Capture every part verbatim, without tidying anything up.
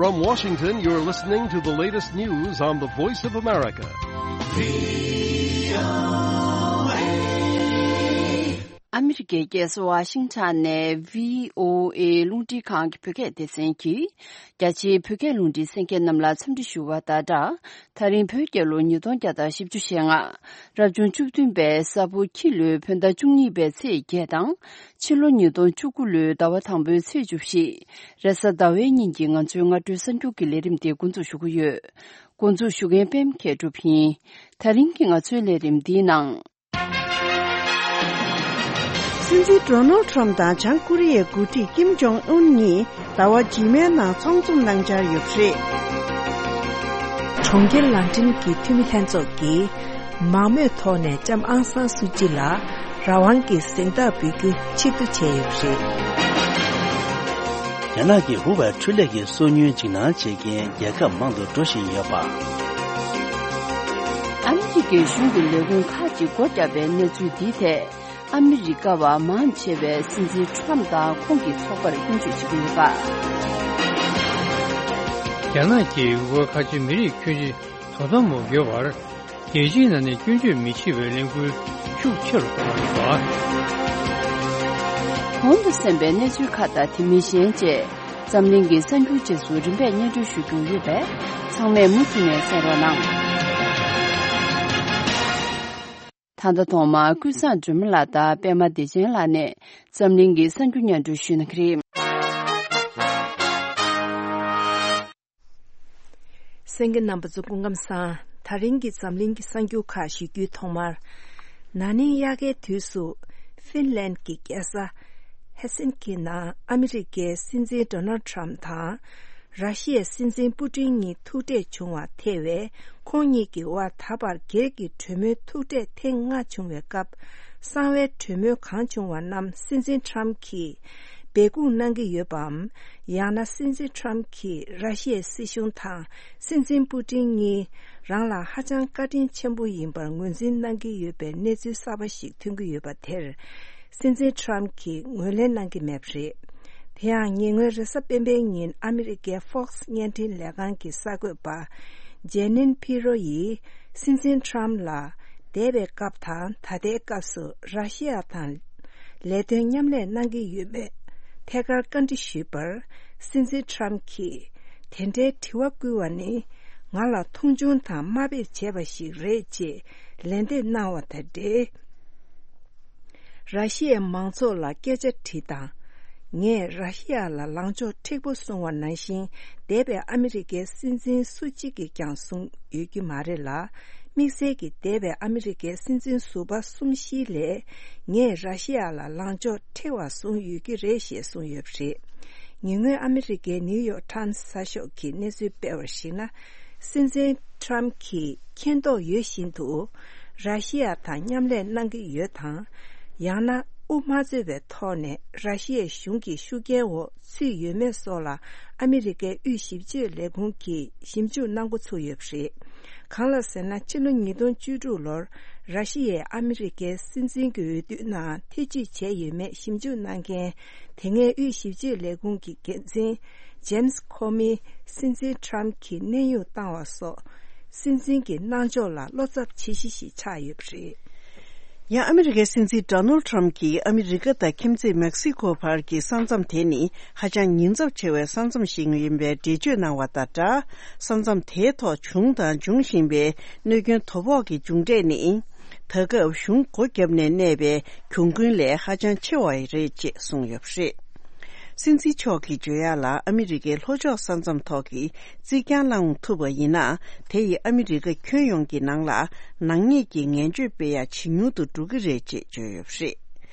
From Washington, you're listening to the latest news on the Voice of America. ཨ་མི་རི་ཀའི་རྒྱལ་ས་ཝ་ཤིང་ཊོན་ནས་བྷི་ཨོ་ཨེ་རླུང་འཕྲིན་ཁང་གི་བོད་སྐད་སྡེ་ཚན་གྱིས། རྒྱ་ཆེའི་བོད་སྐད་རླུང་འཕྲིན་གསན་མཁན་རྣམས་ལ་འཚམས་འདྲི་ཞུ་བ་དང་སྦྲགས། ད་རིང་བོད་རྒྱལ་ལོ་ཉིས་སྟོང་བརྒྱ་དང་བཞི་བཅུ་ཞེ་ལྔ། རབ་བྱུང་བཅུ་བདུན་པའི་ས་ཕོ་ཁྱི་ལོའི་བོད་ཟླ་བཅུ་གཉིས་པའི་ཚེས་བརྒྱད་དང་། ཕྱི་ལོ་ཉིས་སྟོང་བཅུ་དགུ་ལོའི་ཟླ་བ་དང་པོའི་ཚེས་བཅུ་བཞི། རེས་གཟའ་ཟླ་བའི་ཉིན་གྱི་ང་ཚོའི་སྔ་དྲོའི་གསར་འགྱུར་གྱི་ལས་རིམ་དེ་འགོ་འཛུགས་ཞུ་གི་ཡོད། འགོ་འཛུགས་ཞུ་མཁན་པད་མ་མཁས་གྲུབ་ཡིན། ད་རིང་གི་ང་ཚོའི་ལས་རིམ་འདིའི་ནང་། སྲིད་འཛིན་ཌོ་ནལ་ཁྲམ་དང་བྱང་ཀོ་རི་ཡའི་འགོ་ཁྲིད་ཀིམ་ཇོང་ཨུན་གཉིས་ཟླ་བ་རྗེས་མའི་ནང་ཚོགས་འཛོམས་གནང་འཆར་ཡོད་པ་རེད། གྲོང་ཁྱེར་ལན་ཀྲན་གྱི་འཐུས་མི་ལྷན་ཚོགས་ཀྱིས་མང་མོས་ཐོག་ནས་ལྕམ་ཨང་སང་སུ་ཅི་ལ་རང་དབང་གི་གཟེངས་རྟགས་འབུལ་རྒྱུ་ཕྱིར་བསྡུ་བྱས་ཡོད་པ་རེད། རྒྱ་ནག་གི་ཧུ་ཝེ་འཕྲུལ་ལས་ཀྱི་སོ་ཉུལ་འཇིགས་སྣང་བྱེད་མཁན་རྒྱལ་ཁབ་མང་དུ་འགྲོ་བཞིན་ཡོད་པ། ཨ་མི་རི་ཀའི་གཞུང་གི་ལས་ཁུངས་ཁག་ཅིག་སྒོ་བརྒྱབ་པའི་གནས་ཚུལ་འདིའི་ཐད། ཨ་མི་རི་ཀ་བ་མང་ཆེ་བས་སྲིད་འཛིན་ཁྲམ་དང་ཁོང་གི་ཚོགས་པར་སྐྱོན་བརྗོད་བྱེད་ཀྱི་ཡོད་པ། རྒྱ་ནག་གིས་ཝུའུ་ཁ་ཆེ་མི་རིགས་ཁྱོན་ཆེ་དོ་དམ་མ་དགོས་པར། རྒྱལ་སྤྱིའི་ནང་ནས་སྐྱོན་བརྗོད་མི་བྱེད་པའི་ལས་འགུལ་ཤུགས་ཆེ་རུ་གཏོང་བ་རེད་པ། གོང་དུ་གསན་པའི་གནས་ཚུལ་ཁག་དང་དེ་མིན་གཞན་བཅས་འཛམ་གླིང་གི་གསར་འགྱུར་རྗེས་སུ་རིམ་པས་སྙན་སྒྲོན་ཞུ་རྒྱུ་ཡོད་པས་ཚང་མས་མུ་མཐུད་ནས་གསན་རོགས་གནང་། ད་ལྟ་ཐོག་མར་ཀུན་བཟང་སྒྲོལ་མ་ལགས་དང་པད་མ་བདེ་ཆེན་ལགས་ནས་འཛམ་གླིང་གི་གསར་འགྱུར་སྙན་སྒྲོན་ཞུ་གནང་གི་རེད། གསན་མཁན་རྣམ་པ་ཚོ་སྐུ་ཁམས་བཟང་། ད་རིང་གི་འཛམ་གླིང་གི་གསར་འགྱུར་ཁག་ཞུ་རྒྱུའི་ཐོག་མར། ན་ནིང་དབྱར་ཁའི་དུས་སུ་ཧྥིན་ལན་གྱི་རྒྱལ་ས་ཧེལ་སིན་ཀི་ནང་ཨ་མི་རི་ཀའི་སྲིད་འཛིན་ཌོ་ནལ་ཁྲམ་དང་ར་ཤི་ཡའི་སྲིད་འཛིན་པུ་ཏིན་གཉིས་ཐུག་འཕྲད་བྱུང་བ་ཐེ་བའི་ཁོང་གཉིས་ཀྱི་དབར་ད་བར་སྒེར་གྱི་གྲོས་མོལ་ཐུག་འཕྲད་ཐེངས་ལྔ་བྱུང་བའི་སྐབས། གསང་བའི་གྲོས་མོལ་གང་བྱུང་བ་རྣམས་སྲིད་འཛིན་ཁྲམ་གྱིས་སྦས་སྐུང་གནང་གི་ཡོད་པའམ། ཡང་ན་སྲིད་འཛིན་ཁྲམ་གྱིས་ར་ཤི་ཡའི་སྲིད་གཞུང་དང་སྲིད་འཛིན་པུ་ཏིན་གཉིས་རང་ལ་ཧ་ཅང་བཀའ་དྲིན་ཆེན་པོ་ཡིན་པར་ངོས་འཛིན་གནང་གི་ཡོད་པའི་གནས་ཚུལ་གསར་པ་ཞིག་ཐོན་གྱི་ཡོད་པ་དེར། སྲིད་འཛིན་ཁྲམ་གྱིས་ངོས་ལེན་གནང་གི་མེད་པ་རེད། དེ་ཡང་ཉེ་སྔོན་རེས་གཟའ་སྤེན་པའི་ཉིན་ཨ་མི་རི་ཀའི་Fox་བརྙན་འཕྲིན་ལས་ཁང་གི་གསར་འགོད་པ་ཇེ་ནིན་ཕི་རོ་ཡིས་སྲིད་འཛིན་ཁྲམ་ལ་འདས་པའི་སྐབས་དང་ད་ལྟའི་སྐབས་སུ་ར་ཤི་ཡ་དང་ལས་དོན་མཉམ་ལས་གནང་གི་ཡོད་མེད་ཐད་ཀར་བཀའ་འདྲི་ཞུས་པར། སྲིད་འཛིན་ཁྲམ་གྱིས་དེ་འདྲའི་དྲི་བ་བསྐུལ་བ་ནི་ང་ལ་མཐོང་ཆུང་དང་དམའ་འབེབས་བྱས་པ་ཞིག་རེད་ཅེས་ལན་འདེབས་གནང་བ་དང་འབྲེལ། ར་ཤི་ཡའི་མང་ཚོགས་ལ་སྐད་ཆ་དྲིས་དང་། ངས་ར་ཤི་ཡ་ལ་ལངས་ཕྱོགས་མཁྲེགས་པོ་བཟུང་བ་ནང་བཞིན། འདས་པའི་ཨ་མི་རི་ཀའི་སྲིད་འཛིན་སུ་གཅིག་གིས་ཀྱང་བཟུང་ཡོད་ཀྱི་མ་རེད་ལ། དམིགས་བསལ་གྱིས་འདས་པའི་ཨ་མི་རི་ཀའི་སྲིད་འཛིན་ཟུར་པ་གསུམ་བཞིའི་ལས། ངས་ར་ཤི་ཡ་ལ་ལངས་ཕྱོགས་མཁྲེགས་པ་བཟུང་ཡོད་ཀྱི་རེད་ཞེས་གསུངས་ཡོད་པ་རེད། ཉེ་སྔོན་ཨ་མི་རི་ཀའི་ནིའུ་ཡོག་ཊཱན་གསར་ཤོག་གིས་གནས་ཚུལ་སྤེལ་བར་གཞིགས་ན། སྲིད་འཛིན་ཁྲམ་གྱིས་མཁྱེན་རྟོགས་ཡོད་བཞིན་དུ། ར་ཤི་ཡ་དང་མཉམ་ལས་གནང་གི་ཡོད་དང་། ཡང་ན་དབུ་མ་རྩོད་པའི་ཐོག་ནས་ར་ཤི་ཡའི་གཞུང་གི་ཤུགས་རྐྱེན་འོག་ཚུད་ཡོད་མེད་སོགས་ལ་ཨ་མི་རི་ཀའི་དབུས་ཞིབ་དཔྱོད་ལས་ཁུངས་ཀྱིས་ཞིབ་འཇུག་གནང་འགོ་ཚུགས་ཡོད་པ་རེད། གང་ལ་ཟེར་ན། ཕྱི་ལོ་ཉིས་སྟོང་བཅུ་དྲུག་ལོར་ར་ཤི་ཡས་ཨ་མི་རི་ཀའི་སྲིད་འཛིན་གྱི་འོས་བསྡུ་ནང་ཐེ་བྱུས་བྱས་ཡོད་མེད་ཞིབ་འཇུག་གནང་མཁན། དེ་སྔའི་དབུས་ཞིབ་དཔྱོད་ལས་ཁུངས་ཀྱི་འགན་འཛིན་ཇེམ་སི་ཁོ་མིས་སྲིད་འཛིན་ཁྲམ་གྱི་གནས་དབྱུང་བཏང་བ་སོགས། སྲིད་འཛིན་གྱི་གནང་ཕྱོགས་ལ་བློ་འཚབ་བྱེད་གཞི་ཞིག་ཆགས་ཡོད་པ་རེད། ཡང་ཨ་མི་རི་ཀའི་སྲིད་འཛིན་ཌོ་ནལ་ཁྲམ་གྱིས་ཨ་མི་རི་ཀ་དང་ཁྱིམ་མཚེས་མེག་སི་ཀོ་བར་གྱི་ས་མཚམས་དེ་ནི་ཧ་ཅང་ཉེན་ཚབས་ཆེ་བའི་ས་མཚམས་ཤིག་ཡིན་པའི་འགྲེལ་བརྗོད་གནང་བ་དང་སྦྲགས། ས་མཚམས་དེའི་ཐོག་བྱུང་དང་འབྱུང་བཞིན་པའི་གནོད་སྐྱོན་དོ་ཕོག་གི་མཇུག་འབྲས་ནི། ད་སྐབས་གཞུང་སྒོ་བརྒྱབ་ནས་གནས་པའི་གྱོང་གུན་ལས་ཧ་ཅང་ཆེ་བ་རེད་ཅེས་གསུངས་ཡོད་པ་རེད། སྲིད་འཛིན་མཆོག་གིས་བརྗོད་ཡག་ལ། ཨ་མི་རི་ཀའི་ལྷོ་ཕྱོགས་ས་མཚམས་ཐོག་གི་རྩིག་གྱང་བསླང་ཐུབ་པ་ཡིན་ན། དེ་ཡིས་ཨ་མི་རི་ཀ་ཁྱོན་ཡོངས་ཀྱི་ནང་ལ་ནག་ཉེས་ཀྱི་ངན་སྤྱོད་སྤེལ་ཡག་ཇེ་ཉུང་དུ་འགྲོ་གི་རེད་ཅེས་བརྗོད་ཡོད་པ་རེད།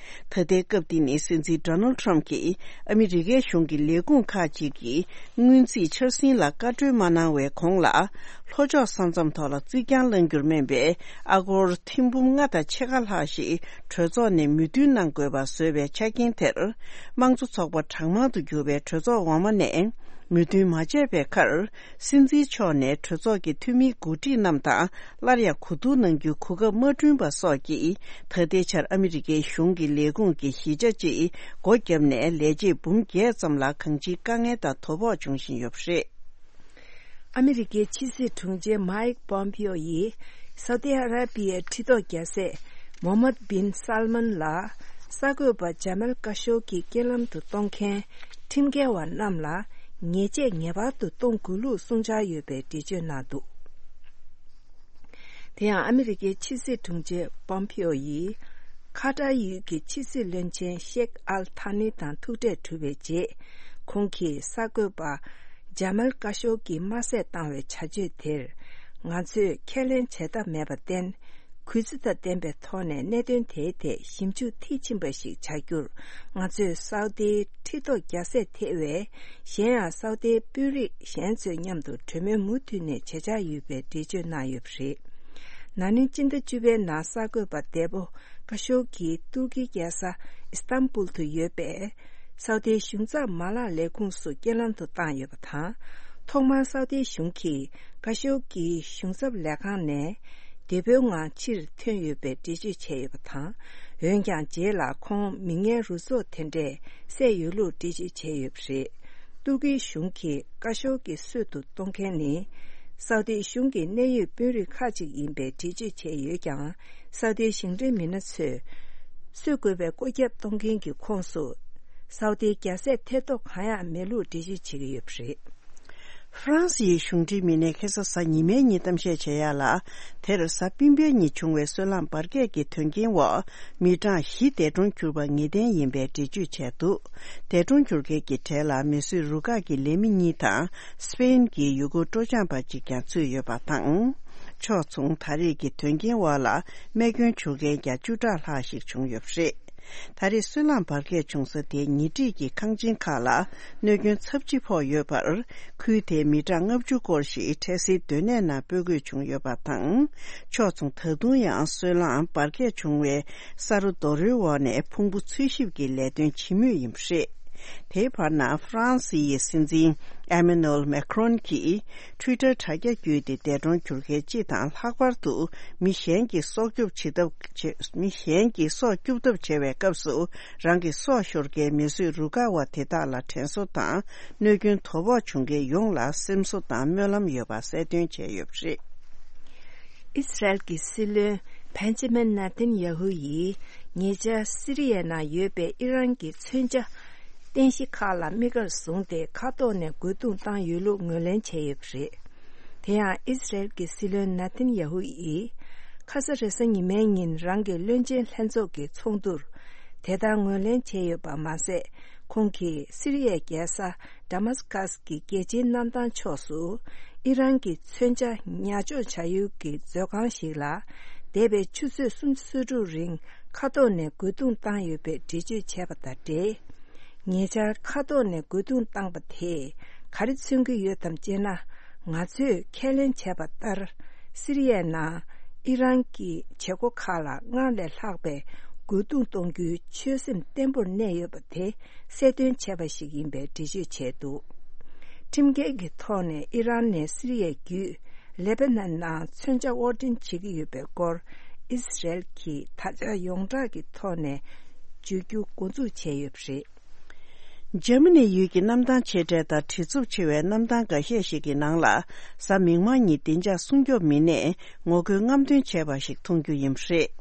ད་ལྟའི་སྐབས་འདི་ནི་སྲིད་འཛིན་ཌོ་ནལ་ཁྲམ་གྱིས་ཨ་མི་རི་ཀའི་གཞུང་གི་ལས་ཁུངས་ཁག་ཅིག་གི་སྔོན་རྩིས་འཆར་ཟིན་ལ་བཀའ་འཁྲོལ་མ་གནང་བའི་གོང་ལ། ལྷོ་ཕྱོགས་ས་མཚམས་ཐོག་ལ་རྩིག་གྱང་བསླང་རྒྱུར་སྨན་པའི་ཨ་སྒོར་ཐེར་འབུམ་ལྔ་དང་ཕྱེད་ཀ་ལྷག་ཞིག་གྲོས་ཚོགས་ནས་མོས་མཐུན་གནང་དགོས་པ་བཟོས་པའི་ཆ་རྐྱེན་དེར། དམངས་གཙོ་ཚོགས་པ་གྲངས་མང་དུ་གྱུར་པའི་གྲོས་ཚོགས་འོག་མ་ནས་མོས་མཐུན་མ་བྱས་པའི་ཁར། སྲིད་འཛིན་མཆོག་ནས་གྲོས་ཚོགས་ཀྱི་འཐུས་མིའི་འགོ་ཁྲིད་རྣམས་དང་སླར་ཡང་གོ་བསྡུར་གནང་རྒྱུའི་གོ་སྐབས་མ་བསྐྲུན་པ་སོགས་ཀྱིས། ད་ལྟའི་ཆར་ཨ་མི་རི་ཀའི་གཞུང་གི་ལས་ཁུངས་ཀྱི་གཞིས་ཆགས་གཅིག་སྒོ་བརྒྱབ་ནས། ལས་བྱེད་འབུམ་བརྒྱད་ཙམ་ལ་གང་ཅིའི་དཀའ་ངལ་དང་དོ་ཕོག་འབྱུང་བཞིན་ཡོད་པ་རེད། ཨ་མི་རི་ཀའི་ཕྱི་སྲིད་དྲུང་ཆེ་མཱིག་པོམ་པིའོ་ཡིས་སའུ་ཏི་ཨ་ར་པི་ཡའི་ཁྲི་ཐོག་རྒྱལ་སྲས་མོ་ཧམ་མད་བིན་སལ་མན་ལ་གསར་འགོད་པ་ཇ་མལ་ཀ་ཤོ་གིས་རྐྱེན་ལམ་དུ་གཏོང་མཁན་ཁྲིམས་འགལ་བ་རྣམས་ལ་ཉེས་ཆད་ངེས་པར་དུ་གཏོང་དགོས་ལུགས་གསུངས་འཆར་ཡོད་པའི་འགྲེལ་བརྗོད་གནང་འདུག་དེ་ཡང་ཨ་མི་རི་ཀའི་ཕྱི་སྲིད་དྲུང་ཆེ་པོམ་པིའོ་ཡིས་ཁ་ཏར་ཡུལ་གྱི་ཕྱི་སྲིད་བློན་ཆེན་ཤེག་ཨལ་ཐ་ནི་དང་ཐུག་འཕྲད་གྲུབ་པའི་རྗེས། ཁོང་གིས་གསར་འགོད་པ་ཇ་མལ་ཀ་ཤོ་གིས་དམར་གསོད་བཏང་བའི་བྱ་སྤྱོད་དེར་ང་ཚོས་ཁས་ལེན་བྱེད་ཐབས་མེད་པར་བརྟེན། གུས་བརྩི་དང་ལྡན་པའི་ཐོག་ནས་གནད་དོན་དེའི་ཐད་ཞིབ་འཇུག་མཐིལ་ཕྱིན་པ་ཞིག་བྱ་རྒྱུར། ང་ཚོས་སའུ་ཏིའི་ཁྲི་ཐོག་རྒྱལ་སྲས་ཐེ་བའི་གཞན་ཡང་སའུ་ཏིའི་དཔོན་རིགས་གཞན་ཚོའི་མཉམ་དུ་གྲོས་མོལ་མུ་མཐུད་ནས་བྱེད་འཆར་ཡོད་པའི་འགྲེལ་བརྗོད་གནང་ཡོད་པ་རེད། ན་ནིང་སྤྱི་ཟླ་བཅུ་པའི་ནང་གསར་འགོད་པ་འདས་པོ་ཀ་ཤོག་གིས་ཏུར་ཀིའི་རྒྱལ་ས་ཨི་སྟན་བུལ་དུ་ཡོད་པའི་སའུ་ཏིའི་གཞུང་ཚབ་མ་ལག་ལས་ཁུངས་སུ་རྐྱེན་ལམ་དུ་བཏང་ཡོད་པ་དང་། ཐོག་མར་སའུ་ཏིའི་གཞུང་གིས་ཀ་ཤོག་གི་གཞུང་ཚབ་ལས་ཁང་ནས་བདེ་པོའི་ངང་ཕྱིར་ཐོན་ཡོད་པའི་འགྲེལ་བརྗོད་བྱས་ཡོད་པ་དང་། འོན་ཀྱང་རྗེས་ལ་ཁོང་མི་ངན་རུ་ཚོགས་དེ་འདྲས་བསད་ཡོད་ལུགས་འགྲེལ་བརྗོད་བྱས་ཡོད་པ་རེད། ཏུར་ཀིའི་གཞུང་གིས་ཀ་ཤོག་གི་གསོད་དུ་གཏོང་མཁན་ནི་སའུ་ཏིའི་གཞུང་གི་གནད་ཡོད་དཔོན་རིགས་ཁག་ཅིག་ཡིན་པའི་འགྲེལ་བརྗོད་བྱས་ཡོད་ཀྱང་། སའུ་ཏིའི་ཞིང་བྲན་མི་སྣ་ཚོས་གསོད་དགོས་པའི་བཀོད་ཁྱབ་གཏོང་མཁན་གྱི་ཁོངས་སུ་སའུ་ཏིའི་རྒྱལ་སྲས་ཐེ་གཏོགས་གང་ཡང་མེད་ལུགས་འགྲེལ་བརྗོད་བྱེད་ཀྱི་ཡོད་པ་རེད། ཧྥ་རན་སིའི་གཞུང་འབྲེལ་མི་སྣས་ཁ་སང་གཟའ་ཉི་མའི་ཉིན་གཏམ་བཤད་བྱེད་ཡག་ལ། དེར་གཟའ་སྤེན་པའི་ཉིན་བྱུང་བའི་སོལ་རླངས་འབར་གས་ཀྱི་དོན་རྐྱེན་འོག་མི་གྲངས་བཞི་འདས་གྲོངས་གྱུར་པ་ངེས་གཏན་ཡིན་པའི་འགྲེལ་བརྗོད་བྱས་འདུག་འདས་གྲོངས་གྱུར་མཁན་གྱི་གྲས་ལ་མི་བཟོས་རུ་ཁག་གི་ལས་མི་གཉིས་དང་སྤེན་གྱི་ཡུལ་སྐོར་སྤྲོ་འཆམ་པ་གཅིག་ཀྱང་ཚུད་ཡོད་པ་དང་། ཕྱོགས་མཚུངས་ད་རེས་ཀྱི་དོན་རྐྱེན་འོག་ལ་རྨས་སྐྱོན་བྱུང་མཁན་ཀྱང་བཅུ་ཕྲག་ལྷག་ཞིག་བྱུང་ཡོད་པ་རེད། ད་རེས་སོལ་རླངས་འབར་གས་བྱུང་ས་དེའི་ཉེ་འཁྲིས་ཀྱི་ཁང་ཆེན་ཁག་ལ་གནོད་སྐྱོན་ཚབས་ཆེ་ཕོག་ཡོད་པར། ཁུལ་དེའི་མི་གྲངས་ལྔ་བཅུ་སྐོར་ཞིག་འཕྲལ་སེལ་སྡོད་གནས་ནང་སྤོ་དགོས་བྱུང་ཡོད་པ་དང་། ཕྱོགས་མཚུངས་ད་དུང་ཡང་སོལ་རླངས་འབར་གས་བྱུང་བའི་ས་རོ་རྡོ་རོལ་འོག་ནས་ཕུང་པོ་འཚོལ་ཞིབ་ཀྱི་ལས་དོན་བྱེད་མུས་ཡིན་པ་རེད། དེའི་བར་ན་ཧྥ་རན་སི་ཡི་སྲིད་འཛིན་ཨེ་མེ་ནུ་ཨེལ་མེ་ཁ་རོན་གྱིས། ཊུའི་ཊར་དྲ་རྒྱ་བརྒྱུད་དེ་འདས་གྲོངས་གྱུར་མཁན་སྤྱི་དང་། ལྷག་པར་དུ་མི་གཞན་གྱིས་སྲོག་སྐྱོབ་བྱེད་ཐབས་བྱེད། མི་གཞན་གྱིས་སྲོག་སྐྱོབ་ཐབས་བྱེད་པའི་སྐབས་སུ། རང་གི་སྲོག་ཤོར་མཁན་མི་བཟོས་རུ་ཁག་པ་དེ་དག་ལ་དྲན་གསོ་དང་། གནོད་སྐྱོན་དོ་ཕོག་བྱུང་མཁན་ཡོངས་ལ་སེམས་གསོ་དང་སྨོན་ལམ་ཡོད་པ་གསལ་སྟོན་བྱས་ཡོད་པ་རེད། ཨི་སི་རལ་གྱི་སྲིད་བློན་བྷན་ཇི་མིན་ནེ་ཐན་ཡ་ཧུ་ཡིས་ཉེ་ཆར་སི་རི་ཡའི་ནང་ཡོད་པའི་ཨི་རན་གྱི་མཚོན་ཆ་རྟེན་གཞི་ཁག་ལ་དམིགས་བཀར་བཟུང་སྟེ་མཁའ་ཐོག་ནས་རྒོལ་རྡུང་བཏང་ཡོད་ལུགས་ངོས་ལེན་བྱས་ཡོད་པ་རེད། དེ་ཡང་ཨི་སི་རལ་གྱི་སྲིད་བློན་ནེ་ཐན་ཡ་ཧུ་ཡིས་ཁ་ས་རེས་གཟའ་ཉི་མའི་ཉིན་རང་གི་བློན་ཆེན་ལྷན་ཚོགས་ཀྱི་ཚོགས་འདུར་དེ་ལྟར་ངོས་ལེན་བྱས་ཡོད་པ་མ་ཟད། ཁོང་གིས་སི་རི་ཡའི་རྒྱལ་ས་ཌ་མཱ་སི་ཀཱས་ཀྱི་རྒྱལ་སྤྱིའི་གནམ་ཐང་ཕྱོགས་སུ་ཨི་རན་གྱི་མཚོན་ཆ་ཉར་འཇོག་བྱ་ཡུལ་གྱི་མཛོད་ཁང་ཞིག་ལ་འདས་པའི་ཆུ་ཚོད་སུམ་ཅུ་སོ་དྲུག་རིང་མཁའ་ཐོག་ནས་རྒོལ་རྡུང་བཏང་ཡོད་པའི་འགྲེལ་བརྗོད་བྱས་པ་དང་འབྲེལ། ཉེ་ཆར་མཁའ་ཐོག་ནས་རྒོལ་རྡུང་བཏང་པ་དེས་ག་རེ་མཚོན་གྱི་ཡོད་དམ་ཅེ་ན། ང་ཚོས་ཁས་ལེན་བྱས་པ་ལྟར། སི་རི་ཡའི་ནང་ཨི་རན་གྱི་བྱེད་སྒོ་ཁག་ལ་སྔར་ལས་ལྷག་པའི་རྒོལ་རྡུང་གཏོང་རྒྱུའི་ཆོད་སེམས་བརྟན་པོར་གནས་ཡོད་པ་དེ་གསལ་སྟོན་བྱས་པ་ཞིག་ཡིན་པའི་འགྲེལ་བརྗོད་བྱས་འདུག་ཁྲིམས་འགལ་གྱི་ཐོག་ནས་ཨི་རན་ནས་སི་རི་ཡ་བརྒྱུད་ལེ་པ་ནན་ནང་མཚོན་ཆ་དབོར་འདྲེན་བྱེད་ཀྱི་ཡོད་པའི་སྐོར་ཨི་སི་རལ་གྱིས་ད་ཆ་ཡོངས་གྲགས་ཀྱི་ཐོག་ནས་བརྗོད་རྒྱུ་འགོ་འཛུགས་བྱས་ཡོད་པ་རེད། འཇར་མ་ནི་ཡུལ་གྱི་གནམ་ཐང་ཆེ་གྲས་དང་བྲེལ་འཚུབ་ཆེ་བའི་གནམ་ཐང་འགའ་ཤས་ཤིག་གི་ནང་ལ་གཟའ་མིག་དམར་ཉིན་བདེ་འཇགས་སྲུང་སྐྱོབ་མི་སྣས་ངོ་རྒོལ་རྔམ་སྟོན་བྱས་པ་ཞིག་མཐོང་རྒྱུ་ཡིན་པ་རེད།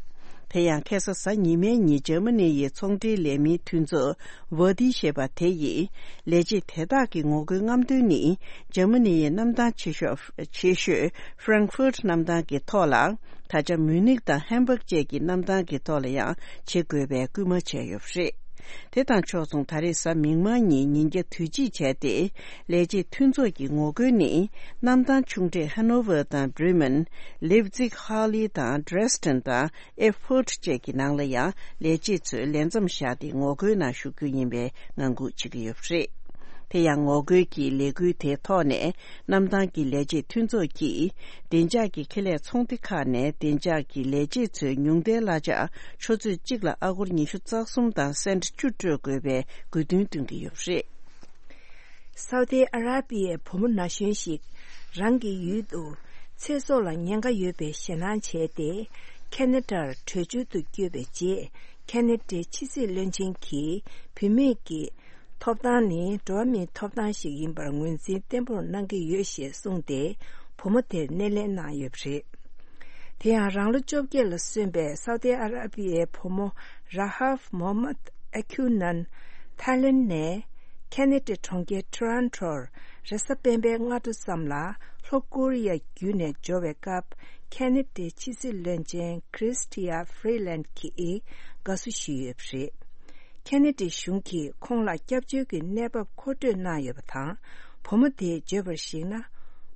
དེ་ཡང་ཁ་སང་གཟའ་ཉི་མའི་ཉིན་འཇར་མ་ནི་ཡི་ཚོང་འབྲེལ་ལས་མིའི་མཐུན་ཚོགས་ཝར་ཌི་ཞེས་པ་དེ་ཡིས་ལས་བྱེད་དེ་དག་གི་ངོ་རྒོལ་རྔམ་སྟོན་ནི་འཇར་མ་ནི་ཡི་གནམ་ཐང་ཆེ་ཤོས་ཆེ་ཤོས་ཧྥ་རེང་ཧྥུར་གནམ་ཐང་གི་ཐོག་ལ། ད་ཆ་མུ་ནིག་དང་ཧམ་བྷག་བཅས་ཀྱི་གནམ་ཐང་གི་ཐོག་ལ་ཡང་བྱེད་དགོས་པའི་སྐུལ་མ་བྱས་ཡོད་པ་རེད། དེ་དང་ཕྱོགས་མཚུངས་ད་རེས་གཟའ་མིག་དམར་ཉིན་ཉིན་རྒྱབ་དུས་ཆེན་བྱས་ཏེ། ལས་བྱེད་མཐུན་ཚོགས་ཀྱི་ངོ་རྒོལ་ནི་གནམ་ཐང་ཆུང་གྲས་ཧ་ནོ་ཝར་དང་བྷི་རི་མན། ལེབ་ཛིག་ཧར་ལི་དང་ཌྲེ་སི་ཌེན་དང་ཨེ་ཕུར་ཊི་བཅས་ཀྱི་ནང་ལ་ཡང་ལས་བྱེད་ཚོས་ལས་མཚམས་བཞག་སྟེ་ངོ་རྒོལ་ནང་ཞུགས་རྒྱུ་ཡིན་པའི་ངང་སྒུག་བྱེད་ཀྱི་ཡོད་པ་རེད། དེ་ཡང་ངོ་རྒོལ་གྱི་ལས་འགུལ་དེའི་ཐོག་ནས། གནམ་ཐང་གི་ལས་བྱེད་མཐུན་ཚོགས་ཀྱིས་བདེ་འཇགས་ཀྱི་ཁེ་ལས་ཚོང་སྡེ་ཁག་ནས་བདེ་འཇགས་ཀྱི་ལས་བྱེད་ཚོའི་ཉུང་མཐའི་གླ་ཆ་ཆུ་ཚོད་གཅིག་ལ་ཨ་སྒོར་ཉི་ཤུ་རྩ་གསུམ་དང་སེན་ཊི་བཅུ་སྤྲོད་དགོས་པའི་དགོས་འདུན་བཏོན་གྱི་ཡོད་པ་རེད། སའུ་ཏི་ཨ་ར་པི་ཡའི་བུ་མོ་ན་གཞོན་ཞིག་རང་གི་ཡུལ་དུ་ཚེ་སྲོག་ལ་ཉེན་ཁ་ཡོད་པའི་ཞེད་སྣང་བྱས་ཏེ། ཁེ་ན་ཌར་བྲོས་བྱོལ་དུ་བསྐྱོད་པའི་རྗེས། ཁེ་ན་ཌའི་ཕྱི་སྲིད་བློན་ཆེན་གྱིས་བུད་མེད་ཀྱི་ ཐོབ་ཐང་ནི་འགྲོ་བ་མིའི་ཐོབ་ཐང་ཞིག་ཡིན་པར་ངོས་འཛིན་བརྟན་པོར་གནང་གི་ཡོད་ཞེས་གསུངས་ཏེ། བུ་མོ་དེར་སྣེ་ལེན་གནང་ཡོད་པ་རེད། དེ་ཡང་རང་ལོ་བཅོ་བརྒྱད་ལ་སོན་པའི་སའུ་ཏི་ཨ་ར་པི་ཡའི་བུ་མོ་ར་ཧབ་མོ་མད་ཨ་ཁྱུ་ནན། ཐའི་ལེན་ནས་ཁེ་ནེ་ཌའི་གྲོང་ཁྱེར་ཊོ་རོན་ཊོར་རེས་གཟའ་སྤེན་པའི་སྔ་དྲོ་ཙམ་ལ་ལྷོ་ཀོ་རི་ཡ་བརྒྱུད་ནས་འབྱོར་བའི་སྐབས། ཁེ་ནེ་ཌའི་ཕྱི་སྲིད་བློན་ཆེན་ཁྲིས་ཊི་ཡ་ཧྥི་རི་ལན་གྱིས་དགའ་བསུ་ཞུས་ཡོད་པ་རེད། ཁེ་ནེ་ཌི་གཞུང་གིས་ཁོང་ལ་སྐྱབས་བཅོལ་གྱི་གནས་བབ་མཁོ་སྤྲོད་གནང་ཡོད་པ་དང་། བུ་མོ་དེས་བརྗོད་པར་གཞིགས་ན།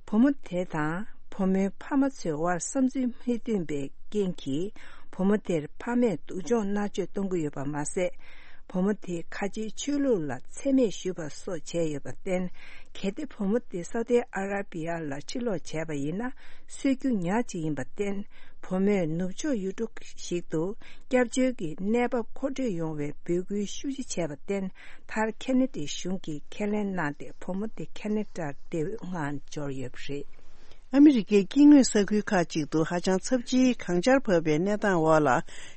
བུ་མོ་དེ་དང་བུ་མོའི་ཕ་མ་ཚོའི་དབར་བསམ་ཚུལ་མི་མཐུན་པའི་རྐྱེན་གྱིས། བུ་མོ་དེར་ཕ་མས་སྡུག་སྦྱོང་མནར་གཅོད་གཏོང་གི་ཡོད་པ་མ་ཟད། བུ་མོ་དེས་ཁ་ཆེའི་ཆོས་ལུགས་ལ་མཚན་སྨད་ཞུས་པ་སོགས་བྱས་ཡོད་པར་བརྟེན། གལ་ཏེ་བུ་མོ་དེ་སའུ་ཏི་ཨ་ར་པི་ཡ་ལ་ཕྱིར་ལོག་བྱས་པ་ཡིན་ན། གསོད་རྒྱུ་ཉག་གཅིག་ཡིན་པར་བརྟེན། བུ་མོས་ནུབ་ཕྱོགས་ཡུལ་གྲུ་ཞིག་ཏུ་སྐྱབས་བཅོལ་གྱི་གནས་བབ་མཁོ་སྤྲོད་ཡོང་བའི་འབོད་སྐུལ་ཤུགས་ཆེ་བྱས་པར་བརྟེན། མཐར་ཁེ་ནེ་ཌི་གཞུང་གིས་ཁས་ལེན་གནང་སྟེ། བུ་མོ་དེ་ཁེ་ནེ་ཌར་བདེ་པོའི་ངང་འབྱོར་ཡོད་པ་རེད། ཨ་མི་རི་ཀའི་སྐྱེ་དངོས་ས་ཁུལ་ཁག་ཅིག་ཏུ་ཧ་ཅང་ཚབས་ཆེའི་གངས་ཆར་བབས་པའི་གནས་སྟངས་འོག་ལ།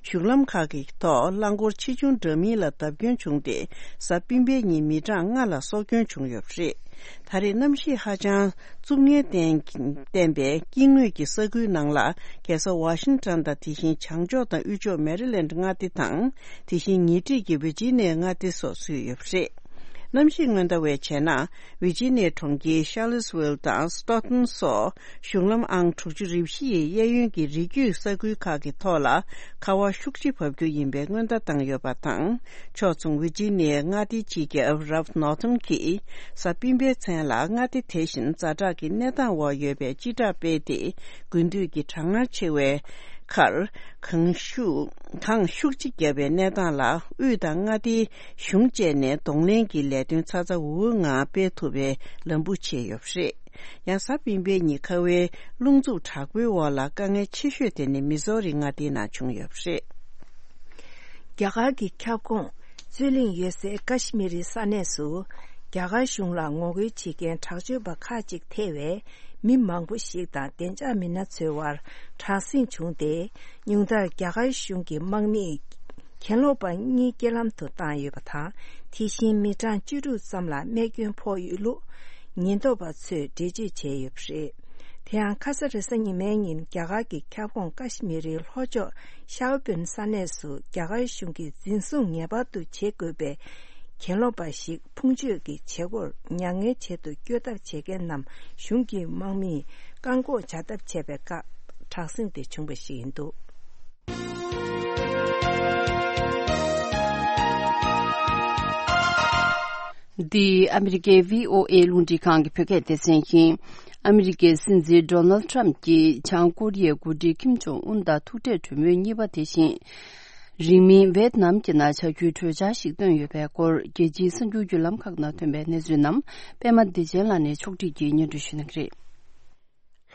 གཞུང་ལམ་ཁག་གི་ཐོག་རླངས་འཁོར་ཆེ་ཆུང་འདྲ་མིན་ལ་བརྡབ་སྐྱོན་བྱུང་སྟེ། གཟའ་སྤེན་པའི་ཉིན་མི་གྲངས་ལྔ་ལ་སྲོག་སྐྱོན་བྱུང་ཡོད་པ་རེད། ད་རེས་གནམ་གཤིས་ཧ་ཅང་རྩུབ་ངལ་བརྟེན་བརྟེན་པའི་སྐྱེ་དངོས་ཀྱི་ས་ཁུལ་ནང་ལ། རྒྱལ་ས་ཝ་ཤིང་ཊོན་དང་། དེ་བཞིན་བྱང་ཕྱོགས་དང་དབུས་ཕྱོགས་མེ་རི་ལེན་ཌི་མངའ་སྡེ་དང་། དེ་བཞིན་ཉེ་འཁྲིས་ཀྱི་ཝི་ཇི་ནི་ཡ་མངའ་སྡེ་སོགས་ཚུད་ཡོད་པ་རེད། གནམ་གཤིས་སྔོན་བརྡ་བས་བྱས་ན། ཝི་ཇི་ནི་ཡའི་གྲོང་ཁྱེར་ཤར་ལི་སི་ཝིལ་དང་སི་ཊོག་ཧོམ་སོགས་གཞུང་ལམ་ཨང་དྲུག་ཅུ་རེ་བཞི་ཡི་གཡས་གཡོན་གྱི་རི་རྒྱུད་ས་ཁུལ་ཁག་གི་ཐོག་ལ་ཁ་བ་ཤུགས་ཆེ་བབས་རྒྱུ་ཡིན་པའི་སྔོན་བརྡ་བཏང་ཡོད་པ་དང་། ཕྱོགས་མཚུངས་ཝི་ཇི་ནི་ཡའི་མངའ་སྡེའི་སྤྱི་ཁྱབ་རལཕ་ནོར་ཐོན་གྱིས་གཟའ་སྤེན་པའི་མཚན་ལ་མངའ་སྡེ་དེ་བཞིན་ཛ་དྲག་གི་གནས་སྟངས་འོག་ཡོད་པའི་སྤྱི་བསྒྲགས་སྤེལ་ཏེ། དགུན་དུས་ཀྱི་གྲང་ངར་ཆེ་བའི་ཁར། གངས་ཤུགས་གངས་ཤུགས་ཆེ་བརྒྱབ་པའི་གནས་སྟངས་ལ། དབུས་དང་མངའ་སྡེའི་གཞུང་བཅས་ནས་གདོང་ལེན་གྱི་ལས་དོན་ཚ་ཚ་འུར་འུར་ངང་སྤེལ་ཐུབ་པའི་ལམ་འབུ་ཕྱེ་ཡོད་པ་རེད། ཡང་གཟའ་སྤེན་པའི་ཉིན་ཁ་བའི་རླུང་འཚུབ་དྲག་པོའི་འོག་ལ་དཀའ་ངལ་ཆེ་ཤོས་དེ་ནི་མི་ཟོ་རི་མངའ་སྡེའི་ནང་བྱུང་ཡོད་པ་རེད། རྒྱ་གར་གྱི་ཁྱབ་ཁོངས་རྩོད་གླེང་ཡོད་སའི་ཀ་ཤི་མི་རི་ས་གནས་སུ། རྒྱ་གར་གཞུང་ལ་ངོ་རྒོལ་བྱེད་མཁན་དྲག་སྤྱོད་པ་ཁག་ཅིག་ཐེ་བའི་མི་མང་པོ་ཞིག་དང་བདེ་འཇགས་མི་སྣ་ཚོའི་དབར་དྲག་ཟིང་བྱུང་སྟེ། ཉུང་མཐར་རྒྱ་གར་གཞུང་གི་དམག་མིས་གྱེན་ལོག་པ་གཉིས་རྐྱེན་ལམ་དུ་བཏང་ཡོད་པ་དང་། དེ་བཞིན་མི་གྲངས་བཅུ་དྲུག་ཙམ་ལ་རྨས་སྐྱོན་ཕོག་ཡོད་ལུགས་ཉེན་རྟོག་པ་ཚོས་འགྲེལ་བརྗོད་བྱས་ཡོད་པ་རེད། དེ་ཡང་ཁ་ས་རེས་གཟའ་ཉི་མའི་ཉིན་རྒྱ་གར་གྱི་ཁྱབ་ཁོངས་ཀ་ཤི་མི་རིའི་ལྷོ་ཕྱོགས་ཤའོ་པུན་ས་གནས་སུ་རྒྱ་གར་གཞུང་གིས་འཛིན་བཟུང་ངེས་པར་དུ་བྱེད་དགོས་པའི་གྱེན་ལོག་པ་ཞིག་ཕུང་མཆོད་ཀྱི་བྱེད་སྒོར་མྱ་ངན་བྱེད་དུ་བསྐྱོད་ཐབས་བྱེད་མཁན་རྣམས་གཞུང་གི་དམག་མིས་བཀག་འགོག་བྱ་ཐབས་བྱས་པའི་སྐབས་དྲག་ཟིང་དེ་བྱུང་བ་ཞིག་ཡིན་འདུག། འདི་ཨ་མི་རི་ཀའི་བྷི་ཨོ་ཨེ་རླུང་འཕྲིན་ཁང་གི་བོད་སྐད་སྡེ་ཚན་ཡིན། ཨ་མི་རི་ཀའི་སྲིད་འཛིན་ཌོ་ནལ་ཊམ་གྱིས་བྱང་ཀོ་རི་ཡའི་འགོ་ཁྲིད་ཀིམ་ཇོང་ཨུན་དང་ཐུག་འཕྲད་གྲོས་མོལ་གཉིས་པ་དེ་བཞིན། རིང་མིན་ཝེད་ནམ་གྱི་ནང་བྱ་རྒྱུའི་གྲོས་འཆར་ཞིག་བཏོན་ཡོད་པའི་སྐོར། རྒྱལ་སྤྱིའི་གསར་འགྱུར་བརྒྱུད་ལམ་ཁག་ནང་ཐོན་པའི་གནས་ཚུལ་རྣམས་པད་མ་བདེ་ཆེན་ལགས་ནས་ཕྱོགས་སྒྲིག་གིས་སྙན་སྒྲོན་ཞུ་གནང་གི་རེད།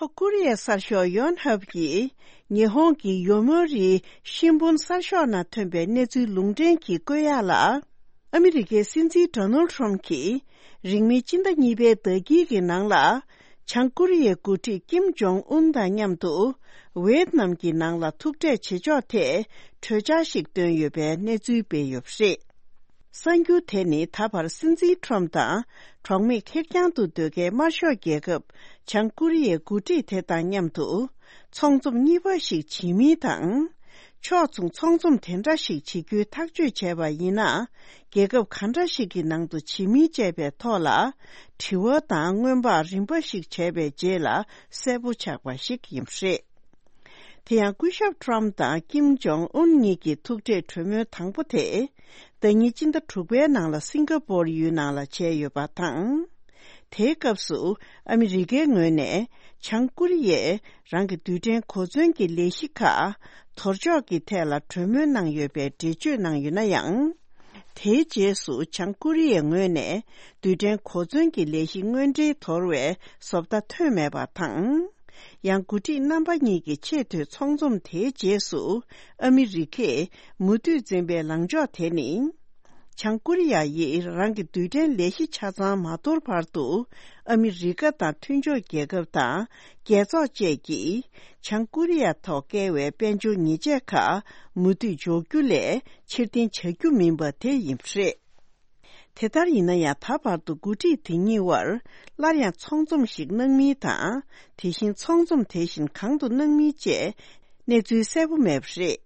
ལྷོ་ཀོ་རི་ཡའི་གསར་ཤོག་ཡོན་ཧབ་ཀྱིས་ཉི་ཧོང་གི་ཡོ་མོ་རི་ཤིན་བུན་གསར་ཤོག་ནང་ཐོན་པའི་གནས་ཚུལ་ལུང་འདྲེན་གྱིས་བཀོད་ཡག་ལ། ཨ་མི་རི་ཀའི་སྲིད་འཛིན་ཌོ་ནལ་ཊམ་གྱིས་རིང་མིན་སྤྱི་ཟླ་གཉིས་པའི་ཟླ་དཀྱིལ་གྱི་ནང་ལ། བྱང་ཀོ་རི་ཡའི་འགོ་ཁྲིད་ཀིམ་ཇོང་ཨུན་དང་མཉམ་དུ་ཝེད་ནམ་གྱི་ནང་ལ་ཐུག་འཕྲད་བྱེད་ཕྱོགས་ཐད་གྲོས་འཆར་ཞིག་བཏོན་ཡོད་པའི་གནས་ཚུལ་སྤེལ་ཡོད་པ་རེད། གསར་འགྱུར་དེ་ནི་ད་བར་སྲིད་འཛིན་ཊམ་དང་གྲོགས་མེད་ཁེར་རྐྱང་དུ་སྡོད་མཁན་དམར་ཤོག་རྒྱལ་ཁབ་བྱང་ཀོ་རི་ཡའི་འགོ་ཁྲིད་དེ་དང་མཉམ་དུ་ཚོང་འཛོམས་གཉིས་པ་ཞིག་བྱེད་མིན་དང་། ཕྱོགས་མཚུངས་ཚོང་འཛོམས་དེ་འདྲ་ཞིག་བྱེད་རྒྱུའི་ཐག་གཅོད་བྱས་པ་ཡིན་ན། རྒྱལ་ཁབ་ག་འདྲ་ཞིག་གི་ནང་དུ་བྱེད་མིན་བཅས་པའི་ཐོག་ལ། དྲི་བ་དང་སྔོན་དཔག་རིམ་པ་ཞིག་བྱས་པའི་རྗེས་ལ་གསལ་པོ་ཆགས་པ་ཞིག་ཡིན་པ་རེད། དེ་ཡང་སྐུ་ཞབས་ཊམ་དང་ཀིམ་ཇོང་ཨུན་གཉིས་ཀྱི་ཐུག་འཕྲད་གྲོས་མོལ་དང་པོ་དེ། ཟླ་ཉིན་སྤྱི་ཟླ་དྲུག་པའི་ནང་ལ་སིང་ག་པོར་ཡུལ་ནང་ལ་བྱས་ཡོད་པ་དང་། དེའི་སྐབས་སུ་ཨ་མི་རི་ཀའི་ངོས་ནས་བྱང་ཀོ་རི་ཡས་རང་གི་རྡུལ་ཕྲན་གོ་མཚོན་གྱི་ལས་གཞི་ཁག་དོར་འཇོག་གི་ཐད་ལ་གྲོས་མོལ་གནང་ཡོད་པའི་འགྲེལ་བརྗོད་གནང་ཡོད་ན་ཡང་། དེའི་རྗེས་སུ་བྱང་ཀོ་རི་ཡའི་ངོས་ནས་རྡུལ་ཕྲན་གོ་མཚོན་གྱི་ལས་གཞི་དངོས་འབྲེལ་དོར་བའི་བཟོ་ལྟ་ཐོན་མེད་པ་དང་། ཡང་འགོ་ཁྲིད་རྣམ་པ་གཉིས་ཀྱི་ཆེས་མཐོའི་ཚོགས་འཛོམས་དེའི་རྗེས་སུ་ཨ་མི་རི་ཀས་མུ་མཐུད་འཛིན་པའི་ལངས་ཕྱོགས་དེ་ནི། བྱང་ཀོ་རི་ཡ་ཡིས་རང་གི་རྡུལ་ཕྲན་ལས་གཞི་ཆ་ཚང་མ་དོར་བར་དུ། ཨ་མི་རི་ཀ་དང་མཐུན་ཕྱོགས་རྒྱལ་ཁབ་དང་རྒྱལ་ཚོགས་བཅས་ཀྱིས་བྱང་ཀོ་རི་ཡ་ཐོག་བཀལ་བའི་དཔལ་འབྱོར་ཉེས་ཆད་ཁག་མུ་མཐུད་འཇོག་རྒྱུ་ལས་ཕྱིར་འཐེན་བྱ་རྒྱུ་མིན་པ་དེ་ཡིན་པ་རེད། དེ་ལྟར་ཡིན་ན་ཡང་། ད་བར་དུ་འགོ་ཁྲིད་དེ་གཉིས་དབར་སླར་ཡང་ཚོང་འཛོམས་ཤིག་གནང་མིན་དང་། དེ་བཞིན་ཚོང་འཛོམས་དེ་བཞིན་གང་དུ་གནང་མིན་བཅས་གནས་ཚུལ་གསལ་པོ་མེད་པ་རེད།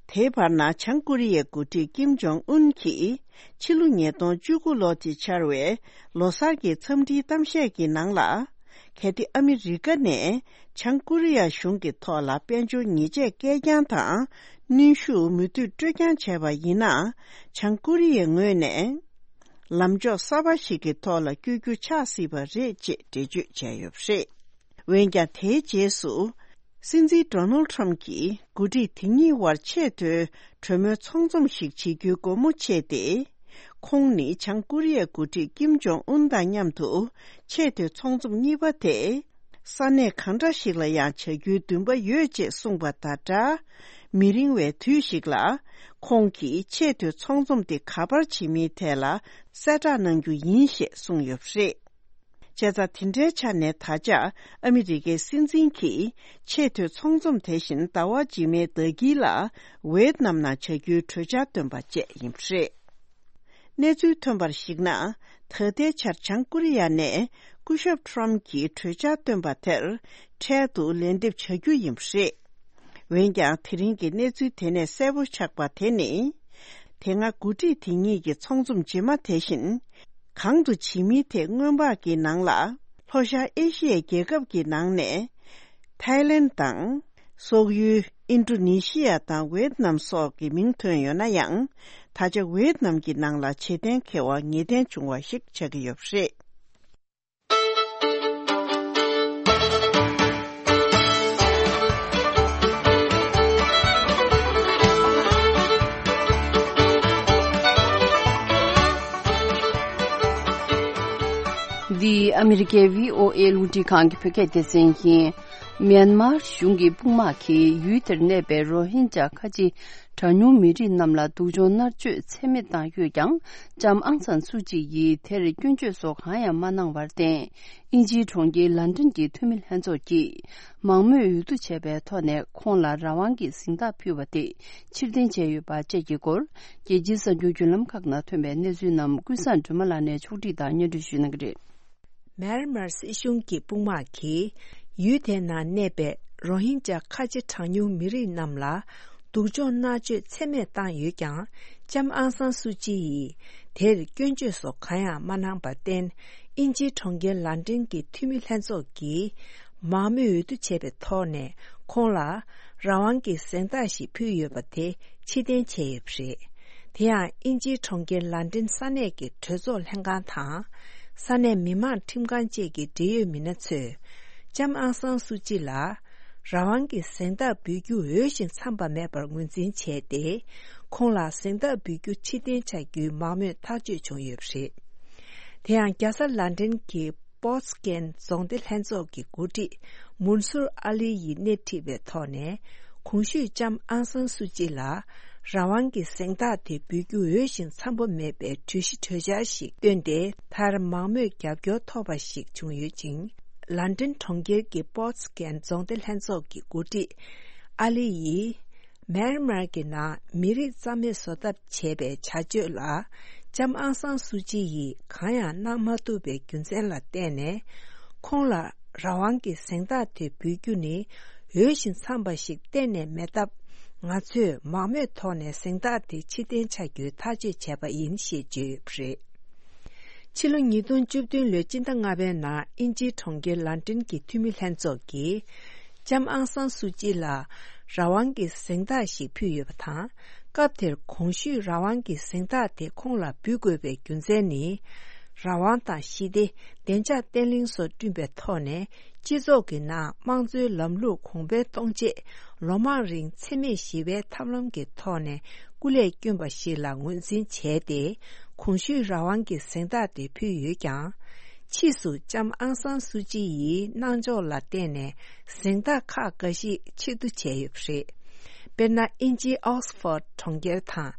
དེའི་བར་ན། བྱང་ཀོ་རི་ཡའི་འགོ་ཁྲིད་ཀིམ་ཇོང་ཨུན་གྱིས་ཕྱི་ལོ་ཉིས་སྟོང་བཅུ་དགུ་ལོ་དེ་འཆར་བའི་ལོ་གསར་གྱི་འཚམས་འདྲིའི་གཏམ་བཤད་ཀྱི་ནང་ལ། གལ་ཏེ་ཨ་མི་རི་ཀ་ནས་བྱང་ཀོ་རི་ཡ་གཞུང་གི་ཐོག་ལ་དཔལ་འབྱོར་ཉེས་ཆད་བཀལ་རྐྱང་དང་གནོན་ཤུགས་མུ་མཐུད་སྤྲོད་རྐྱང་བྱས་པ་ཡིན་ན། བྱང་ཀོ་རི་ཡའི་ངོས་ནས་ལམ་ཕྱོགས་གསར་པ་ཞིག་གི་ཐོག་ལ་བསྐྱོད་རྒྱུ་ཆགས་སྲིད་པ་རེད་ཅེས་འགྲེལ་བརྗོད་བྱས་ཡོད་པ་རེད། འོན་ཀྱང་། དེའི་རྗེས་སུ་སྲིད་འཛིན་ཌོ་ནལ་ཊམ་གྱིས་འགོ་ཁྲིད་དེ་གཉིས་དབར་ཆེས་མཐོའི་གྲོས་མོལ་ཚོང་འཛོམས་ཤིག་བྱེད་རྒྱུའི་སྒོ་མོ་ཕྱེས་ཏེ། ཁོང་ནི་བྱང་ཀོ་རི་ཡའི་འགོ་ཁྲིད་ཀིམ་ཇོང་ཨུན་དང་མཉམ་དུ་ཆེས་མཐོའི་ཚོང་འཛོམས་གཉིས་པ་དེ། ས་གནས་གང་འདྲ་ཞིག་ལ་ཡང་བྱ་རྒྱུའི་འདུན་པ་ཡོད་ཅེས་གསུངས་པ་དང་སྦྲགས། མི་རིང་བའི་དུས་ཤིག་ལ་ཁོང་གིས་ཆེས་མཐོའི་ཚོང་འཛོམས་དེ་ག་པར་བྱེད་མིན་ཐད་ལ་གསལ་བསྒྲགས་གནང་རྒྱུ་ཡིན་ཞེས་གསུངས་ཡོད་པ་རེད། བྱས་ཙང་། དེ་འདྲའི་ཆ་ནས་ད་ཆ་ཨ་མི་རི་ཀའི་སྲིད་འཛིན་གྱིས་ཆེས་མཐོའི་ཚོང་འཛོམས་དེ་བཞིན་ཟླ་བ་རྗེས་མའི་ཟླ་དཀྱིལ་ལ་ཝེད་ནམ་ནང་བྱ་རྒྱུའི་གྲོས་འཆར་བཏོན་པ་བཅས་ཡིན་པ་རེད། གནས་ཚུལ་ཐོན་པར་གཞིགས་ན། ད་ལྟའི་ཆར་བྱང་ཀོ་རི་ཡ་ནས་སྐུ་ཞབས་ཊམ་གྱིས་གྲོས་འཆར་བཏོན་པ་དེར་འཕྲལ་དུ་ལན་འདེབས་བྱ་རྒྱུ་ཡིན་པ་རེད། འོན་ཀྱང་། དེ་རིང་གི་གནས་ཚུལ་དེ་ནས་གསལ་པོ་ཆགས་པ་དེ་ནི། དེ་སྔ་འགོ་ཁྲིད་དེ་གཉིས་ཀྱི་ཚོང་འཛོམས་རྗེས་མ་དེ་བཞིན་གང་དུ་བྱེད་མིན་ཐད་སྔོན་དཔག་གི་ནང་ལ། ལྷོ་ཤར་ཨེ་ཤི་ཡའི་རྒྱལ་ཁབ་ཀྱི་ནང་ནས་ཐའི་ལེན་དང་། སོག་ཡུལ་ཨིན་ཌོ་ནེ་ཤི་ཡ་དང་ཝེད་ནམ་སོགས་ཀྱི་མིང་ཐོན་ཡོད་ན་ཡང་། ད་ཆ་ཝེད་ནམ་གྱི་ནང་ལ་བྱེད་གཏན་འཁེལ་བ་ངེས་གཏན་བྱུང་བ་ཞིག་ཆགས་ཀྱི་ཡོད་པ་རེད། འདི་ཨ་མི་རི་ཀའི་བྷི་ཨོ་ཨེ་རླུང་འཕྲིན་ཁང་གི་བོད་སྐད་སྡེ་ཚན་ཡིན། མྱན་མར་གཞུང་གི་དཔུང་དམག་གིས་ཡུལ་དེར་གནས་པའི་རོ་ཧིན་ཇཱ་ཁ་ཆེ་གྲངས་ཉུང་མི་རིགས་རྣམས་ལ་སྡུག་སྦྱོང་མནར་གཅོད་ཚད་མེད་བཏང་ཡོད་ཀྱང་། ལྕམ་ཨང་སན་སུ་ཅི་ཡིས་དེར་སྐྱོན་བརྗོད་སོགས་གང་ཡང་མ་གནང་བར་བརྟེན། དབྱིན་ཇིའི་གྲོང་ཁྱེར་ལན་ཀྲན་གྱི་འཐུས་མི་ལྷན་ཚོགས་ཀྱིས་མང་མོས་འོས་བསྡུ་བྱས་པའི་ཐོག་ནས་ཁོང་ལ་རང་དབང་གི་གཟེངས་རྟགས་ཕུལ་བ་དེ་ཕྱིར་འཐེན་བྱས་ཡོད་པ་བཅས་ཀྱི་སྐོར། རྒྱལ་སྤྱིའི་གསར་འགྱུར་བརྒྱུད་ལམ་ཁག་ནང་ཐོན་པའི་གནས་ཚུལ་རྣམས་ཀུན་བཟང་སྒྲོལ་མ་ལགས་ནས་ཕྱོགས་སྒྲིག་དང་སྙན་སྒྲོན་ཞུ་གནང་གི་རེད། མེན་མར་སྲིད་གཞུང་གི་དཔུང་དམག་གིས་ཡུལ་དེའི་ནང་གནས་པའི་རོ་ཧིན་ཇཱ་ཁ་ཆེ་གྲངས་ཉུང་མི་རིགས་རྣམས་ལ་སྡུག་སྦྱོང་མནར་གཅོད་ཚད་མེད་བཏང་ཡོད་ཀྱང་། ལྕམ་ཨང་སང་སུ་ཅི་ཡིས་དེར་སྐྱོན་བརྗོད་སོགས་གང་ཡང་མ་གནང་བར་བརྟེན། དབྱིན་ཇིའི་གྲོང་ཁྱེར་ལན་ཀྲན་གྱི་འཐུས་མི་ལྷན་ཚོགས་ཀྱིས་མང་མོས་འོས་བསྡུ་བྱས་པའི་ཐོག་ནས་ཁོང་ལ་རང་དབང་གི་གཟེངས་རྟགས་ཤིག་ཕུལ་ཡོད་པ་དེ་ཕྱིར་འཐེན་བྱས་ཡོད་པ་རེད། དེ་ཡང་དབྱིན་ཇིའི་གྲོང་ཁྱེར་ལན་ཀྲན་ས་གནས་ཀྱི་གྲོས་ཚོགས་ལྷན་ཁང་དང་། ས་གནས་མི་མང་ཁྲིམས་ཁང་བཅས་ཀྱི་འབྲེལ་ཡོད་མི་སྣ་ཚོས་ལྕམ་ཨང་སང་སུ་ཅི་ལ་རང་དབང་གི་གཟེངས་རྟགས་འབུལ་རྒྱུ་འོས་ཤིང་འཚམས་པ་མེད་པར་ངོས་འཛིན་བྱས་ཏེ། ཁོང་ལ་གཟེངས་རྟགས་འབུལ་རྒྱུ་ཕྱིར་འཐེན་བྱ་རྒྱུའི་མང་མོས་ཐག་གཅོད་བྱུང་ཡོད་པ་རེད། དེ་ཡང་རྒྱལ་ས་ལན་ཀྲན་གྱི་པོ་ཙི་ཀན་རྫོང་སྡེ་ལྷན་ཚོགས་ཀྱི་འགོ་ཁྲིད་མུན་སུར་ཨ་ལི་ཡིས་སྣེ་ཁྲིད་པའི་ཐོག་ནས། གོང་ཞུས་ལྕམ་ཨང་སང་སུ་ཅི་ལ་རང་དབང་གི་གཟེངས་རྟགས་དེ་འབུལ་རྒྱུ་འོས་ཤིང་འཚམ་པོ་མེད་པའི་གྲོས་གཞི་གྲོས་འཆར་ཞིག་བཏོན་ཏེ། མཐར་མང་མོས་རྒྱབ་སྐྱོར་ཐོབ་པ་ཞིག་བྱུང་ཡོད་ཅིང་། ལན་ཀྲན་གྲོང་ཁྱེར་གྱི་པོ་ཙི་ཀན་རྫོང་སྡེ་ལྷན་ཚོགས་ཀྱི་འགོ་ཁྲིད་ཨ་ལི་ཡིས། མེན་མར་གྱི་ནང་མི་རིགས་རྩ་མེད་བཟོ་ཐབས་བྱས་པའི་བྱ་སྤྱོད་ལ། ལྕམ་ཨང་སང་སུ་ཅི་ཡིས་གང་ཡང་གནང་མ་ཐུབ་པའི་རྒྱུ་མཚན་ལ་བརྟེན་ནས། ཁོང་ལ་རང་དབང་གི་གཟེངས་རྟགས་དེ་འབུལ་རྒྱུ་ནི་འོས་ཤིང་འཚམས་པ་ཞིག་གཏན་ནས་མེད་སྟབས། ང་ཚོས་མང་མོས་ཐོག་ནས་གཟེངས་རྟགས་དེ་ཕྱིར་འཐེན་བྱ་རྒྱུའི་ཐག་གཅོད་བྱས་པ་ཡིན་ཞེས་བརྗོད་ཡོད་པ་རེད། ཕྱི་ལོ་ཉིས་སྟོང་བཅུ་བདུན་ལོའི་སྤྱི་ཟླ་ལྔ་པའི་ནང་དབྱིན་ཇིའི་གྲོང་ཁྱེར་ལན་ཀྲན་གྱི་འཐུས་མི་ལྷན་ཚོགས་ཀྱིས། ལྕམ་ཨང་སང་སུ་ཅི་ལ་རང་དབང་གི་གཟེངས་རྟགས་ཤིག་ཕུལ་ཡོད་པ་དང་། སྐབས་དེར་གོང་ཞུས་རང་དབང་གི་གཟེངས་རྟགས་དེ་ཁོང་ལ་འབུལ་དགོས་པའི་རྒྱུ་མཚན་ནི། རང་དབང་དང་ཞི་བདེ། བདེ་འཇགས་བརྟན་ལྷིང་སོགས་བསྐྲུན་པའི་ཐོག་ནས། སྤྱི་ཚོགས་ཀྱི་ནང་དམངས་གཙོའི་ལམ་ལུགས་གོང་འཕེལ་གཏོང་ཆེད། ལོ་མང་རིང་འཚེ་མེད་ཞི་བའི་ཐབས་ལམ་གྱི་ཐོག་ནས་སྐུ་ལས་བསྐྱོན་པ་ཞིག་ལ་ངོས་འཛིན་བྱས་ཏེ། གོང་ཞུས་རང་དབང་གི་གཟེངས་རྟགས་དེ་ཕུལ་ཡོད་ཀྱང་། ཕྱིས་སུ་ལྕམ་ཨང་སང་སུ་ཅི་ཡིས་གནང་ཕྱོགས་ལ་བརྟེན་ནས་གཟེངས་རྟགས་ཁག་འགའ་ཞིག་ཕྱིར་བསྡུ་བྱས་ཡོད་པ་རེད། དཔེར་ན། དབྱིན་ཇིའི་ཨོག་སི་ཕོར་ཌི་གྲོང་ཁྱེར་དང་།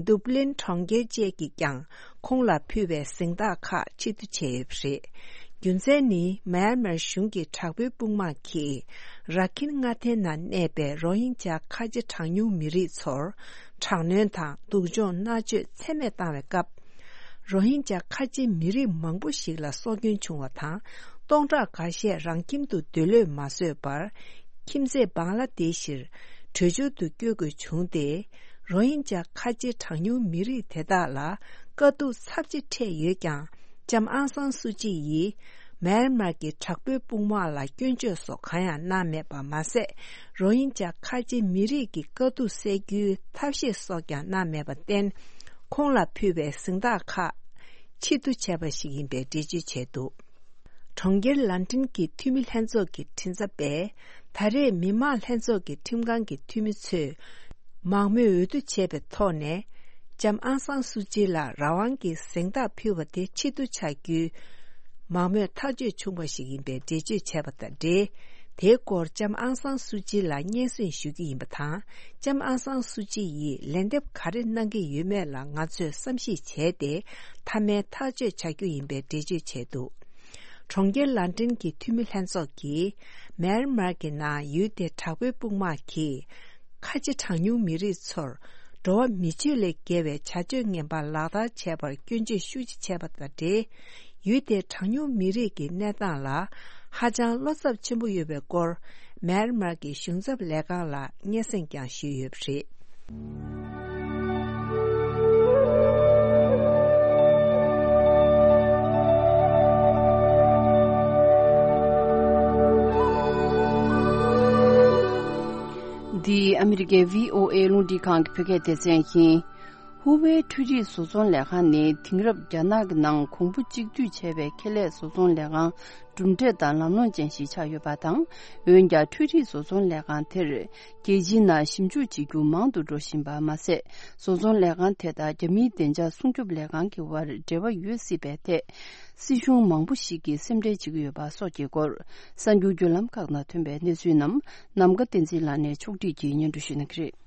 ཌུབ་ལིན་གྲོང་ཁྱེར་བཅས་ཀྱིས་ཀྱང་། ཁོང་ལ་ཕུལ་བའི་གཟེངས་རྟགས་ཁག་ཕྱིར་བསྡུ་བྱས་ཡོད་པ་རེད། རྒྱུ་མཚན་ནི། མཱ་ཡན་མར་གཞུང་གི་དྲག་པོའི་དཔུང་དམག་གིས་ར་ཁིན་མངའ་སྡེའི་ནང་གནས་པའི་རོ་ཧིན་ཇཱ་ཁ་ཆེ་གྲངས་ཉུང་མི་རིགས་ཚོར་དྲག་གནོན་དང་སྡུག་སྦྱོང་མནར་གཅོད་ཚད་མེད་བཏང་བའི་སྐབས། རོ་ཧིན་ཇཱ་ཁ་ཆེ་མི་རིགས་མང་པོ་ཞིག་ལ་སྲོག་སྐྱོན་བྱུང་བ་དང་། སྟོང་ཕྲག་འགའ་ཤས་རང་ཁྱིམ་དུ་སྡོད་ལོས་མ་བཟོད་པར། ཁྱིམ་མཚེས་བང་ལ་དེ་ཤིར་བྲོས་བྱོལ་དུ་བསྐྱོད་དགོས་བྱུང་སྟེ། རོ་ཧིན་ཇཱ་ཁ་ཆེ་གྲངས་ཉུང་མི་རིགས་དེ་དག་ལ་དཀའ་སྡུག་ཚབས་ཆེ་འཕྲད་ཡོད་ཀྱང་། ལྕམ་ཨང་སང་སུ་ཅི་ཡིས་མེན་མར་གྱི་དྲག་པོའི་དཔུང་དམག་ལ་སྐྱོན་བརྗོད་སོགས་གང་ཡང་གནང་མེད་པ་མ་ཟད། རོ་ཧིན་ཇཱ་ཁ་ཆེ་མི་རིགས་ཀྱི་དཀའ་སྡུག་སེལ་རྒྱུའི་ཐབས་ཤེས་སོགས་ཀྱང་གནང་མེད་པར་བརྟེན། ཁོང་ལ་ཕུལ་བའི་གཟེངས་རྟགས་ཁག་ཕྱིར་བསྡུ་བྱས་པ་ཞིག་ཡིན་པའི་འགྲེལ་བརྗོད་བྱས་འདུག་གྲོང་ཁྱེར་ལན་ཀྲན་གྱི་འཐུས་མི་ལྷན་ཚོགས་ཀྱི་མགྲིན་ཚབ་པས། ད་རེས་མི་དམངས་ལྷན་ཚོགས་ཀྱི་ཁྲིམས་ཁང་གི་འཐུས་མི་ཚོས་མང་མོས་འོས་བསྡུ་བྱས་པའི་ཐོག་ནས། ལྕམ་ཨང་སང་སུ་ཅི་ལ་རང་དབང་གི་གཟེངས་རྟགས་ཕུལ་བ་དེ་ཕྱིར་བསྡུ་བྱ་རྒྱུའི་མང་མོས་ཐག་གཅོད་བྱུང་བ་ཞིག་ཡིན་པའི་འགྲེལ་བརྗོད་བྱས་པ་དང་འབྲེལ། དེའི་སྐོར་ལྕམ་ཨང་སང་སུ་ཅི་ལ་སྙན་སེང་ཞུ་རྒྱུ་ཡིན་པ་དང་། ལྕམ་ཨང་སང་སུ་ཅི་ཡིས་ལན་འདེབས་ག་རེ་གནང་གི་ཡོད་མེད་ལ་ང་ཚོས་བསམ་གཞིག་བྱས་ཏེ། མཐའ་མའི་ཐག་གཅོད་བྱ་རྒྱུ་ཡིན་པའི་འགྲེལ་བརྗོད་བྱས་འདུག་གྲོང་ཁྱེར་ལན་ཀྲན་གྱི་འཐུས་མི་ལྷན་ཚོགས་ཀྱིས། མེན་མར་གྱི་ནང་ཡུལ་དེའི་དྲག་པོའི་དཔུང་དམག་གིས། ཁ་ཆེ་གྲངས་ཉུང་མི་རིགས་ཚོར། འགྲོ་བ་མི་སྤྱོད་ལས་བརྒལ་བའི་བྱ་སྤྱོད་ངན་པ་ལག་བསྟར་བྱས་པར་སྐྱོན་བརྗོད་ཤུགས་ཆེ་བྱས་པ་དང་འབྲེལ། ཡུལ་དེའི་གྲངས་ཉུང་མི་རིགས་ཀྱི་གནས་སྟངས་ལ། ཧ་ཅང་བློ་འཚབ་ཆེན་པོ་ཡོད་པའི་སྐོར། མེན་མར་གྱི་གཞུང་ཚབ་ལས་ཁང་ལ་སྙན་སེང་ཀྱང་ཞུས་ཡོད་པ་རེད། འདི་ཨ་མི་རི་ཀའི་བྷི་ཨོ་ཨེ་རླུང་འཕྲིན་ཁང་གི་བོད་སྐད་སྡེ་ཚན་ཡིན། ཧུ་ཝེ་འཕྲུལ་རིག་བཟོ་ཚོང་ལས་ཁང་ནི་དེང་རབས་རྒྱ་ནག་གི་ནང་གོང་བུ་གཅིག་བསྡུས་བྱས་པའི་ཁེ་ལས་བཟོ་ཚོང་ལས་ཁང་གྲུབ་འབྲས་དང་ལམ་ལྷོང་ཅན་ཞིག་ཆགས་ཡོད་པ་དང་། འོན་ཀྱང་འཕྲུལ་རིག་བཟོ་ཚོང་ལས་ཁང་དེར་རྒྱལ་སྤྱིའི་ནང་ཞིབ་འཇུག་བྱེད་རྒྱུ་མང་དུ་འགྲོ་བཞིན་པ་མ་ཟད། བཟོ་ཚོང་ལས་ཁང་དེ་དང་རྒྱ་མིའི་བདེ་འཇགས་སྲུང་སྐྱོབ་ལས་ཁང་གི་དབར་འབྲེལ་བ་ཡོད་སྲིད་པའི་ཐད། སྲིད་གཞུང་མང་པོ་ཞིག་གིས་སེམས་ཁྲལ་བྱེད་ཀྱི་ཡོད་པ་སོགས་ཀྱི་སྐོར། གསར་འགྱུར་བརྒྱུད་ལམ་ཁག་ནང་ཐོན་པའི་གནས་ཚུལ་རྣམས་ནམ་མཁའ་བསྟན་འཛིན་ལགས་ནས་ཕྱོགས་སྒྲིག་གིས་སྙན་སྒྲོན་ཞུ་གནང་གི་རེད།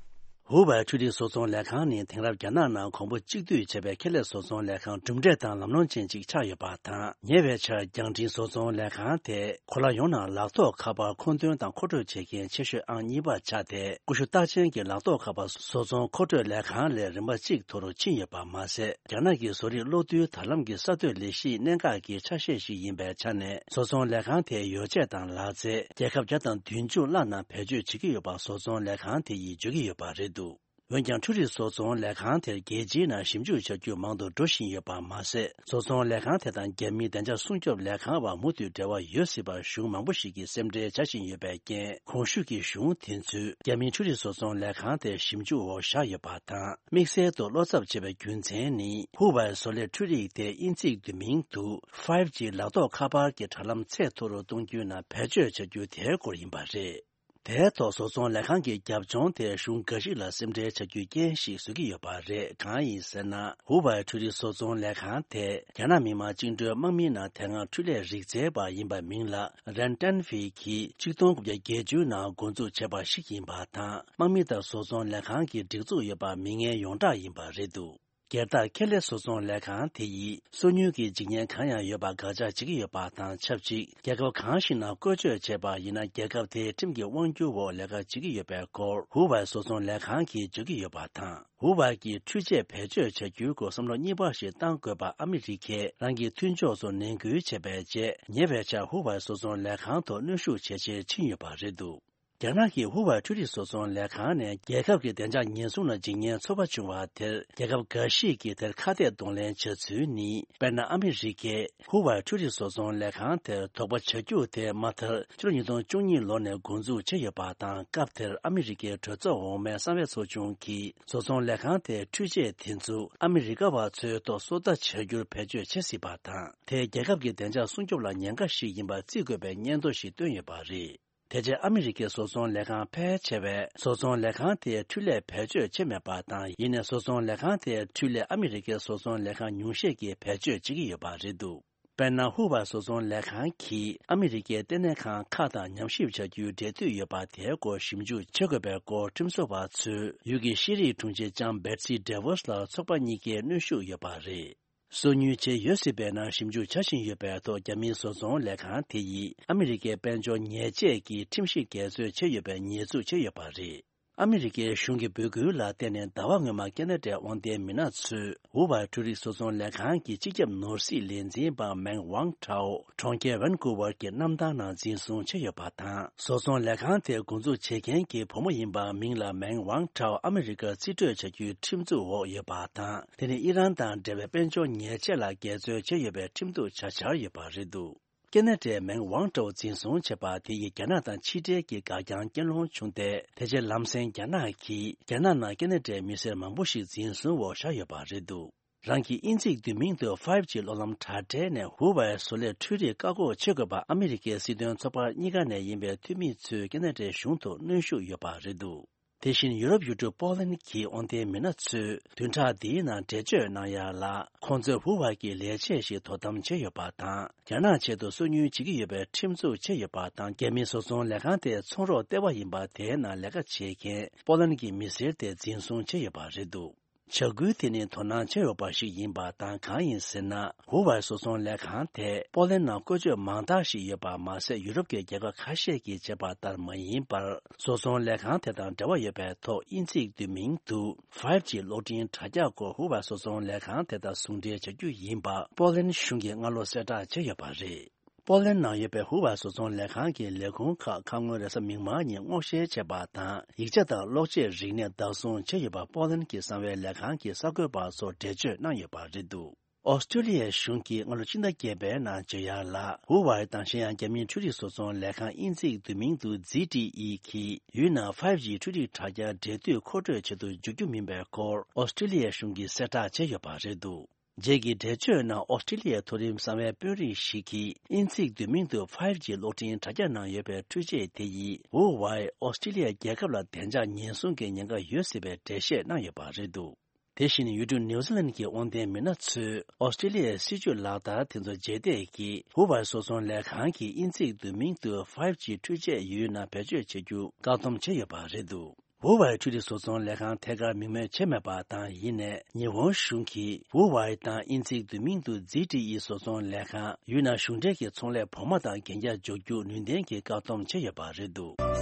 ཧུ་ཝེ་འཕྲུལ་རིག་བཟོ་ཚོང་ལས་ཁང་ནི་དེང་རབས་རྒྱ་ནག་ནང་གོང་བུ་གཅིག་བསྡུས་བྱས་པའི་ཁེ་ལས་བཟོ་ཚོང་ལས་ཁང་གྲུབ་འབྲས་དང་ལམ་ལྷོང་ཅན་ཅིག་ཆགས་ཡོད་པ་དང་། ཉེ་བའི་ཆར་རྒྱང་འཕྲིན་བཟོ་ཚོང་ལས་ཁང་དེ་གོ་ལ་ཡོངས་ནང་ལག་ཐོགས་ཁ་པར་མཁོ་འདོན་དང་མཁོ་སྤྲོད་བྱེད་མཁན་ཆེ་ཤོས་ཨང་གཉིས་པར་ཆགས་ཏེ། ཀུ་ཤུ་རྟགས་ཅན་གྱི་ལག་ཐོགས་ཁ་པར་བཟོ་ཚོང་མཁོ་སྤྲོད་ལས་ཁང་ལས་རིམ་པ་གཅིག་མཐོ་རུ་ཕྱིན་ཡོད་པ་མ་ཟད། རྒྱ་ནག་གི་བཟོ་རིག་གློག་རྡུལ་དྲ་ལམ་གྱི་གསར་གཏོད་ལས་གཞིའི་གནད་འགག་གི་ཆ་ཤས་ཤིག་ཡིན་པའི་ཆ་ནས། བཟོ་ཚོང་ལས་ཁང་དེའི་ཡོ་བྱད་དང་ལག་རྩལ་རྒྱལ་ཁབ་བརྒྱ་དང་བདུན་ཅུ་ལྷག་ནང་བེད་སྤྱོད་བྱེད་ཀྱི་ཡོད་པ་བཟོ་ཚོང་ལས་ཁང་དེ་ཡིས་བརྗོད་ཀྱི་ཡོད་པ་རེད་འདུག་འོན་ཀྱང་། འཕྲུལ་རིག་བཟོ་ཚོང་ལས་ཁང་དེར་རྒྱལ་སྤྱིའི་ནང་ཞིབ་འཇུག་བྱ་རྒྱུ་མང་དུ་འགྲོ་བཞིན་ཡོད་པ་མ་ཟད། བཟོ་ཚོང་ལས་ཁང་དེ་དང་རྒྱ་མིའི་བདེ་འཇགས་སྲུང་སྐྱོབ་ལས་ཁང་བར་མུ་མཐུད་འབྲེལ་བ་ཡོད་སྲིད་པར་གཞུང་མང་པོ་ཞིག་གིས་སེམས་ཁྲལ་བྱ་བཞིན་ཡོད་པའི་རྐྱེན། གོང་ཞུས་ཀྱི་གཞུང་དེ་ཚོས་རྒྱ་མིའི་འཕྲུལ་རིག་བཟོ་ཚོང་ལས་ཁང་དེ་ཞིབ་འཇུག་འོག་བཞག་ཡོད་པ་དང་། དམིགས་བསལ་དུ་བློ་འཚབ་བྱེད་པའི་རྒྱུ་མཚན་ནི། ཧུ་ཝེ་བཟོ་ལས་འཕྲུལ་རིག་དེ་དབྱིན་ཚིག་བསྡུས་མིང་དུ་ཕའིབ་ཇི་ལག་ཐོགས་ཁ་པར་གྱི་དྲ་ལམ་ཚད་མཐོ་རུ་གཏོང་རྒྱུའི་ནང་བེད་སྤྱོད་བྱ་རྒྱུ་དེའི་སྐོར་ཡིན་པ་རེད། དེའི་ཐོག་བཟོ་ཚོང་ལས་ཁང་གི་རྒྱབ་ལྗོངས་དེ་གཞུང་འགའ་ཞིག་ལ་སེམས་ཁྲལ་བྱ་རྒྱུའི་རྐྱེན་ཞིག་བཟོ་གི་ཡོད་པ་རེད། གང་ཡིན་ཟེར་ན། ཧུ་ཝེ་འཕྲུལ་རིག་བཟོ་ཚོང་ལས་ཁང་དེ་རྒྱ་ནག་མི་དམངས་བཅིངས་འགྲོལ་དམག་མིའི་ནང་དེ་སྔ་འཕྲུལ་ལས་རིག་རྩལ་པ་ཡིན་པ་མིང་ལ་རན་ཏན་ཧྥེ་གིས་ཆིག་སྟོང་དགུ་བརྒྱ་བརྒྱད་ཅུ་ནང་འགོ་འཛུགས་བྱས་པ་ཞིག་ཡིན་པ་དང་། དམག་མི་དང་བཟོ་ཚོང་ལས་ཁང་གི་སྒྲིག་འཛུགས་ཡོད་པ་མི་ངན་ཡོངས་གྲགས་ཡིན་པ་རེད་འདུག་རྒྱལ་དར་ཁེ་ལས་བཟོ་ཚོང་ལས་ཁང་དེ་ཡིས་སོ་ཉུལ་གྱི་འཇིགས་ཉེན་གང་ཡང་ཡོད་པ་དགག་བྱ་བྱེད་ཀྱི་ཡོད་པ་དང་ཆབས་ཅིག་རྒྱལ་ཁབ་གང་ཞིག་ནང་བཀོལ་སྤྱོད་བྱས་པ་ཡིན་ན། རྒྱལ་ཁབ་དེའི་ཁྲིམས་ཀྱི་དབང་སྒྱུར་འོག་ལས་ཀ་བྱེད་ཀྱི་ཡོད་པའི་སྐོར། ཧུ་ཝེ་བཟོ་ཚོང་ལས་ཁང་གིས་བརྗོད་ཀྱི་ཡོད་པ་དང་། ཧུ་ཝེ་གྱིས་འཕྲུལ་ཆས་བེད་སྤྱོད་བྱ་རྒྱུའི་སྐོར་བསམ་བློ་གཉིས་པ་ཞིག་བཏང་དགོས་པ་ཨ་མི་རི་ཀས་རང་གི་མཐུན་ཕྱོགས་སུ་ནན་སྐུལ་བྱས་པའི་རྗེས། ཉེ་བའི་ཆར་ཧུ་ཝེ་བཟོ་ཚོང་ལས་ཁང་ཐོག་གནོན་ཤུགས་ཇེ་ཆེར་ཕྱིན་ཡོད་པ་རེད་འདུག་རྒྱ་ནག་གི་ཧུ་ཝེ་འཕྲུལ་རིག་བཟོ་ཚོང་ལས་ཁང་ནས་རྒྱལ་ཁབ་ཀྱི་བདེ་འཇགས་ཉེན་སྲུང་ལ་འཇིགས་ཉེན་ཚོར་བ་བྱུང་བ་དེར། རྒྱལ་ཁབ་འགའ་ཞིག་གིས་དེར་ཁ་གཏད་གདོང་ལེན་བྱ་ཚུལ་ནི། དཔེར་ན། ཨ་མི་རི་ཀས་ཧུ་ཝེ་འཕྲུལ་རིག་བཟོ་ཚོང་ལས་ཁང་དེར་དོགས་པ་བྱ་རྒྱུ་དེ་མ་མཐར་ཕྱི་ལོ་ཉིས་སྟོང་བཅུ་གཉིས་ལོ་ནས་འགོ་འཛུགས་བྱས་ཡོད་པ་དང་། སྐབས་དེར་ཨ་མི་རི་ཀའི་གྲོས་ཚོགས་འོག་མའི་གསང་བའི་ཚོགས་ཆུང་གིས། བཟོ་ཚོང་ལས་ཁང་དེའི་འཕྲུལ་ཆས་དེ་ཚོ་ཨ་མི་རི་ཀ་བ་ཚོའི་ཐོག་སོ་ལྟ་བྱ་རྒྱུར་བེད་སྤྱོད་བྱེད་སྲིད་པ་དང་། དེས་རྒྱལ་ཁབ་ཀྱི་བདེ་འཇགས་སྲུང་སྐྱོབ་ལ་ཉེན་ཁ་ཞིག་ཡིན་པ་བརྩི་དགོས་པའི་སྙན་ཐོ་ཞིག་བཏོན་ཡོད་པ་རེད། དེ་རྗེས་ཨ་མི་རི་ཀའི་བཟོ་ཚོང་ལས་ཁང་ཕལ་ཆེ་བས་བཟོ་ཚོང་ལས་ཁང་དེའི་འཕྲུལ་ལས་བེད་སྤྱོད་བྱས་མེད་པ་དང་། ཡིན་ནའི་བཟོ་ཚོང་ལས་ཁང་དེའི་འཕྲུལ་ལས་ཨ་མི་རི་ཀའི་བཟོ་ཚོང་ལས་ཁང་ཉུང་ཤས་ཀྱིས་བེད་སྤྱོད་བྱེད་ཀྱི་ཡོད་པ་རེད་འདུག་དཔེར་ན། ཧུ་ཝེ་བཟོ་ཚོང་ལས་ཁང་གིས་ཨ་མི་རི་ཀའི་ལྟེ་གནས་ཁང་ཁག་དང་ཉམས་ཞིབ་བྱ་རྒྱུའི་འབྲེལ་མཐུད་ཡོད་པ་དེའི་སྐོར་ཞིབ་འཇུག་བྱེད་དགོས་པའི་སྐོར། ཁྲིམས་བཟོ་བ་ཚོས་ཡུལ་གྱི་ཤེས་རིག་དྲུང་ཆེ་ལྕམ་Betsy DeVos་ལ་ཚོགས་པ་གཉིས་ཀས་གནོན་ཤུགས་ཡོད་པ་རེད། སོ་ཉུལ་བྱས་ཡོད་སྲིད་པའི་ནང་ཞིབ་འཇུག་བྱ་བཞིན་ཡོད་པའི་ཐོག་རྒྱ་མིའི་བཟོ་ཚོང་ལས་ཁང་དེ་ཡིས་ཨ་མི་རི་ཀའི་དཔལ་འབྱོར་ཉེས་ཆད་ཀྱི་ཁྲིམས་གཞི་འགལ་འཛོལ་བྱས་ཡོད་པའི་ཉེས་འཛུགས་བྱས་ཡོད་པ་རེད། ཨ་མི་རི་ཀའི་གཞུང་གི་འབོད་སྐུལ་ལ་བརྟེན་ནས་ཟླ་བ་སྔོན་མ་ཁེ་ན་ཌའི་དབང་ལྡན་མི་སྣ་ཚོས་ཧུ་ཝའི་འཕྲུལ་རིག་བཟོ་ཚོང་ལས་ཁང་གི་སྤྱི་ཁྱབ་ནོར་སྲིད་ལས་འཛིན་པ་མེང་ཝང་ཁྲའོ་གྲོང་ཁྱེར་ཝན་ཀུ་ཝར་གྱི་གནམ་ཐང་ནང་འཛིན་བཟུང་བྱས་ཡོད་པ་དང་། བཟོ་ཚོང་ལས་ཁང་དེ་འགོ་འཛུགས་བྱེད་མཁན་གྱི་བུ་མོ་ཡིན་པ་མིང་ལ་མེང་ཝང་ཁྲའོ་ཨ་མི་རི་ཀར་རྩིས་སྤྲོད་བྱ་རྒྱུའི་ཁྲིམས་འཛུགས་འོག་ཡོད་པ་དང་། དེ་ནི་ཨི་རན་དང་འབྲེལ་བའི་དཔལ་འབྱོར་ཉེས་ཆད་ལ་འགལ་འཛོལ་བྱས་ཡོད་པའི་ཁྲིམས་གཏུག་བྱ་འཆར་ཡོད་པ་རེད་འདུག་ཁེ་ན་ཌའི་མེང་ཝང་ཀྲོའུ་འཛིན་བཟུང་བྱས་པ་དེ་ཡིས་རྒྱ་ནག་དང་ཕྱི་འབྲེལ་གྱི་འགག་རྐྱང་རྐྱེན་སློང་བྱུང་སྟེ། དེ་རྗེས་ལམ་སེང་རྒྱ་ནག་གིས་རྒྱ་ནག་ནང་ཁེ་ན་ཌའི་མི་སེར་མང་པོ་ཞིག་འཛིན་བཟུང་འོག་བཞག་ཡོད་པ་རེད་འདུག་རང་གི་དབྱིན་ཚིག་བསྡུས་མིང་དུ་ཕའིབ་ཇི་གློག་ལམ་དྲ་སྦྲེལ་ནས་ཧུ་ཝའེ་བཟོ་ལས་འཕྲུལ་རིག་བཀག་འགོག་བྱེད་དགོས་པ་ཨ་མི་རི་ཀའི་སྲིད་དོན་ཚོགས་པ་གཉིས་ཀ་ནས་ཡིན་པའི་འཐུས་མི་ཚོས་ཁེ་ན་ཌའི་གཞུང་ཐོག་གནོན་ཤུགས་ཡོད་པ་རེད་འདུག་དེ་བཞིན་ཡུ་རོབ་ཡུལ་གྲུ་པོ་ལན་གྱི་དབང་ལྡན་མི་སྣ་ཚོས་བདུན་ཕྲག་འདིའི་ནང་འགྲེལ་བརྗོད་གནང་ཡ་ལ། ཁོང་ཚོས་ཧུ་ཝའེ་གི་ལས་བྱེད་ཞིག་དོ་དམ་བྱས་ཡོད་པ་དང་། རྒྱ་ནག་ཆེད་དུ་སོ་ཉུལ་བྱེད་ཀྱི་ཡོད་པའི་ཁྲིམས་འཛུགས་བྱས་ཡོད་པ་དང་། རྒྱ་མིའི་བཟོ་ཚོང་ལས་ཁང་དེ་ཚོང་རོགས་ལྟེ་བ་ཡིན་པ་དེའི་ནང་ལས་ཀ་བྱེད་མཁན་པོ་ལན་གྱི་མི་སེར་དེ་འཛིན་བཟུང་བྱས་ཡོད་པ་རེད་འདུག་བྱ་འགུལ་དེ་ནི་དོ་སྣང་བྱས་ཡོད་པ་ཞིག་ཡིན་པ་དང་། གང་ཡིན་ཟེར་ན། ཧུ་ཝའེ་བཟོ་ཚོང་ལས་ཁང་དེ་པོ་ལན་ནང་བཀོལ་སྤྱོད་མང་དག་ཞིག་ཡོད་པ་མ་ཟད། ཡུ་རོབ་ཀྱི་རྒྱལ་ཁབ་ཁ་ཤས་ཀྱིས་བྱས་པ་ལྟར་མ་ཡིན་པར། བཟོ་ཚོང་ལས་ཁང་དེ་དང་འབྲེལ་བ་ཡོད་པའི་ཐོག་དབྱིན་ཚིག་བསྡུས་མིང་དུ་ཕའིབ་ཇི་གློག་འཕྲིན་དྲ་རྒྱ་སྐོར་ཧུ་ཝའེ་བཟོ་ཚོང་ལས་ཁང་དེ་དང་ཟུང་འབྲེལ་བྱ་རྒྱུ་ཡིན་པ་པོ་ལན་གཞུང་གིས་སྔ་ལོ་གསལ་བསྒྲགས་བྱས་ཡོད་པ་རེད། པོ་ལན་ནང་ཡོད་པའི་ཧུ་ཝའེ་བཟོ་ཚོང་ལས་ཁང་གི་ལས་ཁུངས་ཁག་ཁ་སྔོན་རེས་གཟའ་མིག་དམར་ཉིན་སྔོག་བཤེར་བྱས་པ་དང་། ཡིག་ཆ་དང་གློག་ཆས་རིག་གནས་བདག་བཟུང་བྱས་ཡོད་པ་པོ་ལན་གྱི་གསང་བའི་ལས་ཁང་གི་གསར་འགོད་པ་ཚོར་འགྲེལ་བརྗོད་གནང་ཡོད་པ་རེད་འདུག་ཨོ་སི་ཀྲི་ལི་ཡའི་གཞུང་གིས་སྔ་ལོ་ཕྱི་ཟླ་བརྒྱད་པའི་ནང་བརྗོད་ཡ་ལ། ཧུ་ཝའེ་དང་གཞན་ཡང་རྒྱ་མིའི་འཕྲུལ་རིག་བཟོ་ཚོང་ལས་ཁང་དབྱིན་ཚིག་བསྡུས་མིང་དུ་ཛི་ཊི་ཨི་གིས་ཡུལ་ནང་ཕའིབ་ཇི་འཕྲུལ་རིག་དྲ་རྒྱ་འབྲེལ་མཐུད་མཁོ་སྤྲོད་བྱེད་དུ་འཇུག་རྒྱུ་མིན་པའི་སྐོར་ཨོ་སི་ཀྲི་ལི་ཡའི་གཞུང་གིས་གསལ་བསྒྲགས་བྱས་ཡོད་པ་རེད་འདུག་རྗེས་ཀྱི་འགྲེལ་བརྗོད་ནང་ཨོ་སི་ཀྲི་ལི་ཡའི་མཐོ་རིམ་གསང་བའི་དཔོན་རིགས་ཤིག་གིས་དབྱིན་ཚིག་བསྡུས་མིང་དུ་ཕའིབ་ཇི་གློག་འཕྲིན་དྲ་རྒྱ་ནང་ཡོད་པའི་འཕྲུལ་ཆས་དེ་ཡིས་ཧུ་ཝའེ་ཨོ་སི་ཀྲི་ལི་ཡ་རྒྱལ་ཁབ་ལ་བདེ་འཇགས་ཉེན་སྲུང་གི་ཉེན་ཁ་ཡོད་སྲིད་པའི་འགྲེལ་བཤད་གནང་ཡོད་པ་རེད་འདུག་དེ་བཞིན་ཡུལ་གྲུ་ནིའུ་ཛི་ལན་གྱི་དབང་ལྡན་མི་སྣ་ཚོས་ཨོ་སི་ཀྲི་ལི་ཡའི་སྲིད་ཇུས་ལག་བསྟར་དེ་ཚོ་རྗེས་འདེད་ཀྱིས་ཧུ་ཝའེ་བཟོ་ཚོང་ལས་ཁང་གིས་དབྱིན་ཚིག་བསྡུས་མིང་དུ་ཕའིབ་ཇི་འཕྲུལ་ཆས་ཡུལ་ནང་བེད་སྤྱོད་བྱེད་རྒྱུ་བཀག་སྡོམ་བྱས་ཡོད་པ་རེད་འདུག་ཧུ་ཝའེ་འཕྲུལ་རིག་བཟོ་ཚོང་ལས་ཁང་ཐད་ཀར་མིང་སྨོས་བྱས་མེད་པ་དང་། ཡིན་ནའི་ཉི་ཧོང་གཞུང་གིས་ཧུ་ཝའེ་དང་དབྱིན་ཚིག་བསྡུས་མིང་དུ་ཛི་ཊི་ཨི་བཟོ་ཚོང་ལས་ཁང་ཡུལ་ནང་གཞུང་འབྲེལ་གྱི་ཚོང་ལས་བོགས་མ་དང་གན་རྒྱ་འཇོག་རྒྱུ་ནུས་ལྡན་གྱིས་བཀག་སྡོམ་བྱས་ཡོད་པ་རེད་འདུག་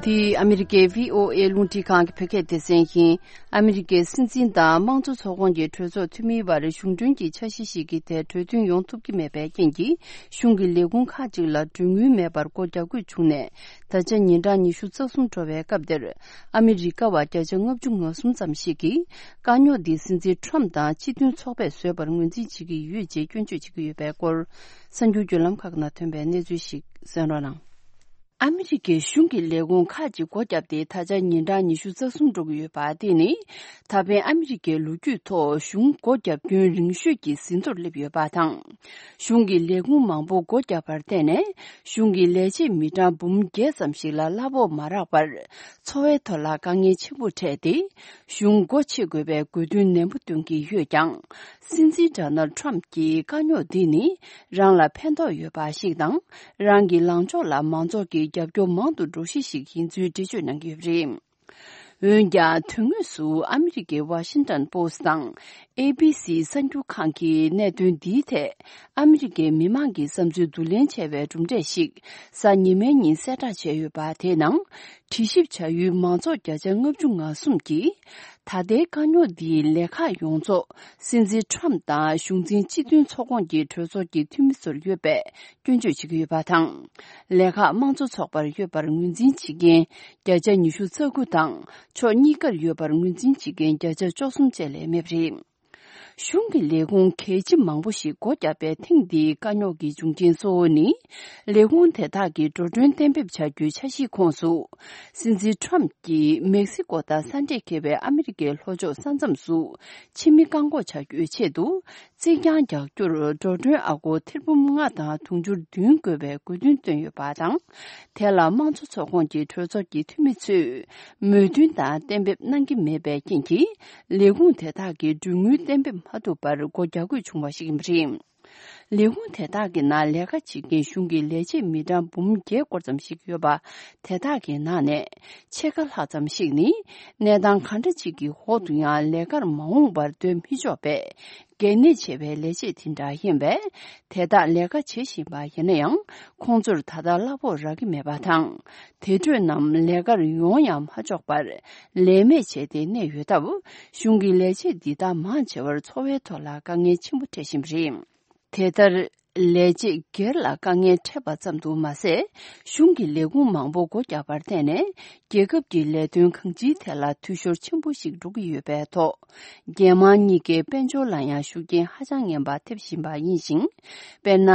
འདི་ཨ་མི་རི་ཀའི་བྷི་ཨོ་ཨེ་རླུང་འཕྲིན་ཁང་གི་བོད་སྐད་སྡེ་ཚན་ཡིན། ཨ་མི་རི་ཀའི་སྲིད་འཛིན་དང་དམངས་གཙོ་ཚོགས་ཁོངས་ཀྱི་གྲོས་ཚོགས་འཐུས་མིའི་བར་གཞུང་གྲོན་གྱི་འཆར་གཞི་ཞིག་གི་ཐད་གྲོས་མཐུན་ཡོང་ཐུབ་ཀྱི་མེད་པའི་རྐྱེན་གྱིས། གཞུང་གི་ལས་ཁུངས་ཁག་ཅིག་ལ་གྲོན་དངུལ་མེད་པར་སྒོ་རྒྱག་དགོས་བྱུང་ནས། ད་ཆ་ཉིན་གྲངས་ཉི་ཤུ་རྩ་གསུམ་འགྲོ་བའི་སྐབས་འདིར། ཨ་མི་རི་ཀ་བ་བརྒྱ་ཆ་ལྔ་བཅུ་ང་གསུམ་ཙམ་ཞིག་གིས། དཀའ་རྙོག་འདི་སྲིད་འཛིན་ཁྲོམ་དང་སྤྱི་མཐུན་ཚོགས་པས་བཟོས་པར་ངོས་འཛིན་བྱེད་ཀྱི་ཡོད་ཅེས་སྐྱོན་བརྗོད་བྱེད་ཀྱི་ཡོད་པའི་སྐོར། གསར་འགྱུར་བརྒྱུད་ལམ་ཁག་ནང་ཐོན་པའི་གནས་ཚུལ་ཞིག་གསན་རོགས་གནང་། ཨ་མི་རི་ཀའི་གཞུང་གི་ལས་ཁུངས་ཁག་ཅིག་སྒོ་བརྒྱབ་སྟེ། ད་ཆ་ཉིན་གྲངས་ཉི་ཤུ་རྩ་གསུམ་འགྲོ་གི་ཡོད་པ། དེ་ནི་ད་ཕན་ཨ་མི་རི་ཀའི་ལོ་རྒྱུས་ཐོག་གཞུང་སྒོ་བརྒྱབ་སྐྱོན་རིང་ཤོས་ཀྱི་ཟིན་ཐོར་སླེབས་ཡོད་པ་དང་། གཞུང་གི་ལས་ཁུངས་མང་པོ་སྒོ་བརྒྱབ་པར་བརྟེན་ནས། གཞུང་གི་ལས་བྱེད་མི་གྲངས་འབུམ་བརྒྱད་ཙམ་ཞིག་ལ་གླ་ཕོགས་མ་རག་པར། འཚོ་བའི་ཐོག་ལ་དཀའ་ངལ་ཆེན་པོ་འཕྲད་དེ། གཞུང་སྒོ་ཕྱེ་དགོས་པའི་དགོས་འདུན་ནན་པོ་འདོན་གྱི་ཡོད་ཀྱང་། སྲིད་འཛིན་ཌོ་ནལ་ཁྲོམ་གྱིས་དཀའ་རྙོག་འདི་ནི་རང་ལ་ཕན་ཐོགས་ཡོད་པ་ཞིག་དང་། རང་གི་ལངས་ཕྱོགས་ལ་མང་ཚོགས་ཀྱི་རྒྱབ་སྐྱོར་མང་དུ་འགྲོ་གཞི་ཞིག་ཡིན་ཚུལ་འགྲེལ་བརྗོད་གནང་གི་ཡོད་པ་རེད། འོན་ཀྱང་། དོན་དངོས་སུ་ཨ་མི་རི་ཀའི་ཝ་ཤིང་ཏོན་པོ་སི་ཊི་དང་། ཨེ་བི་སི་གསར་འགྱུར་ཁང་གིས་གནད་དོན་འདིའི་ཐད། ཨ་མི་རི་ཀའི་མི་མང་གི་བསམ་ཚུལ་བསྡུ་ལེན་བྱས་པའི་གྲུབ་འབྲས་ཤིག་གཟའ་ཉི་མའི་ཉིན་གསལ་བསྒྲགས་བྱས་ཡོད་པ། དེའི་ནང་། དྲི་ཞིབ་བྱ་ཡུལ་མང་ཚོགས་བརྒྱ་ཆ་ལྔ་བཅུ་ང་གསུམ་གྱིས། ད་ལྟའི་དཀའ་རྙོག་འདིའི་ལས་ཁག་ཡོངས་རྫོགས་སྲིད་འཛིན་ཁྲོམ་དང་གཞུང་འཛིན་སྤྱི་མཐུན་ཚོགས་ཁོངས་ཀྱི་གྲོས་ཚོགས་ཀྱི་འཐུས་མི་ཚོར་ཡོད་པའི་སྐྱོན་བརྗོད་བྱེད་ཀྱི་ཡོད་པ་དང་། ལས་ཁག་དམངས་གཙོ་ཚོགས་པར་ཡོད་པར་ངོས་འཛིན་བྱེད་མཁན་བརྒྱ་ཆ་ཉི་ཤུ་རྩ་དགུ་དང་། ཕྱོགས་གཉིས་ཀར་ཡོད་པར་ངོས་འཛིན་བྱེད་མཁན་བརྒྱ་ཆ་བཅུ་གསུམ་བཅས་ལས་མེད་པ་རེད། གཞུང་གི་ལས་ཁུངས་གལ་ཆེ་མང་པོ་ཞིག་སྒོ་བརྒྱབ་པའི་ཐེངས་འདིའི་དཀའ་རྙོག་གི་འབྱུང་རྐྱེན་གཙོ་བོ་ནི། ལས་ཁུངས་དེ་དག་གིས་འགྲོ་གྲོན་གཏན་འབེབས་བྱ་རྒྱུའི་འཆར་གཞིའི་ཁོངས་སུ། སྲིད་འཛིན་ཁྲོམ་གྱིས་མེག་སི་ཀོ་དང་ས་འདྲེས་འཁེལ་བའི་ཨ་མི་རི་ཀའི་ལྷོ་ཕྱོགས་ས་མཚམས་སུ། ཕྱི་མི་བཀག་འགོག་བྱ་རྒྱུའི་ཆེད་དུ། རྩིག་གྱང་རྒྱག་རྒྱུར་འགྲོ་གྲོན་ཨ་སྒོར་ཐེར་འབུམ་ལྔ་དང་དུང་ཕྱུར་བདུན་དགོས་པའི་དགོས་འདུན་བཏོན་ཡོད་པ་དང་། དེ་ལ་དམངས་གཙོ་ཚོགས་ཁོངས་ཀྱི་གྲོས་ཚོགས་ཀྱི་འཐུས་མི་ཚོས་མོས་མཐུན་དང་གཏན་འབེབས་གནང་གི་མེད་པའི་རྐྱེན་གྱིས། ལས་ཁུངས་དེ་དག་གིས་གྲོན་དངུལ་གཏན་འབེབས་མ་ཐུབ་པར་སྒོ་རྒྱག་དགོས་བྱུང་བ་ཞིག་ཡིན་པ་རེད། ལས་ཁུངས་དེ་དག་གི་ནང་ལས་ཀ་བྱེད་མཁན་གཞུང་གི་ལས་བྱེད་མི་གྲངས་འབུམ་བརྒྱད་སྐོར་ཙམ་ཞིག་ཡོད་པ། དེ་དག་གི་ནང་ནས་ཕྱེད་ཀ་ལྷག་ཙམ་ཞིག་ནི་གནས་སྟངས་གང་འདྲ་ཅིག་གི་འོག་ཏུ་ཡང་ལས་ཀར་མ་འོངས་པར་སྡོད་མི་ཆོག་པའི་གལ་གནད་ཆེ་བའི་ལས་བྱེད་དེ་འདྲ་ཡིན་པས། དེ་དག་ལས་ཀ་བྱེད་བཞིན་པ་ཡིན་ན་ཡང་། ཁོང་ཚོར་ད་ལྟ་གླ་ཕོགས་རག་གི་མེད་པ་དང་། དེ་འཕྲོས་རྣམས་ལས་ཀར་ཡོང་ཡང་མ་ཆོག་པར་ལས་མེད་བྱས་ཏེ་གནས་ཡོད་སྟབས། གཞུང་གི་ལས་བྱེད་འདི་དག་མང་ཆེ་བར་འཚོ་བའི་ཐོག་ལ་དཀའ་ངལ་ཆེན་པོ་འཕྲད་བཞིན་པ་རེད། དེ་ལྟར། ལས་བྱེད་སྒེར་ལ་དཀའ་ངལ་འཕྲད་པ་ཙམ་དུ་མ་ཟད། གཞུང་གི་ལས་ཁུངས་མང་པོ་སྒོ་བརྒྱབ་པར་བརྟེན་ནས། རྒྱལ་ཁབ་ཀྱི་ལས་དོན་གང་ཅིའི་ཐད་ལ་འཐུས་ཤོར་ཆེན་པོ་ཞིག་འགྲོ་གི་ཡོད་པའི་ཐོག་རྒྱལ་དམངས་གཉིས་ཀའི་དཔལ་འབྱོར་ལ་ཡང་ཤུགས་རྐྱེན་ཧ་ཅང་ངན་པ་ཐེབས་བཞིན་པ་ཡིན་ཞིང་། དཔེར་ན།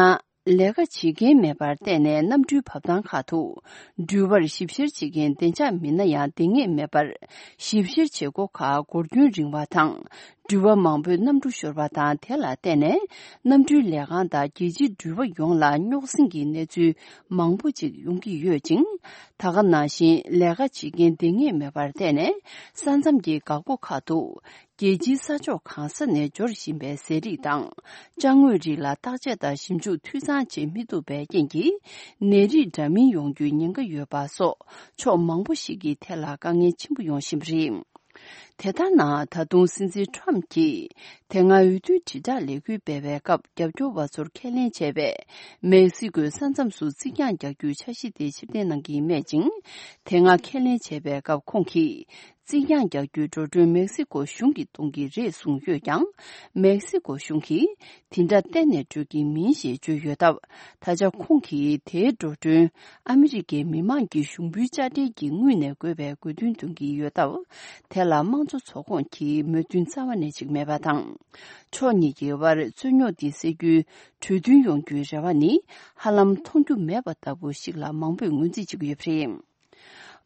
ལས་ཀ་བྱེད་མཁན་མེད་པར་བརྟེན་ནས་གནམ་གྲུའི་བབས་ཐང་ཁག་ཏུ། འགྲུལ་པར་ཞིབ་བཤེར་བྱེད་མཁན་བདེ་འཇགས་མི་སྣ་ཡང་འདང་ངེས་མེད་པར། ཞིབ་བཤེར་བྱེད་སྒོ་ཁག་འགོར་འཁྱོལ་རིང་བ་དང་། འགྲུལ་པ་མང་པོས་གནམ་གྲུ་ཤོར་བ་དང་། དེ་ལ་བརྟེན་ནས་གནམ་གྲུའི་ལས་ཁང་དང་རྒྱལ་སྤྱིའི་འགྲུལ་པ་ཡོངས་ལ་རྙོག་ཟིང་གི་གནས་ཚུལ་མང་པོ་ཅིག་ཡོང་གི་ཡོད་ཅིང་། ད་ག་ནང་བཞིན་ལས་ཀ་བྱེད་མཁན་འདང་ངེས་མེད་པར་བརྟེན་ནས་ས་མཚམས་ཀྱི་འགག་སྒོ་ཁག་ཏུ་རྒྱལ་སྤྱིའི་ས་ཕྱོགས་གང་ས་ནས་འབྱོར་བཞིན་པའི་ཟས་རིགས་དང་ཅ་དངོས་རིགས་ལ་བརྟག་དཔྱད་དང་ཞིབ་འཇུག་འཐུས་ཚང་བྱེད་མི་ཐུབ་པའི་རྐྱེན་གྱིས་ནད་རིགས་འདྲ་མིན་ཡོང་རྒྱུའི་ཉེན་ཁ་ཡོད་པ་སོགས་ཕྱོགས་མང་པོ་ཞིག་གི་ཐད་ལ་དཀའ་ངལ་ཆེན་པོ་ཡོང་བཞིན་པ་རེད། དེ་ལྟར་ན། ད་དུང་སྲིད་འཛིན་ཁྲོམ་གྱིས་དེ་སྔ་འོས་བསྡུའི་དྲིལ་བསྒྲགས་ལས་འགུལ་སྤེལ་བའི་སྐབས། རྒྱབ་སྐྱོར་བ་ཚོར་ཁས་ལེན་བྱས་པའི་མེག་སི་ཀོའི་ས་མཚམས་སུ་རྩིག་གྱང་རྒྱག་རྒྱུའི་འཆར་གཞི་དེ་ཕྱིར་འཐེན་གནང་གི་མེད་ཅིང་། དེ་སྔ་ཁས་ལེན་བྱས་པའི་སྐབས་ཁོང་གིས། རྩིག་གྱང་རྒྱག་རྒྱུའི་འགྲོ་གྲོན་མེག་སི་ཀོ་གཞུང་གིས་གཏོང་གི་རེད་གསུངས་ཡོད་ཀྱང་། མེག་སི་ཀོ་གཞུང་གིས་དེ་འདྲ་གཏན་ནས་སྤྲོད་ཀྱི་མིན་ཞེས་བརྗོད་ཡོད་སྟབས། ད་ཆ་ཁོང་གིས་དེའི་འགྲོ་གྲོན་ཨ་མི་རི་ཀའི་མི་དམངས་ཀྱི་ཞུགས་འབུལ་དཔྱ་ཁྲལ་གྱི་དངུལ་ནས་དགོས་པའི་དགོས་འདུན་འདོན་གྱི་ཡོད་སྟབས། དེ་ལ་དམངས་གཙོ་ཚོགས་ཁོངས་ཀྱིས་མོས་མཐུན་རྩ་བ་ནས་བྱེད་ཀྱི་མེད་པ་དང་། ཕྱོགས་གཉིས་ཀྱི་དབར་རྩོད་རྙོག་འདི་སེལ་རྒྱུའི་གྲོས་མཐུན་ཡོང་རྒྱུའི་རེ་བ་ནི་ཧ་ལམ་མཐོང་རྒྱུ་མེད་པ་ལྟ་བུ་ཞིག་ལ་མང་པོས་ངོས་འཛིན་བྱེད་ཀྱི་ཡོད་པ་རེད།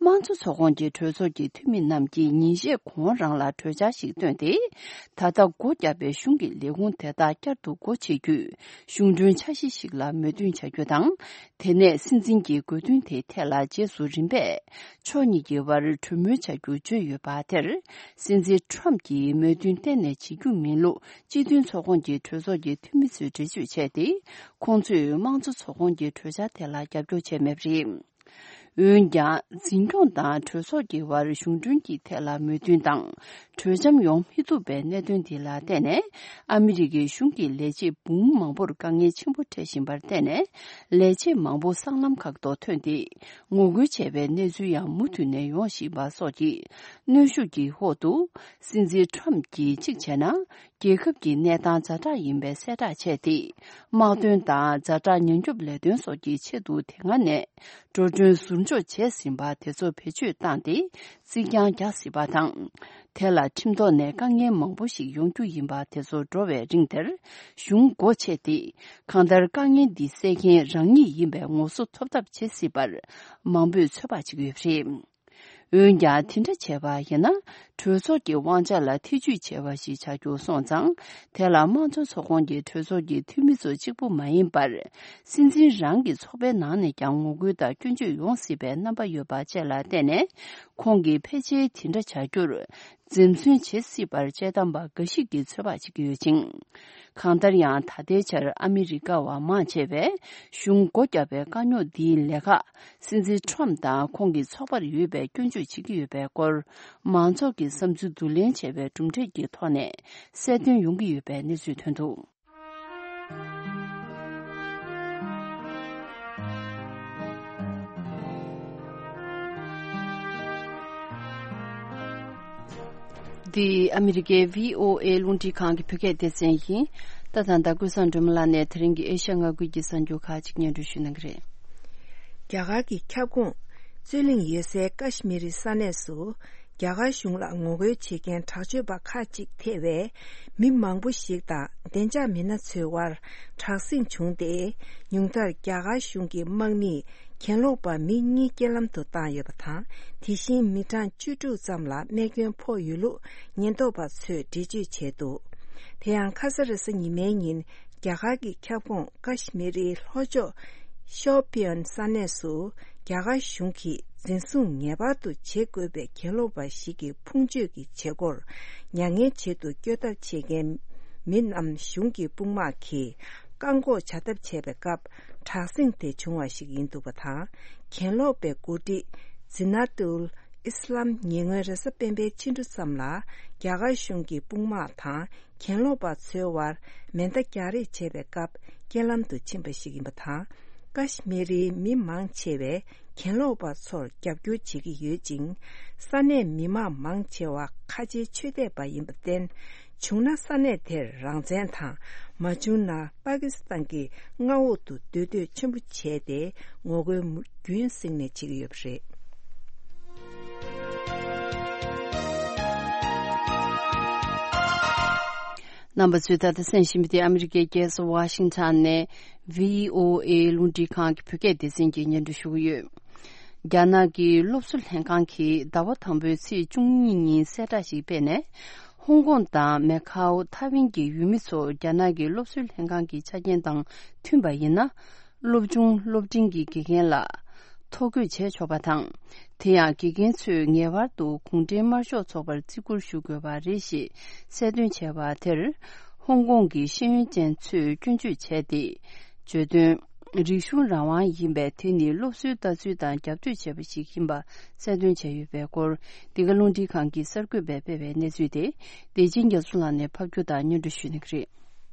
དམངས་གཙོ་ཚོགས་ཁོངས་ཀྱི་གྲོས་ཚོགས་ཀྱི་འཐུས་མི་རྣམས་ཀྱིས་ཉིན་ཤས་གོང་རང་ལ་གྲོས་འཆར་ཞིག་བཏོན་ཏེ། ད་ལྟ་སྒོ་བརྒྱབ་པའི་གཞུང་གི་ལས་ཁུངས་དེ་དག་བསྐྱར་དུ་སྒོ་ཕྱེ་རྒྱུའི་གཞུང་གྲོན་འཆར་གཞི་ཞིག་ལ་མོས་མཐུན་བྱ་རྒྱུ་དང་། དེ་ནས་སྲིད་འཛིན་གྱི་དགོས་འདུན་དེའི་ཐད་ལ་རྗེས་སུ་རིམ་པས་ཕྱོགས་གཉིས་ཀྱི་དབར་གྲོས་མོལ་བྱ་རྒྱུ་བརྗོད་ཡོད་པ་དེར། སྲིད་འཛིན་ཁྲོམ་གྱིས་མོས་མཐུན་གཏན་ནས་བྱེད་རྒྱུ་མིན་ལུགས་སྤྱི་མཐུན་ཚོགས་ཁོངས་ཀྱི་གྲོས་ཚོགས་ཀྱི་འཐུས་མི་ཚོས་འགྲེལ་བརྗོད་བྱས་ཏེ། ཁོང་ཚོས་དམངས་གཙོ་ཚོགས་ཁོངས་ཀྱི་གྲོས་འཆར་དེ་ལ་རྒྱབ་སྐྱོར་བྱས་མེད་པ་རེད། འོན་ཀྱང་། འཛིན་སྐྱོང་དང་གྲོས་ཚོགས་ཀྱི་དབར་གཞུང་གྲོན་གྱི་ཐད་ལ་མོས་མཐུན་དང་། གྲོས་འཆམ་ཡོང་མི་ཐུབ་པའི་གནད་དོན་འདི་ལ་བརྟེན་ནས། ཨ་མི་རི་ཀའི་གཞུང་གི་ལས་བྱེད་འབུམ་མང་པོར་དཀའ་ངལ་ཆེན་པོ་འཕྲད་བཞིན་པར་བརྟེན་ནས། ལས་བྱེད་མང་པོ་སྲང་ལམ་ཁག་ཏུ་ཐོན་ཏེ། ངོ་རྒོལ་བྱས་པའི་གནས་ཚུལ་ཡང་མུ་མཐུད་ནས་ཡོང་བཞིན་པ་སོགས་ཀྱི་གནོན་ཤུགས་ཀྱི་འོག་ཏུ། སྲིད་འཛིན་ཁྲོམ་གྱིས་གཅིག་བྱས་ན། རྒྱལ་ཁབ་ཀྱི་གནས་སྟངས་ཛ་དྲག་ཡིན་པའི་གསལ་བསྒྲགས་བྱས་ཏེ། དམག་དོན་དང་ཛ་དྲག་ཉེན་སྐྱོབ་ལས་དོན་སོགས་ཀྱི་ཆེད་དུ་དེ་སྔ་ནས་འགྲོ་གྲོན་ཟུར་འཇོག་བྱས་ཟིན་པ་དེ་ཚོ་བེད་སྤྱོད་བཏང་སྟེ་རྩིག་གྱང་རྒྱག་སྲིད་པ་དང་། དེ་ལ་ཁྲིམས་ཐོག་ནས་དཀའ་ངལ་མང་པོ་ཞིག་ཡོང་རྒྱུ་ཡིན་པ་དེ་ཚོ་འགྲོ་བའི་རིང་དེར་གཞུང་སྒོ་ཕྱེ་སྟེ། གང་ལྟར་དཀའ་ངལ་འདི་སེལ་མཁན་རང་ཉིད་ཡིན་པའི་ངོ་སོ་ཐོབ་ཐབས་བྱེད་སྲིད་པར་མང་པོས་ཚོད་དཔག་བྱེད་ཀྱི་ཡོད་པ་རེད། འོན་ཀྱང་། དེ་འདྲ་བྱས་པ་ཡིན་ན། གྲོས་ཚོགས་ཀྱི་དབང་ཆ་ལ་ཐེ་ཇུས་བྱས་པ་ཞིག་ཆགས་རྒྱུ་སོང་ཙང་། དེ་ལ་དམངས་གཙོ་ཚོགས་ཁོངས་ཀྱི་གྲོས་ཚོགས་ཀྱི་འཐུས་མི་ཚོ་གཅིག་པུ་མ་ཡིན་པར། སྲིད་འཛིན་རང་གི་ཚོགས་པའི་ནང་ནས་ཀྱང་ངོ་རྒོལ་དང་སྐྱོན་བརྗོད་ཡོང་སྲིད་པའི་རྣམ་པ་ཡོད་པ་བཅས་ལ་བརྟེན་ནས། ཁོང་གིས་ཕལ་ཆེར་དེ་འདྲ་བྱ་རྒྱུར་འཛེམ་ཟོན་བྱེད་སྲིད་པར་དཔྱད་གཏམ་པ་འགའ་ཞིག་གིས་ཚོད་དཔག་བྱེད་ཀྱི་ཡོད་ཅིང་། གང་ལྟར་ཡང་། ད་ལྟའི་ཆར་ཨ་མི་རི་ཀ་བ་མང་ཆེ་བས་གཞུང་སྒོ་བརྒྱབ་པའི་དཀའ་རྙོག་འདིའི་ལས་ཁག་སྲིད་འཛིན་ཁྲོམ་དང་ཁོང་གི་ཚོགས་པར་ཡོད་པའི་སྐྱོན་བརྗོད་བྱེད་ཀྱི་ཡོད་པའི་སྐོར། མང་ཚོགས་ཀྱི་བསམ་ཚུལ་བསྡུ་ལེན་བྱས་པའི་གྲུབ་འབྲས་ཀྱི་ཐོག་ནས་གསལ་སྟོན་ཡོང་གི་ཡོད་པའི་གནས་ཚུལ་ཐོན་འདུག། འདི་ཨ་མི་རི་ཀའི་བྷི་ཨོ་ཨེ་རླུང་འཕྲིན་ཁང་གི་བོད་སྐད་སྡེ་ཚན་ཡིན། ད་ཐེངས་ད་ཀུན་བཟང་སྒྲོལ་མ་ལགས་ནས་དེ་རིང་གི་ཨེ་ཤ་ཡ་མངའ་ཁུལ་གྱི་གསར་འགྱུར་ཁག་ཅིག་སྙན་སྒྲོན་ཞུ་གནང་གི་རེད། རྒྱ་གར་གྱི་ཁྱབ་ཁོངས་རྩོད་གླེང་ཡོད་སའི་ཀ་ཤི་མི་རི་ས་གནས་སུ། རྒྱ་གར་གཞུང་ལ་ངོ་རྒོལ་བྱེད་མཁན་དྲག་སྤྱོད་པ་ཁག་ཅིག་ཐེ་བའི་མི་མང་པོ་ཞིག་དང་བདེ་འཇགས་མི་སྣ་ཚོའི་དབར་དྲག་ཟིང་བྱུང་སྟེ། ཉུང་མཐར་རྒྱ་གར་གཞུང་གི་དམག་མིས་གྱེན་ལོག་པ་མི་གཉིས་རྐྱེན་ལམ་དུ་བཏང་ཡོད་པ་དང་། དེ་བཞིན་མི་གྲངས་བཅུ་དྲུག་ཙམ་ལ་རྨས་སྐྱོན་ཕོག་ཡོད་ལུགས་ཉེན་རྟོག་པ་ཚོས་འགྲེལ་བརྗོད་བྱས་འདུག། དེ་ཡང་ཁ་ས་རེས་གཟའ་ཉི་མའི་ཉིན། རྒྱ་གར་གྱི་ཁྱབ་ཁོངས་ཀ་ཤི་མི་རིའི་ལྷོ་ཕྱོགས་ཤོ་པི་ཡན་ས་གནས་སུ། རྒྱ་གར་གཞུང་གིས་འཛིན་བཟུང་ངེས་པར་དུ་བྱེད་དགོས་པའི་གྱེན་ལོག་པ་ཞིག་གི་ཕུང་མཆོད་ཀྱི་བྱེད་སྒོར་མྱ་ངན་བྱེད་དུ་སྐྱོད་ཐབས་བྱེད་མཁན་མི་རྣམས་གཞུང་གི་དཔུང་དམག་གིས་ བཀག་འགོག་བྱ་ཐབས་བྱས་པའི་སྐབས་དྲག་ཟིང་དེ་བྱུང་བ་ཞིག་ཡིན་འདུག་པ་དང་། གྱེན་ལོག་པའི་འགོ་ཁྲིད་ཛི་ན་ཏུལ་ཨི་སི་ལམ་ཉེ་སྔོན་རེས་གཟའ་སྤེན་པའི་ཕྱི་དྲོ་ཙམ་ལ་རྒྱ་གར་གཞུང་གི་དཔུང་དམག་དང་གྱེན་ལོག་པ་ཚོའི་དབར་མེ་མདའ་རྒྱག་རེས་བྱས་པའི་སྐབས་རྐྱེན་ལམ་དུ་ཕྱིན་པ་ཞིག་ཡིན་པ་དང་། ཀ་ཤི་མིར་རིའི་མི་མང་ཆེ་བས་གྱེན་ལོག་པ་ཚོར་རྒྱབ་སྐྱོར་བྱེད་ཀྱི་ཡོད་ཅིང་། ས་གནས་མི་མང་མང་ཆེ་བ་ཁ་ཆེའི་ཆོས་དད་པ་ཡིན་པར་བརྟེན། བྱུང་ན་ས་གནས་དེར་རང་བཙན་དང་། མ་བྱུང་ན་པ་ཀི་སི་ཐན་གྱི་མངའ་འོག་ཏུ་སྡོད་འདོད་ཆེན་པོ་བྱས་ཏེ་ངོ་རྒོལ་རྒྱུན་བསྲིངས་ནས་བྱེད་ཀྱི་ཡོད་པ་རེད། རྣམ་པ་ཚོས་ད་ལྟ་གསན་བཞིན་པ་དེ་ཨ་མི་རི་ཀའི་རྒྱལ་ས་ཝ་ཤིང་ཊོན་ནས་བྷི་ཨོ་ཨེ་རླུང་འཕྲིན་ཁང་གི་བོད་སྐད་སྡེ་ཚན་གྱིས་སྙན་སྒྲོན་ཞུ་གི་ཡོད། རྒྱ་ནག་གི་སློབ་གསོ་ལྷན་ཁང་གིས་ཟླ་བ་དང་པོའི་ཚེས་བཅུ་གཉིས་ཉིན་གསལ་བསྒྲགས་ཤིག་སྤེལ་ནས། ཧོང་ཀོང་དང་མེ་ཁའོ་ཐའེ་ཝན་གྱི་ཡུལ་མི་ཚོ་རྒྱ་ནག་གི་སློབ་གསོའི་ལྷན་ཁང་གི་ཆ་རྐྱེན་དང་མཐུན་པ་ཡིན་ན། སློབ་ཆུང་སློབ་འབྲིང་གི་དགེ་རྒན་ལ་ཐོ་འགོད་བྱས་ཆོག་པ་དང་། དེ་ཡང་དགེ་རྒན་ཚོས་ངེས་པར་དུ་གུང་ཁྲན་དམར་ཤོག་ཚོགས་པར་བརྩི་བཀུར་ཞུ་དགོས་པ་རེད་ཞེས་གསལ་སྟོན་བྱས་པ་དེར། ཧོང་ཀོང་གི་ཤེས་ཡོན་ཅན་ཚོས་སྐྱོན་བརྗོད་བྱས་ཏེ། བརྗོད་དོན། རིག་གཞུང་རང་དབང་ཡིན་པས། དེ་ནི་སློབ་གསོའི་ལྟ་ཚུལ་དང་རྒྱབ་གཏོད་བྱས་པ་ཞིག་ཡིན་པ་གསལ་སྟོན་བྱས་ཡོད་པའི་སྐོར། འདི་ག་རླུང་འཕྲིན་ཁང་གི་གསར་འགོད་པས་སྤེལ་བའི་གནས་ཚུལ་དེ། བདེ་ཆེན་རྒྱ་མཚོ་ལགས་ནས་ཕབ་སྒྱུར་དང་སྙན་སྒྲོན་ཞུ་གནང་གི་རེད།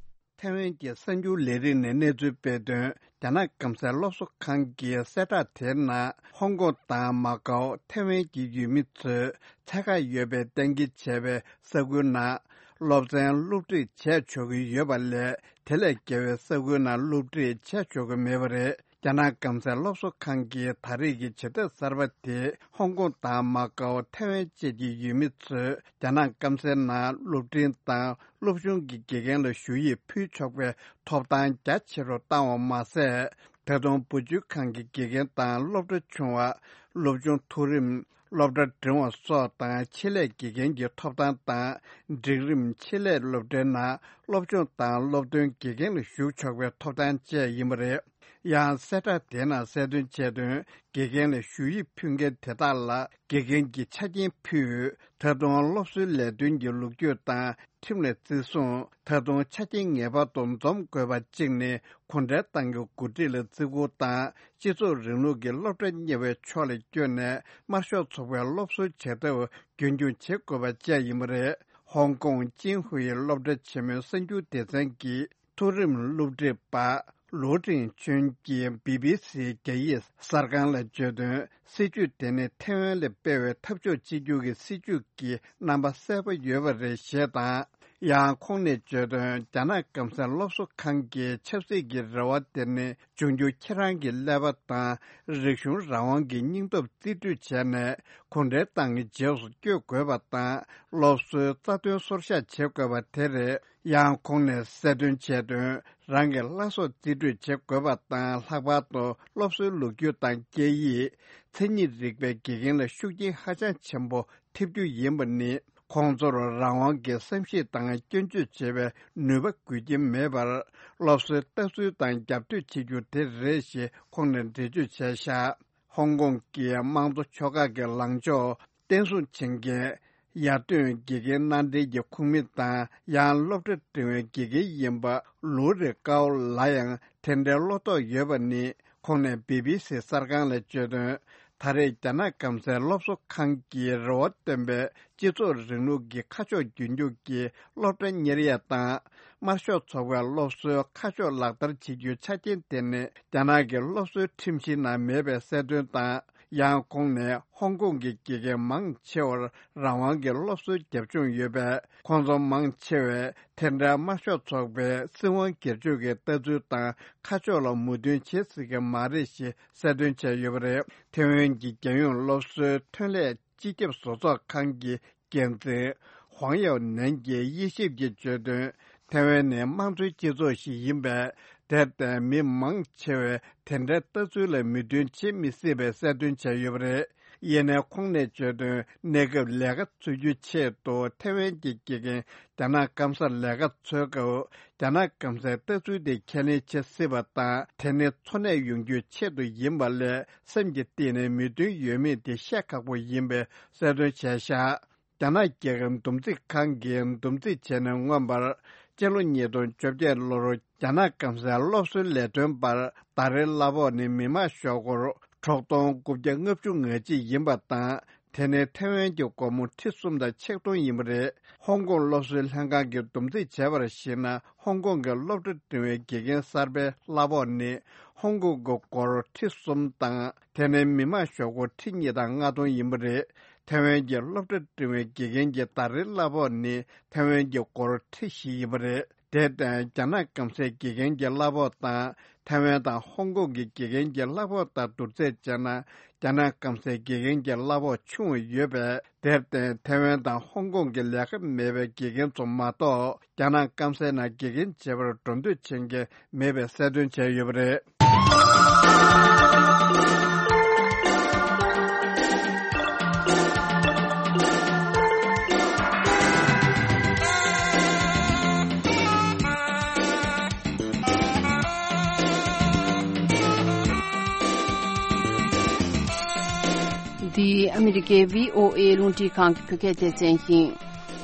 ཐའེ་ཝན་གྱི་གསར་འགྱུར་ལས་རིགས་ནས་གནས་ཚུལ་སྤེལ་དོན། རྒྱ་ནག་སྐམ་སའི་སློབ་གསོ་ཁང་གི་གསལ་བསྒྲགས་དེའི་ནང་། ཧོང་ཀོང་དང་མ་ཀའོ་ཐའེ་ཝན་གྱི་ཡུལ་མི་ཚོས་ཚད་བཀག་ཡོད་པའི་གཏན་འཁེལ་བྱས་པའི་ས་ཁུལ་ནང་སློབ་ཚན་སློབ་ཁྲིད་བྱས་ཆོག་གི་ཡོད་པ་ལས། དེ་ལས་བརྒལ་བའི་ས་ཁུལ་ནང་སློབ་ཁྲིད་བྱས་ཆོག་གི་མེད་པ་རེད། རྒྱ་ནག་སྐམ་སའི་སློབ་གསོ་ཁང་གིས་ད་རེས་ཀྱི་བྱེད་ཐབས་གསར་པ་དེས་ཧོང་ཀོང་དང་མ་ཀའོ་ཐའེ་ཝན་བཅས་ཀྱི་ཡུལ་མི་ཚོས་རྒྱ་ནག་སྐམ་སའི་ནང་སློབ་འབྲིང་དང་སློབ་ཆུང་གི་དགེ་རྒན་ལ་ཞུ་ཡིག་ཕུལ་ཆོག་པའི་ཐོབ་ཐང་རྒྱ་ཆེ་རུ་བཏང་བ་མ་ཟད། ད་དུང་བུ་བཅོལ་ཁང་གི་དགེ་རྒན་དང་སློབ་གྲྭ་ཆུང་བ། སློབ་ཆུང་མཐོ་རིམ། སློབ་གྲྭ་འབྲིང་བ་སོགས་དང་ཆེད་ལས་དགེ་རྒན་གྱི་ཐོབ་ཐང་དང་། འབྲིང་རིམ་ཆེད་ལས་སློབ་གྲྭའི་ནང་སློབ་སྦྱོང་དང་སློབ་ཐོན་དགེ་རྒན་ལ་ཞུགས་ཆོག་པའི་ཐོབ་ཐང་བཅས་ཡིན་པ་རེད། ཡང་གསལ་བསྒྲགས་དེའི་ནང་གསལ་སྟོན་བྱས་དོན། དགེ་རྒན་ལ་ཞུ་ཡིག་ཕུལ་མཁན་དེ་དག་ལ་དགེ་རྒན་གྱི་ཆ་རྐྱེན་ཕུལ། ད་དུང་སློབ་གསོའི་ལས་དོན་གྱི་ལོ་རྒྱུས་དང་ཁྲིམས་ལ་བརྩི་སྲུང་། ད་དུང་ཆ་རྐྱེན་ངེས་པར་དུ་འཛོམས་དགོས་པ་གཅིག་ནི། གུང་ཁྲན་ཏང་གི་འགོ་ཁྲིད་ལ་བརྩི་བཀུར་དང་། སྤྱི་ཚོགས་རིང་ལུགས་ཀྱི་སློབ་གྲྭ་གཉེར་བའི་ཕྱོགས་ལ་བསྐྱོད་ནས་དམར་ཤོག་ཚོགས་པའི་སློབ་གསོའི་བྱེད་ཐབས་རྒྱུན་འཁྱོངས་བྱེད་དགོས་པ་བཅས་ཡིན་པ་རེད། ཧོང་ཀོང་ཅིན་ཧུའེ་སློབ་གྲྭ་ཆེན་མོའི་གསར་འགྱུར་སྡེ་ཚན་གྱི་མཐོ་རིམ་སློབ་ཁྲིད་པ་ལུའུ་ཀྲིང་ཆོན་གྱིས་བི་བི་སི་རྒྱ་ཡིག་གསར་ཁང་ལ་བརྗོད་དོན། སྲིད་ཇུས་དེ་ནི་ཐའེ་ཝན་ལ་སྤེལ་བའི་འཐབ་ཕྱོགས་གཅིག་གྱུར་གྱི་སྲིད་ཇུས་ཀྱི་རྣམ་པ་གསལ་པོ་ཡོད་པ་རེད་ཞེས་དང་། ཡང་ཁོང་ནས་བརྗོད་དོན། རྒྱ་ནག་སྐམ་སའི་སློབ་གསོ་ཁང་གི་ཆབ་སྲིད་ཀྱི་རེ་བ་དེ་ནི་འབྱུང་འགྱུར་ཁྱེད་རང་གི་ཀླད་པ་དང་རིག་གཞུང་རང་དབང་གི་སྙིང་སྟོབས་རྩིས་སྤྲོད་བྱས་ནས་གུང་ཁྲན་ཏང་གི་རྗེས་སུ་བསྐྱོད་དགོས་པ་དང་། སློབ་གསོའི་རྩ་དོན་སོར་བཞག་བྱེད་དགོས་པ་དེ་རེད། ཡང་ཁོང་ནས་གསལ་སྟོན་བྱས་དོན། རང་གི་བླ་སྲོག་རྩིས་སྤྲོད་བྱེད་དགོས་པ་དང་། ལྷག་པར་དུ་སློབ་གསོའི་ལོ་རྒྱུས་དང་སྐད་ཡིག་མཚན་ཉིད་རིག་པའི་དགེ་རྒན་ལ་ཤུགས་རྐྱེན་ཧ་ཅང་ཆེན་པོ་ཐེབས་རྒྱུ་ཡིན་པ་ནི། ཁོང་ཚོར་རང་དབང་གི་བསམ་ཤེས་དང་སྐྱོན་བརྗོད་བྱེད་པའི་ནུས་པ་དགོས་ཀྱི་མེད་པར། སློབ་གསོའི་ལྟ་ཚུལ་དང་རྒྱབ་གཏོད་བྱེད་རྒྱུ་དེ་རེད་ཞེས་ཁོང་ནས་འགྲེལ་བརྗོད་བྱས་བཞག་ཧོང་ཀོང་གི་དམངས་གཙོ་ཕྱོགས་ཁག་གི་ལངས་ཕྱོགས་བརྟན་སྲུང་བྱེད་མཁན། ཡར་ཐོན་དགེ་རྒན་མནའ་འབྲེལ་གྱི་ཁོངས་མི་དང་ཡང་སློབ་གྲྭ་འབྲིང་བའི་དགེ་རྒན་ཡིན་པ་ལུའུ་རེ་ཀའོ་ལ་ཡང་དེ་འདྲའི་བློ་དོགས་ཡོད་པ་ནི། ཁོང་ནས་བི་བི་སི་གསར་ཁང་ལ་བརྗོད་དོན། ད་རེས་རྒྱ་ནག་སྐམ་སའི་སློབ་གསོ་ཁང་གིས་རེ་བ་བཏོན་པའི་སྤྱི་ཚོགས་རིང་ལུགས་ཀྱི་ཁ་ཕྱོགས་རྒྱུན་འཁྱོངས་ཀྱི་སློབ་གྲྭ་གཉེར་ཡས་དང་། དམར་ཤོག་ཚོགས་པའི་སློབ་གསོའི་ཁ་ཕྱོགས་ལག་བསྟར་བྱེད་རྒྱུའི་ཆ་རྐྱེན་དེ་ནི་རྒྱ་ནག་གི་སློབ་གསོའི་ཁྲིམས་གཞི་ནང་མེད་པའི་གསལ་སྟོན་དང་། ཡང་ཁོང་ནས་ཧོང་ཀོང་གི་དགེ་རྒན་མང་ཆེ་བར་རང་དབང་གི་སློབ་གསོའི་རྒྱབ་ལྗོངས་ཡོད་པས། ཁོང་ཚོ་མང་ཆེ་བས་དེ་འདྲའི་དམར་ཤོག་ཚོགས་པའི་སྲིད་དབང་སྒེར་གཅོད་ཀྱི་ལྟ་ཚུལ་དང་ཁ་ཕྱོགས་ལ་མོས་མཐུན་བྱེད་སྲིད་ཀྱི་མ་རེད་ཞེས་གསལ་སྟོན་བྱས་ཡོད་པ་རེད། ཐེ་ཝན་གྱི་རྒྱལ་ཡོངས་སློབ་གསོའི་ཐོན་ལས་སྤྱི་ཁྱབ་བཟོ་ཚོགས་ཁང་གི་འགན་འཛིན་ཧུང་ཡའོ་ནན་གྱིས་དབྱེ་ཞིབ་ཀྱིས་བརྗོད་དོན། ཐེ་ཝན་ནི་དམངས་གཙོའི་སྤྱི་ཚོགས་ཤིག་ཡིན་པས། དེར་བརྟེན་མི་མང་ཆེ་བས་དེ་འདྲའི་ལྟ་ཚུལ་ལ་མོས་མཐུན་བྱེད་མི་སྲིད་པའི་གསལ་སྟོན་བྱས་ཡོད་པ་རེད། ཡིན་ནའི་ཁོང་ནས་བརྗོད་དོན། གནས་སྐབས་ལས་ཀ་འཚོལ་རྒྱུའི་ཆེད་དུ་ཐེ་ཝན་གྱི་དགེ་རྒན་རྒྱ་ནག་སྐམ་སར་ལས་ཀ་འཚོལ་སྐབས། རྒྱ་ནག་སྐམ་སའི་ལྟ་ཚུལ་དེ་ཁས་ལེན་བྱེད་སྲིད་པ་དང་། དེ་ནི་འཚོ་གནས་ཡོང་རྒྱུའི་ཆེད་དུ་ཡིན་པ་ལས་སེམས་ཀྱི་གཏིང་ནས་མོས་མཐུན་ཡོད་མེད་དེ་བཤད་ཁག་པོ་ཡིན་པའི་གསལ་སྟོན་བྱས་བཞག་རྒྱ་ནག་རྒྱལ་ཁབ་འདུམ་འགྲིག་ཁང་གིས་འདུམ་འགྲིག་བྱས་ནས་མངོན་པར་ སྤྱི་ལོ་ཉིས་སྟོང་བཅོ་བརྒྱད་ལོར་རྒྱ་ནག་སྐམ་སའི་སློབ་གསོའི་ལས་དོན་པར་ཟླ་རེའི་གླ་ཕོགས་ནི་མི་མང་ཞོག་སྒོར་དྲུག་སྟོང་དགུ་བརྒྱ་ལྔ་བཅུ་ང་གཅིག་ཡིན་པ་དང་། དེ་ནི་ཐའེ་ཝན་གྱི་སྒོར་མོ་ཁྲི་གསུམ་དང་ཆིག་སྟོང་ཡིན་པ་རེད། ཧོང་ཀོང་སློབ་གསོའི་ལྷན་ཁང་གིས་བསྡོམས་རྩིས་བྱས་པར་གཞིགས་ན། ཧོང་ཀོང་གི་སློབ་གྲྭ་འགྲིམ་པའི་དགེ་རྒན་གསར་པའི་གླ་ཕོགས་ནི་ཧོང་ཀོང་གི་སྒོར་ཁྲི་གསུམ་དང་། དེ་ནི་མི་མང་ཞོག་སྒོར་ཁྲི་གཉིས་དང་ལྔ་སྟོང་ཡིན་པ་རེད། ཐའེ་ཝན་གྱི་སློབ་གྲྭ་འགྲིམ་པའི་དགེ་རྒན་གྱི་ཟླ་རེའི་གླ་ཕོགས་ནི་ཐའེ་ཝན་གྱི་སྒོར་ཁྲི་བཞི་ཡིན་པ་རེད། དེར་བརྟེན། རྒྱ་ནག་སྐམ་སའི་དགེ་རྒན་གྱི་གླ་ཕོགས་དང་། ཐའེ་ཝན་དང་ཧོང་ཀོང་གི་དགེ་རྒན་གྱི་གླ་ཕོགས་དང་བསྡུར་ཚད་བྱས་ན། རྒྱ་ནག་སྐམ་སའི་དགེ་རྒན་གྱི་གླ་ཕོགས་ཆུང་བ་ཡོད་པས། དེར་བརྟེན། ཐའེ་ཝན་དང་ཧོང་ཀོང་གི་ལས་ཀ་མེད་པའི་དགེ་རྒན་ཚོ་མ་གཏོགས། རྒྱ་ནག་སྐམ་སའི་ནང་དགེ་རྒན་བྱེད་པར་འགྲོ་འདོད་བྱེད་མཁན་མེད་པའི་གསལ་སྟོན་བྱས་ཡོད་པ་རེད། འདི་ཨ་མི་རི་ཀའི་བྷི་ཨོ་ཨེ་རླུང་འཕྲིན་ཁང་གི་བོད་སྐད་སྡེ་ཚན་ཡིན།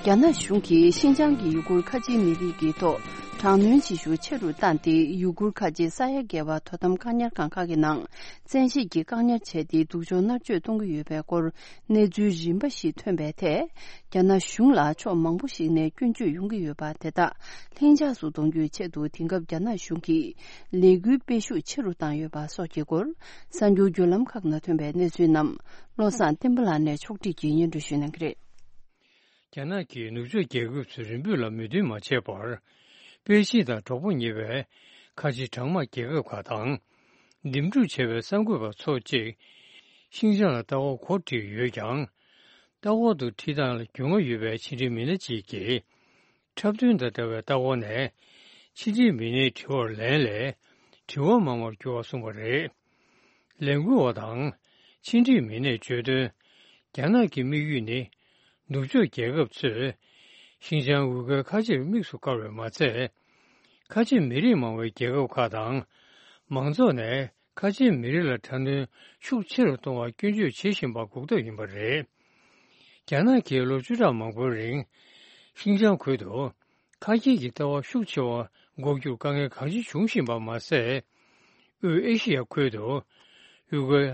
རྒྱ་ནག་གཞུང་གིས་ཤིན་ཅང་གི་ཡུ་གུར་ཁ་ཆེའི་མི་རིགས་ཀྱི་ཐོག་དྲག་གནོན་བྱེད་ཤུགས་ཆེ་རུ་བཏང་སྟེ། ཡུ་གུར་ཁ་ཆེ་ས་ཡ་བརྒལ་བ་དོ་དམ་བཀག་ཉར་ཁང་ཁག་གི་ནང་བཙན་ཤེད་ཀྱིས་བཀག་ཉར་བྱས་ཏེ། སྡུག་སྦྱོང་མནར་གཅོད་གཏོང་གི་ཡོད་པའི་སྐོར་གནས་ཚུལ་རིམ་པ་ཞིག་ཐོན་པའི་ཐད། རྒྱ་ནག་གཞུང་ལ་ཕྱོགས་མང་པོ་ཞིག་ནས་སྐྱོན་བརྗོད་ཡོང་གི་ཡོད་པ་དེ་དག་ལྷིང་འཇགས་སུ་གཏོང་རྒྱུའི་ཆེད་དུ། དེང་སྐབས་རྒྱ་ནག་གཞུང་གིས་ལས་འགུལ་སྤེལ་ཤུགས་ཆེ་རུ་བཏང་ཡོད་པ་སོགས་ཀྱི་སྐོར། གསར་འགྱུར་བརྒྱུད་ལམ་ཁག་ནང་ཐོན་པའི་གནས་ཚུལ་རྣམས། བློ་བཟང་བསྟན་པ་ལགས་ནས་ཕྱོགས་སྒྲིག་གིས་སྙན་སྒྲོན་ཞུ་གནང་གི་རེད། རྒྱ་ནག་གིས་ནུབ་ཕྱོགས་རྒྱལ་ཁབ་ཚོས་རེ་འབོད་ལ་མོས་མཐུན་མ་བྱས་པར། པེ་ཅིན་དང་གྲོགས་པོ་ཉེ་བའི་ཁ་ཆེ་གྲངས་མང་རྒྱལ་ཁབ་ཁག་དང་། འདེམས་སྒྲུག་བྱས་པའི་གསར་འགོད་པ་ཚོ་གཅིག་ཤིན་ཅང་ལ་ལྟ་སྐོར་གོ་སྒྲིག་ཡོད་ཀྱང་། ལྟ་སྐོར་དུ་ཁྲིད་སྟངས་ལ་རྒྱུས་མངའ་ཡོད་པའི་ཕྱི་འབྲེལ་མི་སྣ་གཅིག་གིས། འཁྲབ་སྟོན་དང་འདྲ་བའི་ལྟ་སྐོར་ནས། ཕྱི་འབྲེལ་མི་སྣའི་དྲི་བར་ལན་སླད། དྲི་བ་མང་བར་འགྱུར་བ་གསུངས་པ་རེད། ལས་འགུལ་བ་དང་ཕྱི་འབྲེལ་མི་སྣས་བརྗོད་དོན། རྒྱ་ནག་གི་དམིགས་ཡུལ་ནི། ནུབ་ཕྱོགས་རྒྱལ་ཁབ་ཚོས་ཤིན་ཅང་ཝུ་གུར་ཁ་ཆེར་དམིགས་སུ་བཀར་བས་མ་ཚད། ཁ་ཆེ་མི་རིགས་མང་བའི་རྒྱལ་ཁབ་ཁག་དང་མང་ཚོགས་ནས་ཁ་ཆེ་མི་རིགས་ལ་དྲག་གནོན་ཤུགས་ཆེ་རུ་གཏོང་བར་སྐྱོན་བརྗོད་བྱེད་བཞིན་པ་འགོག་ཐབས་ཡིན་པ་རེད། རྒྱ་ནག་གིས་ལོ་བཅུ་ཕྲག་མང་པོའི་རིང་ཤིན་ཅང་ཁུལ་དུ། ཁ་སྐྱེད་ཀྱི་ལྟ་བ་ཤུགས་ཆེ་བ་འགོག་རྒྱུར་དཀའ་ངལ་གང་ཆེ་འབྱུང་བཞིན་པ་མ་ཟད། དབུས་ཨེ་ཤི་ཡ་ཁུལ་དུ་ཡུ་གུར་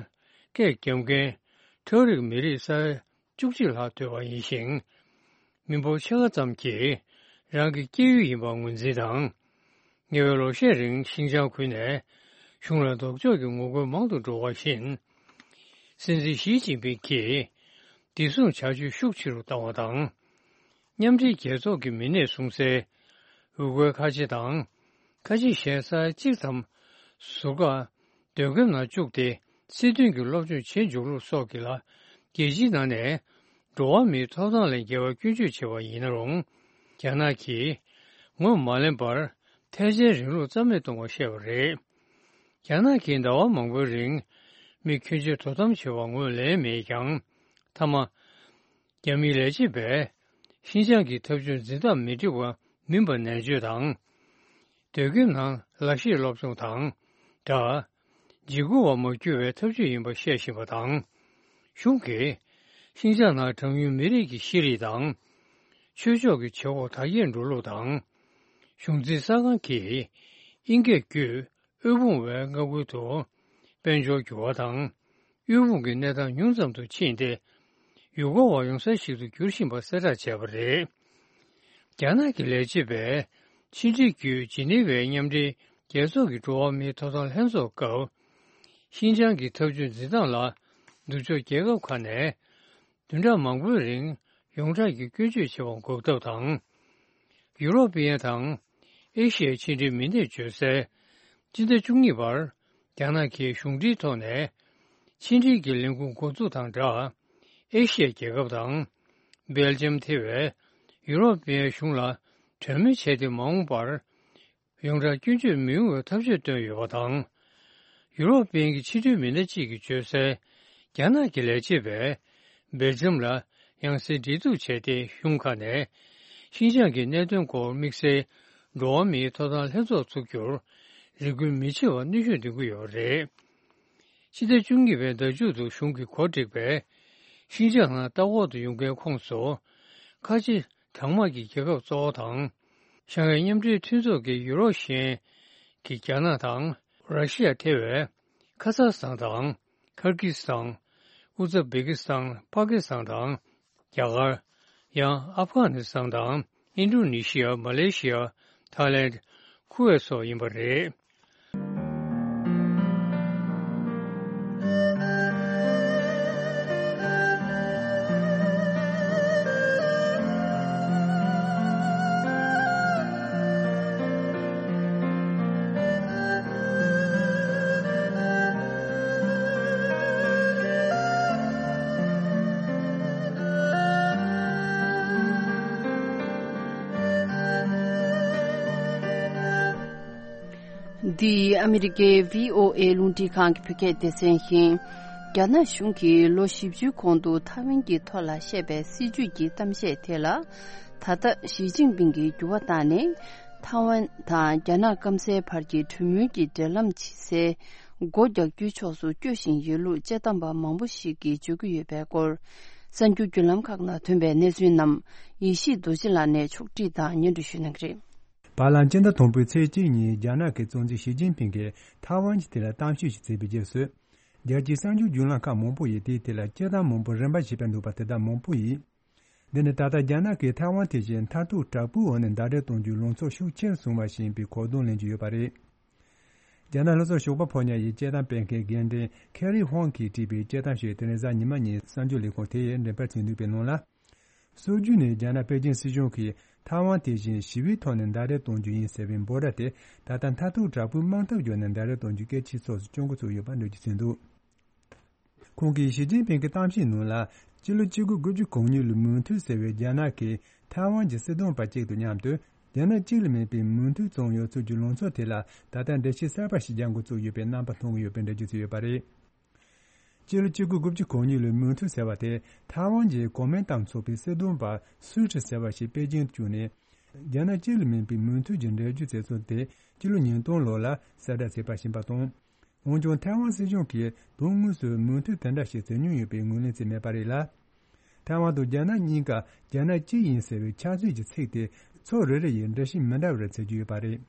སྐད་རྒྱབ་མཁན་ཁྲ་རིག་མི་རིགས་ས་ཡ་བཅུ་གཅིག་ལྷག་འདུས་པ་ཡིན་ཞིང་། མི་འབོར་ཕྱེད་ཀ་ཙམ་གྱིས་རང་གི་སྐྱེས་ཡུལ་ཡིན་པར་ངོས་འཛིན་དང་། ཉེ་བའི་ལོ་ཤས་རིང་ཤིན་ཅང་ཁུལ་ནས་གཞུང་ལ་ལྡོག་ཕྱོགས་ཀྱི་ངོ་རྒོལ་མང་དུ་འགྲོ་བ་བཞིན། སྲིད་འཛིན་ཞི་ཅིན་ཕིང་གིས་བདེ་སྲུང་བྱ་སྤྱོད་ཤུགས་ཆེ་རུ་བཏང་བ་དང་། མཉམ་འབྲེལ་རྒྱལ་ཚོགས་ཀྱི་མི་སྣས་གསུངས་གསལ། ཝུ་གུར་ཁ་ཆེ་དང་། ཁ་ཆེ་གཞན་ས་ཡ་གཅིག་ཙམ་ཟུར་བཀག་སྡོད་ཁང་ནང་བཅུག་སྟེ། སྲིད་དོན་གྱི་སློབ་སྦྱོང་བྱེད་འཇུག་ལུགས་སོགས་ཀྱི་ལ་རྒྱལ་སྤྱིའི་ནང་ནས་འགྲོ་བ་མིའི་ཐོབ་ཐང་ལས་འགལ་བར་སྐྱོན་བརྗོད་བྱས་པ་ཡིན་ན་རུང་། རྒྱ་ནག་གིས་ངོས་མ་ལེན་པར་ཐལ་ཆེན་རིང་ལུགས་རྩ་མེད་གཏོང་བར་བཤད་པ་རེད། རྒྱ་ནག་གིས་ཟླ་བ་མང་པོའི་རིང་མི་ཁྱོན་ཆེ་དོ་དམ་བྱས་པར་ངོས་ལེན་མེད་ཀྱང་། མཐའ་མ། རྒྱ་མིའི་ལས་བྱེད་པས་ཤིན་ཅང་གི་འཐབ་ཇུས་འཛིན་སྟངས་མི་འགྲིག་པ་མིན་པར་ནན་བརྗོད་དང་། སྡོད་ཁང་ནང་ལག་ཤེས་སློབ་སྦྱོང་དང་སྦྲགས། འཇིགས་སྐུལ་བ་མ་བསྐྱུར་བའི་ཐབས་ཇུས་ཡིན་པ་བཤད་བཞིན་པ་དང་། གཞུང་གིས་ཤིན་ཅང་ནང་གྲངས་ཉུང་མི་རིགས་ཀྱི་ཤེས་རིག་དང་། ཆོས་ཕྱོགས་ཀྱི་བྱེད་སྒོ་དར་རྒྱས་འགྲོ་ལུགས་དང་། གཞུང་འཛིན་གསར་ཁང་གིས་དབྱིན་སྐད་བརྒྱུད། དབུལ་ཕོངས་པའི་མངའ་ཁུལ་དུ་དཔལ་འབྱོར་འགྱུར་བ་དང་། དབུལ་ཕོངས་ཀྱི་གནས་སྟངས་ཉུང་ཙམ་དུ་ཕྱིན་ཏེ། ཡུལ་སྐོར་བ་ཡོང་ས་ཞིག་ཏུ་འགྱུར་བཞིན་པ་གསལ་བསྒྲགས་བྱས་པ་རེད། རྒྱ་ནག་གི་ལས་བྱེད་པས་ཕྱི་འབྲེལ་བརྒྱུད་ཇི་ནི་ཝའི་མཉམ་འབྲེལ་རྒྱལ་ཚོགས་ཀྱི་འགྲོ་བ་མིའི་ཐོབ་ཐང་ལྷན་ཚོགས་སྐབས། ཤིན་ཅང་གི་འཐབ་ཇུས་འཛིན་སྟངས་ལ་ནུབ་ཕྱོགས་རྒྱལ་ཁབ་ཁག་ནས། བདུན་ཕྲག་མང་པོའི་རིང་ཡོངས་གྲགས་ཀྱི་སྐྱོན་བརྗོད་བྱེད་པ་འགོག་ཐབས་དང་། ཡུ་རོབ་པའི་དང་། ཨེ་ཤི་ཡའི་ཕྱི་འབྲེལ་མི་སྣས་བརྗོད་གསལ། སྤྱི་ཟླ་བཅུ་གཉིས་པར། རྒྱ་ནག་གིས་གཞུང་འབྲེལ་ཐོག་ནས། ཕྱི་འབྲེལ་གྱི་ལས་ཁུངས་འགོ་འཛུགས་དང་སྦྲགས། ཨེ་ཤི་ཡའི་རྒྱལ་ཁབ་དང་། སྦེལ་ཇམ་ཐེ་བའི་ཡུ་རོབ་པའི་གཞུང་ལ་གྲོས་མོལ་བྱས་ཏེ་མ་འོངས་པར། ཡོངས་གྲགས་སྐྱོན་བརྗོད་མི་ཡོང་བའི་ཐབས་ཇུས་བཏོན་ཡོད་པ་དང་། ཡུ་རོབ་པའི་གི་ཕྱི་འབྲེལ་མི་སྣ་གཅིག་གིས་བརྗོད་གསལ། རྒྱ་ནག་གི་ལས་བྱེད་པས་སྦེལ་ཇམ་ལ་ཡང་སེ་འབྲེལ་གཏུག་བྱས་ཏེ། གཞུང་ཁག་ནས་ཤིན་ཅང་གི་གནད་དོན་སྐོར་དམིགས་བསལ་འགྲོ་བ་མིའི་ཐོབ་ཐང་ལྷན་ཚོགས་འཛུགས་རྒྱུར་རེ་སྐུལ་མི་བྱེད་པར་གནོན་ཤུགས་འདོན་གྱི་ཡོད་པ་རེད། ཕྱི་ཟླ་བཅུ་གཉིས་པའི་ཟླ་མཇུག་ཏུ་གཞུང་གིས་གོ་སྒྲིག་པའི་ཤིན་ཅང་ནང་ལྟ་སྐོར་དུ་ཡོང་མཁན་ཁོངས་སུ། ཁ་ཆེ་གྲངས་མང་གི་རྒྱལ་ཁབ་གཙོ་བོ་དང་། ཤང་ཧའེ་མཉམ་འབྲེལ་མཐུན་ཚོགས་ཀྱི་ཡུ་རོབ་གཞན་གྱི་རྒྱ་ནག་དང་ར་ཤི་ཡ་ཐེ་བའི་ཁ་ཛ་སི་ཐན་དང་ཁར་གྷི་སི་ཐན། ཨུ་ཛ་བེ་ཀི་སི་ཐན། པ་ཀི་སི་ཐན་དང་རྒྱ་གར། ཡང་ཨབ་གྷ་ནི་སི་ཐན་དང་ཨིན་ཌོ་ནེ་ཤི་ཡ། མ་ལེ་ཤི་ཡ། ཐའི་ལེན། ཁུ་ཝེད་སོགས་ཡིན་པ་རེད། འདི་ཨ་མི་རི་ཀའི་བྷི་ཨོ་ཨེ་རླུང་འཕྲིན་ཁང་གི་བོད་སྐད་སྡེ་ཚན་ཡིན། རྒྱ་ནག་གཞུང་གིས་ལོ་བཞི་བཅུའི་གོང་དུ་ཐའེ་ཝན་གྱི་ཐོག་ལ་བཤད་པའི་སྲིད་ཇུས་ཀྱི་གཏམ་བཤད་དེ་ལ། ད་ལྟ་ཞི་ཅིན་ཕིང་གིས་འགྱུར་བ་བཏང་ནས། ཐའེ་ཝན་དང་རྒྱ་ནག་སྐམ་སའི་བར་གྱི་གྲོས་མོལ་གྱི་འབྲེལ་ལམ་ཇེ་གསལ་སྒོ་རྒྱག་རྒྱུའི་ཕྱོགས་སུ་སྐྱོད་བཞིན་ཡོད་ལུགས་དཔྱད་གཏམ་པ་མང་པོ་ཞིག་གིས་བརྗོད་ཀྱི་ཡོད་པའི་སྐོར། གསར་འགྱུར་བརྒྱུད་ལམ་ཁག་ནང་ཐོན་པའི་གནས་ཚུལ་རྣམས་ཡེ་ཤེས་རྡོ་རྗེ་ལགས་ནས་ཕྱོགས་བསྒྲིགས་དང་སྙན་སྒྲོན་ཞུ་གནང་གི་རེད། བར་ལམ་སྤྱི་ཟླ་དང་པོའི་ཚེས་གཅིག་ཉིན་རྒྱ་ནག་གི་གཙོ་འཛིན་ཞི་ཅིན་ཕིང་གིས་ཐའེ་ཝན་གྱི་ཐད་ལ་གཏམ་བཤད་ཞིག་བྱས་པའི་རྗེས་སུ། རྒྱལ་སྤྱིའི་གསར་འགྱུར་བརྒྱུད་ལམ་ཁག་མང་པོ་ཡིས་དེའི་ཐད་ལ་དཔྱད་གཏམ་མང་པོ་རིམ་པ་བྱས་པ་འདུག་པ་དེ་དག་མང་པོ་ཡིས། འདི་ནི་ད་ལྟ་རྒྱ་ནག་གིས་ཐའེ་ཝན་དེ་བཞིན་མཐར་ཐུག་དྲག་པོའི་འོག་ནས་ཟླ་སྒྲིལ་གཏོང་རྒྱུའི་ལངས་ཕྱོགས་ཤུགས་ཆེར་སོང་བ་ཞིག་ཡིན་པའི་གོ་བརྡ་ལེན་གྱི་ཡོད་པ་རེད། རྒྱ་ནག་ལྷོ་ཕྱོགས་ཞོགས་པ་ཕོ་ཉ་ཡི་དཔྱད་གཏམ་སྤེལ་མཁན་རྒན་འབྲེལ་ཁེ་རི་ཧོང་གིས་བྲིས་པའི་དཔྱད་གཏམ་ཞིག་དེ་རིང་གཟའ་ཉི་མ་ཉིན་གསར་འགྱུར་ལས་ཁུངས་དེ་ཡིས་འགྲེམས་སྤེལ་བྱས་འདུག་པའི་ནང་ལ། སྲོལ་རྒྱུན་ནས་རྒྱ་ནག་པེ་ཅིང་སྲིད་གཞུང་གིས་ཐའེ་ཝན་དེ་བཞིན་ཞི་བའི་ཐོག་ནས་ཟླ་སྒྲིལ་གཏོང་རྒྱུ་ཡིན་ཟེར་བའི་འབོད་སྒྲ་དེ་ད་ལྟ་མཐར་ཐུག་དྲག་པོའི་དམག་འཐབ་བརྒྱུད་ནས་ཟླ་སྒྲིལ་གཏོང་རྒྱུའི་སྐད་ཆའི་ཕྱོགས་སུ་སྐྱོད་འགོ་ཚུགས་ཡོད་པ་འགྲེལ་བརྗོད་བྱས་འདུག་ཁོང་གིས་ཞི་ཅིན་ཕིང་གི་གཏམ་བཤད་ནང་ལ། སྤྱི་ལོ་གཅིག་དགུ་དགུ་བཅུ་གོ་གཉིས་ལོའི་མུ་མཐུད་ཟེར་བའི་རྒྱ་ནག་གིས་ཐའེ་ཝན་གྱི་སྲིད་དོན་པ་གཅིག་དང་མཉམ་དུ། རྒྱ་ནག་གཅིག་ལས་མིན་པའི་མུ་མཐུད་བརྩམས་ཡོད་ཚུལ་གྱི་ལངས་ཕྱོགས་དེ་ལ་ད་ལྟ་འགྲེལ་བཤད་གསར་པ་ཞིག་རྒྱག་འགོ་བཙུགས་ཡོད་པའི་རྣམ་པ་མཐོང་གི་ཡོད་པའི་འགྲེལ་བརྗོད་བྱས་ཡོད་པ་རེད། སྤྱི་ལོ་གཅིག་དགུ་དགུ་བཅུ་གོ་གཉིས་ལོའི་མུ་མཐུད་ཟེར་བ་དེ་ཐའེ་ཝན་གྱི་གོ་མིན་ཏང་ཚོགས་པའི་སྲིད་དོན་པ་སུའུ་ཀྲི་ཟེར་བ་ཞིག་པེ་ཅིང་དུ་བསྐྱོད་ནས། རྒྱ་ནག་གཅིག་ལས་མིན་པའི་མུ་མཐུད་ཀྱི་འགྲེལ་བརྗོད་བྱས་ཚུལ་དེ་སྤྱི་ལོ་ཉིས་སྟོང་ལོ་ལ་གསལ་བསྒྲགས་བྱས་པ་ཞིག་ཡིན་པ་དང་། འོན་ཀྱང་ཐའེ་ཝན་སྲིད་གཞུང་གིས་དོན་དངོས་སུ་མུ་མཐུད་དེ་འདྲ་ཞིག་བྱེད་མྱོང་ཡོད་པའི་ངོས་ལེན་བྱས་མེད་པ་རེད་ལ། ཐའེ་ཝན་དང་རྒྱ་ནག་གཉིས་ཀ་རྒྱ་ནག་གཅིག་ཡིན་ཟེར་བའི་ཆབ་སྲིད་ཀྱི་ཚིག་དེ་ཕྱོགས་རེ་རེ་ཡིས་འགྲེལ་བཤད་མི་འདྲ་བ་རེ་བྱེད་ཀྱི་ཡོད་པ་རེད།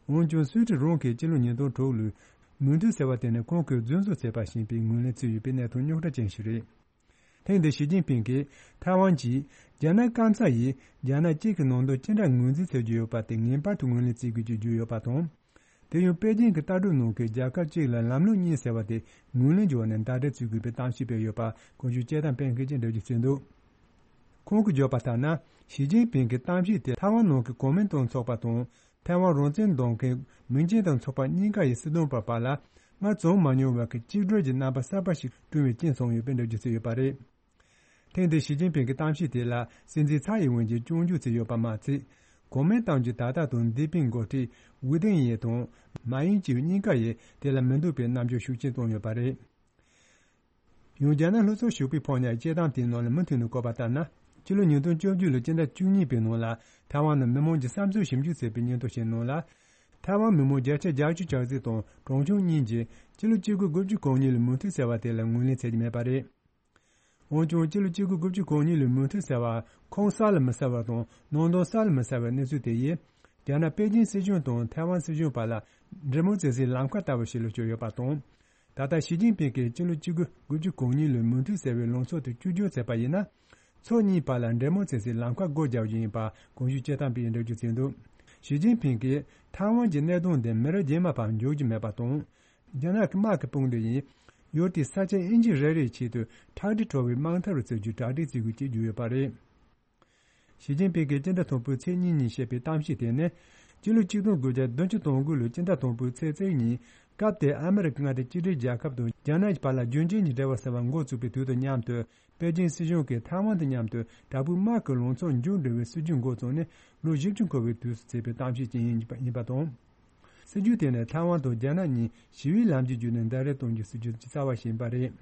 འོན་ཀྱང་སུའུ་ཀྲི་རང་གིས་སྤྱི་ལོ་ཉིས་སྟོང་དྲུག་ལོའི་མུ་མཐུད་ཟེར་བ་དེ་ནི་ཁོང་གིས་རྫུན་བཟོ་བྱས་པ་ཞིག་ཡིན་པའི་ངོས་ལེན་བྱས་ཡོད་པའི་གནས་སྟངས་རྙོག་དྲ་ཅན་ཞིག་རེད། ཐེངས་འདིར་ཞི་ཅིན་ཕིང་གིས་ཐའེ་ཝན་གྱིས་རྒྱ་ནག་སྐམ་ས་ཡིས་རྒྱ་ནག་གཅིག་གི་ནང་དོན་ཅི་འདྲ་ངོས་འཛིན་བྱེད་ཀྱི་ཡོད་པ་དེ་ངེས་པར་དུ་ངོས་ལེན་བྱེད་དགོས་ཀྱི་བརྗོད་ཡོད་པ་དང་། དེ་ཡང་པེ་ཅིང་གི་ལྟ་གྲུབ་ནང་གི་རྒྱལ་ཁབ་གཅིག་ལ་ལམ་ལུགས་གཉིས་ཟེར་བ་དེ་ངོས་ལེན་བྱས་ནས་ཟླ་སྒྲིལ་བྱེད་དགོས་པའི་གཏམ་བཤད་སྤེལ་ཡོད་པ་གོང་ཞུས་དཔྱད་གཏམ་སྤེལ་མཁན་གྱིས་འགྲེལ་བརྗོད་བྱས་འདུག་ཁོང་གིས་བརྗོད་པ་ལྟར་ན། ཞི་ཅིན་ཕིང་གི་གཏམ་བཤད་དེ་ཐའེ་ཝན་ནང་གི་གོ་མིན་ཏང་ཚོགས་པ་དང་། ཐའེ་ཝན་རང་བཙན་འདོད་མཁན་མིང་ཅན་དང་ཚོགས་པ་གཉིས་ཀ་ཡི་སྲིད་དོན་པ་བར་ལ་སྔར་བྱུང་མ་མྱོང་བའི་གཅིག་སྒྲིལ་གྱི་རྣམ་པ་གསར་པ་ཞིག་བསྐྲུན་པའི་རྐྱེན་བྱུང་ཡོད་པའི་འགྲེལ་བརྗོད་བྱས་ཡོད་པ་རེད། ཐེངས་འདིའི་ཞི་ཅིན་ཕིང་གི་གཏམ་བཤད་དེ་ལ་སྲིད་འཛིན་ཚའེ་ཡིན་ཝེན་གྱིས་སྐྱོན་བརྗོད་བྱས་ཡོད་པ་མ་ཚད། གོ་མིན་ཏང་གི་ད་ལྟ་དང་འདས་པའི་འགོ་ཁྲིད་ཝུའུ་ཏེང་ཡེ་དང་མཱ་ཡིན་ཅིའུ་གཉིས་ཀ་ཡིས་དེ་ལ་མི་འདོད་པའི་རྣམ་འགྱུར་ཤུགས་ཆེན་བསྟན་ཡོད་པ་རེད། ཡང་རྒྱ་ནག་ལྷོ་ཕྱོགས་ཞོགས་པའི་ཕོ་ཉའི་དཔྱད་གཏམ་དེའི་ནང་ལ་མུ་མཐུད་ནས་བཀོད་པ་ལྟར་ན། ཕྱི་ལོ་ཉིས་སྟོང་བཅུ་བཅུ་ལོའི་སྤྱི་ཟླ་བཅུ་གཉིས་པའི་ནང་ལ་ཐའེ་ཝན་ནང་མི་མང་གིས་བསམ་ཚུལ་ཞིབ་འཇུག་བྱས་པའི་སྙན་ཐོ་ཞིག་ནང་ལ། ཐའེ་ཝན་མི་མང་བརྒྱ་ཆ་བརྒྱད་ཅུ་གྱ་གཅིག་དང་གྲངས་ཆུང་གཉིས་ཀྱིས་སྤྱི་ལོ་གཅིག་དགུ་དགུ་བཅུ་གོ་གཉིས་ལོའི་མུ་མཐུད་ཟེར་བ་དེ་ལ་ངོས་ལེན་བྱེད་ཀྱི་མེད་པ་རེད། འོན་ཀྱང་སྤྱི་ལོ་གཅིག་དགུ་དགུ་བཅུ་གོ་གཉིས་ལོའི་མུ་མཐུད་ཟེར་བ་ཁུངས་གསལ་ལ་མི་གསལ་བ་དང་ནང་དོན་གསལ་ལ་མི་གསལ་བའི་གནས་ཚུལ་དེ་ཡིས། རྒྱ་ནག་པེ་ཅིང་སྲིད་གཞུང་དང་ཐའེ་ཝན་སྲིད་གཞུང་བར་ལ་འབྲེལ་མོལ་བྱེད་སའི་ལམ་ཁ་ལྟ་བུ་ཞིག་ལ་གྱུར་ཡོད་པ་དང་། ད་ལྟ་ཞི་ཅིན་ཕིང་གིས་སྤྱི་ལོ་གཅིག་དགུ་དགུ་བཅུ་གོ་གཉིས་ལོའི་མུ་མཐུད་ཟེར་བའི་ལངས་ཕྱོགས་དེ་བཅོས་བསྒྱུར་བྱས་པ་ཡིན་ན། ཕྱོགས་གཉིས་བར་ལ་འབྲེལ་མོལ་བྱེད་སའི་ལམ་ཁ་སྒོ་རྒྱག་རྒྱུ་ཡིན་པ་གོང་ཞུས་དཔྱད་གཏམ་པས་འགྲེལ་བརྗོད་བྱས་འདུག་ཞི་ཅིན་ཕིང་གིས་ཐའེ་ཝན་གྱི་གནད་དོན་འདི་མི་རབས་རྗེས་མ་བར་འཇོག་རྒྱུ་མེད་པ་དང་། རྒྱ་ནག་གི་དམག་གི་དཔུང་སྡེ་ཡིས་ཡུལ་དེའི་ས་ཆ་ཨིན་ཅི་རེ་རེ་ཆེད་དུ་ཁྲག་དྲི་བྲོ་བའི་དམག་འཐབ་རུ་བྱེད་རྒྱུའི་གྲ་སྒྲིག་བྱེད་དགོས་ཅེས་བརྗོད་ཡོད་པ་རེད། ཞི་ཅིན་ཕིང་གིས་སྤྱི་ཟླ་དང་པོའི་ཚེས་གཉིས་ཉིན་བཤད་པའི་གཏམ་བཤད་དེ་ནི། སྤྱི་ལོ་ཆིག་སྟོང་དགུ་བརྒྱ་བདུན་ཅུ་དོན་དགུ་ལོའི་སྤྱི་ཟླ་དང་པོའི་ཚེས་གཅིག་ཉིན། སྐབས་དེར་ཨ་མི་རི་ཀ་མངའ་སྡེ་གཅིག་སྒྲིལ་རྒྱལ་ཁབ་དང་རྒྱ་ནག་གི་བར་ལ་རྒྱུན་ཆད་ཀྱི་འབྲེལ་བ་ཟེར་བ་འགོ་བཙུགས་པའི་དུས་དང་མཉམ་དུ། པེ་ཅིང་སྲིད་གཞུང་གིས་ཐའེ་ཝན་དང་མཉམ་དུ་དྲག་པོའི་དམག་གི་ལངས་ཕྱོགས་མཇུག་སྒྲིལ་བའི་སྲིད་ཇུས་འགོ་བརྩམས་ནས་ལོ་བཞི་བཅུ་འཁོར་བའི་དུས་སུ་བྱས་པའི་གཏམ་བཤད་ཅིག་ཡིན་པ་དང་། སྲིད་ཇུས་དེ་ནི་ཐའེ་ཝན་དང་རྒྱ་ནག་གཉིས་ཞི་བའི་ལམ་གྱི་བརྒྱུད་ནས་ཟླ་སྒྲིལ་གཏོང་རྒྱུའི་སྲིད་ཇུས་ཀྱི་རྩ་བ་ཞིག་ཡིན་པ་རེད།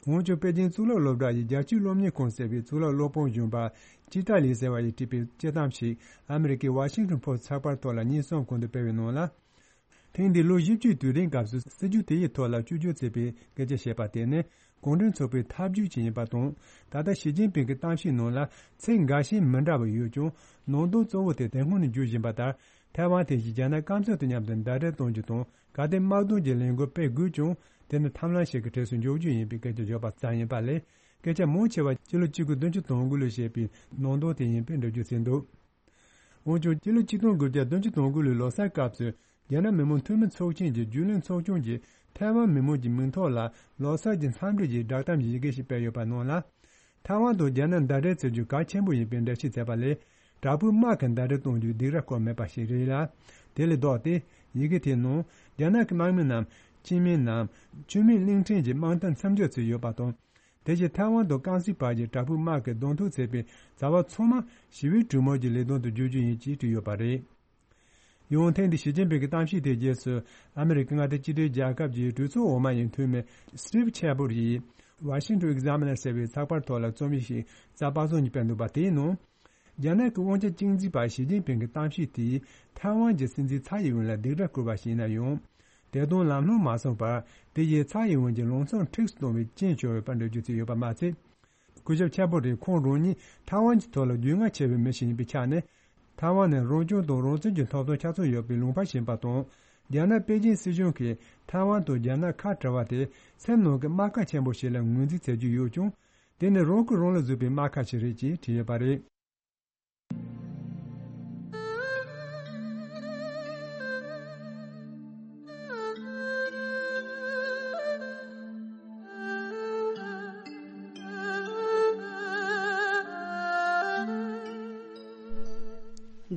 འོན་ཀྱང་པེ་ཅིང་གཙུག་ལག་སློབ་གྲྭ་ཡི་རྒྱལ་སྤྱིའི་སློབ་གཉེར་ཁང་ཟེར་བའི་གཙུག་ལག་སློབ་དཔོན་གཞོན་པ་ཅི་ཏཱ་ལི་ཟེར་བ་ཡིས་བྲིས་པའི་དཔྱད་གཏམ་ཞིག་ཨ་མི་རི་ཀའི་ཝ་ཤིང་ཊོན་ཕོ་སི་ཊི་ཚགས་པར་ཐོག་ལ་ཉིན་གསུམ་གོང་དུ་སྤེལ་བའི་ནང་ལ། ཐེངས་འདིའི་ལོ་བཞི་བཅུའི་དུས་དྲན་སྐབས་སུ་སྲིད་ཇུས་དེ་ཡི་ཐོག་ལ་བཅོས་བསྒྱུར་བྱས་པའི་སྐད་ཆ་བཤད་པ་དེ་ནི། གུང་ཁྲན་ཚོགས་པའི་ཐབས་ཇུས་ཅིག་ཡིན་པ་དང་། ད་ལྟ་ཞི་ཅིན་ཕིང་གི་གཏམ་བཤད་ནང་ལ་ཚིག་འགའ་ཤས་མི་འདྲ་བ་ཡོད་ཀྱང་། ནང་དོན་གཙོ་བོ་དེ་དེ་སྔོན་ནས་བརྗོད་བཞིན་པ་ལྟར། ཐའེ་ཝན་དེ་བཞིན་རྒྱ་ནག་སྐམ་ས་དང་མཉམ་དུ་ཟླ་སྒྲིལ་གཏོང་རྒྱུ་དང་། གལ་ཏེ་དམག་དོན་གྱི་ལས་འགུལ་སྤེལ་དགོས་ཀྱང་། དེ་ནི་ཐབས་ལམ་ཞིག་གི་གྲས་སུ་འཇོག་རྒྱུ་ཡིན་པའི་སྐད་ཆ་བརྗོད་པ་ཙམ་ཡིན་པ་ལས། སྐད་ཆ་མང་ཆེ་བ་སྤྱི་ལོ་གཅིག་སྟོང་དགུ་བརྒྱ་དོན་དགུ་ལོར་བཤད་པའི་ནང་དོན་དེ་ཡིན་པའི་འགྲེལ་བརྗོད་བྱས་འདུག་འོན་ཀྱང་། སྤྱི་ལོ་གཅིག་སྟོང་དགུ་བརྒྱ་དོན་གཅིག་དོན་དགུ་ལོའི་ལོ་གསར་སྐབས་སུ། རྒྱ་ནག་མི་དམངས་འཐུས་མི་ཚོགས་ཆེན་གྱི་རྒྱུན་ལས་ཚོགས་ཆུང་གིས་ཐའེ་ཝན་མི་དམངས་ཀྱི་མིང་ཐོག་ལ་ལོ་གསར་གྱི་འཚམས་འདྲི་ཞིག་བསྒྲགས་གཏམ་ཡི་གེ་ཞིག་སྤེལ་ཡོད་པ་ནང་ལ། ཐའེ་ཝན་དང་རྒྱ་ནག་ཟླ་སྒྲིལ་བྱེད་རྒྱུ་གལ་ཆེན་པོ་ཡིན་པའི་འགྲེལ་བཤད་མཛད་པ་ལས། དྲག་པོའི་དམག་གི་ཟླ་སྒྲིལ་གཏོང་རྒྱུའི་སྡིགས་ར་བསྐུལ་མེད་པ་ཞིག་རེད་ལ། དེ་ལས་ལྡོག་སྟེ། ཡི་གེ་དེའི་ནང་རྒྱ་ནག་གི་དམག་མི་རྣམས་སྤྱི་མི་ནམ་ཆུ་མིག་གླིང་ཕྲན་གྱི་དམག་མཐའ་མཚམས་འཇོག་བྱས་ཡོད་པ་དང་། དེ་བཞིན་ཐའེ་ཝན་དང་ཀན་སུའུ་བར་གྱི་དྲག་པོའི་དམག་གི་གདོང་ཐུག་བྱས་པའི་བྱ་བ་ཚང་མ་ཞི་བའི་གྲོས་མོལ་གྱི་ལས་དོན་དུ་བསྒྱུར་རྒྱུ་ཡིན་ཅེས་བྲིས་ཡོད་པ་རེད། ཡང་ཐེངས་འདིའི་ཞི་ཅིན་ཕིང་གི་གཏམ་བཤད་དེའི་རྗེས་སུ། ཨ་མི་རི་ཀའི་མངའ་སྡེ་གཅིག་སྒྲིལ་རྒྱལ་ཁབ་ཀྱི་གྲོས་ཚོགས་འོག་མ་ཡི་འཐུས་མི་སི་ཊིབ་ཆེ་བོར་ཡིས། Washington Examiner ཟེར་བའི་ཚགས་པར་ཐོག་ལ་རྩོམ་ཡིག་ཞིག་གཟའ་པ་སངས་ཉིན་སྤེལ་འདུག་པ། དེའི་ནང་། རྒྱ་ནག་གི་དབང་ཆ་གཅིག་འཛིན་པ་ཞི་ཅིན་ཕིང་གི་གཏམ་བཤད་དེས་ཐའེ་ཝན་གྱི་སྲིད་འཛིན་ཚའེ་ཡིན་ཝེན་ལ་སྡིགས་ར་བསྐུལ་བ་ཞིག་ཡིན་ན་ཡང་། དེ་དང་ལམ་ལྷོང་མ་སོང་བར། དེ་ཡིས་ཚའེ་ཡིན་ཝེན་གྱི་ལངས་ཕྱོགས་འཁྲུགས་སུ་གཏོང་བའི་རྐྱེན་བྱུང་ཡོད་པར་འགྲེལ་བརྗོད་བྱས་ཡོད་པ་མ་ཚད། སྐུ་ཞབས་ཆེ་བོ་རེས་ཁོང་རང་ཉིད་ཐའེ་ཝན་གྱི་ཐོག་ལ་རྒྱུས་མངའ་ཆེ་བའི་མི་ཞིག་ཡིན་པའི་ཆ་ནས། ཐའེ་ཝན་ནི་རང་སྐྱོང་དང་རང་བཙན་གྱི་ཐོབ་ཐང་ཆ་ཚང་ཡོད་པའི་ལུང་པ་ཞིག་ཡིན་པ་དང་། རྒྱ་ནག་པེ་ཅིན་སྲིད་གཞུང་གིས་ཐའེ་ཝན་དང་རྒྱ་ནག་ཁ་བྲལ་བ་དེ་སེམས་ནང་གི་རྨ་ཁ་ཆེན་པོ་ཞིག་ལ་ངོས་འཛིན་བྱེད་ཀྱི་ཡོད་ཀྱང་། དེ་ནི་རང་གིས་རང་ལ་བཟོས་པའི་རྨ་ཁ་ཞིག་རེད་ཅེས་བྲིས་ཡོད་པ་རེད།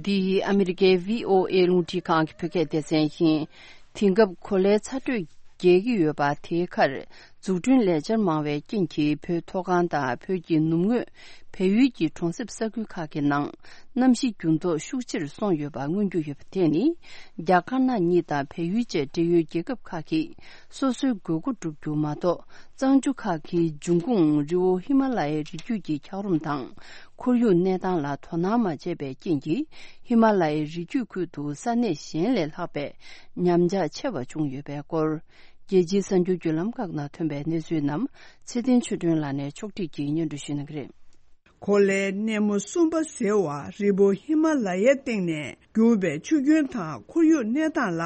འདི་ཨ་མི་རི་ཀའི་བྷི་ཨོ་ཨེ་རླུང་འཕྲིན་ཁང་གི་བོད་སྐད་སྡེ་ཚན་ཡིན། དེང་སྐབས་གོ་ལའི་ཚ་དྲོད་རྒྱས་ཀྱི་ཡོད་པ་དེའི་ཁར། འཛུགས་སྐྲུན་ལས་འཆར་མང་བའི་རྐྱེན་གྱིས། བོད་མཐོ་སྒང་དང་བོད་ཀྱི་ནུབ་ངོས་བལ་ཡུལ་གྱི་གྲོང་གསེབ་ས་ཁུལ་ཁག་གི་ནང་གནམ་གཤིས་འགྱུར་ལྡོག་ཤུགས་ཆེར་སོང་ཡོད་པ་མངོན་རྒྱུ་ཡོད་པ་དེ་ནི། རྒྱ་དཀར་ནག་གཉིས་དང་བལ་ཡུལ་བཅས་འབྲེལ་ཡོད་རྒྱལ་ཁབ་ཁག་གིས་སོ་སོའི་དགོས་མཁོ་བསྒྲུབ་རྒྱུ་མ་གཏོགས། གཙང་ཆུ་ཁག་གི་འབྱུང་ཁུངས་རི་བོ་ཧི་མ་ལ་ཡའི་རི་རྒྱུད་ཀྱི་འཁྱགས་རོམ་དང་། ཁོར་ཡུག་གནས་སྟངས་ལ་དོ་སྣང་མ་བྱས་པའི་རྐྱེན་གྱིས། ཧི་མ་ལ་ཡའི་རི་རྒྱུད་ཁུལ་དུ་ས་གནས་གཞན་ལས་ལྷག་པའི་ཉམས་ཆག་ཆེ་བ་བྱུང་ཡོད་པའི་སྐོར། རྒྱལ་སྤྱིའི་གསར་འགྱུར་བརྒྱུད་ལམ་ཁག་ནང་ཐོན་པའི་གནས་ཚུལ་རྣམས་ཚེ་བརྟན་ཆོས་སྒྲོན་ལགས་ནས་ཕྱོགས་སྒྲིག་གིས་སྙན་སྒྲོན་ཞུ་གནང་གི་རེད། གོ་ལའི་སྣེ་མོ་གསུམ་པ་ཟེར་བ་རི་བོ་ཧི་མ་ལ་ཡའི་སྟེང་ནས་རྒྱུག་པའི་ཆུ་རྒྱུན་དང་ཁོར་ཡུག་གནས་སྟངས་ལ་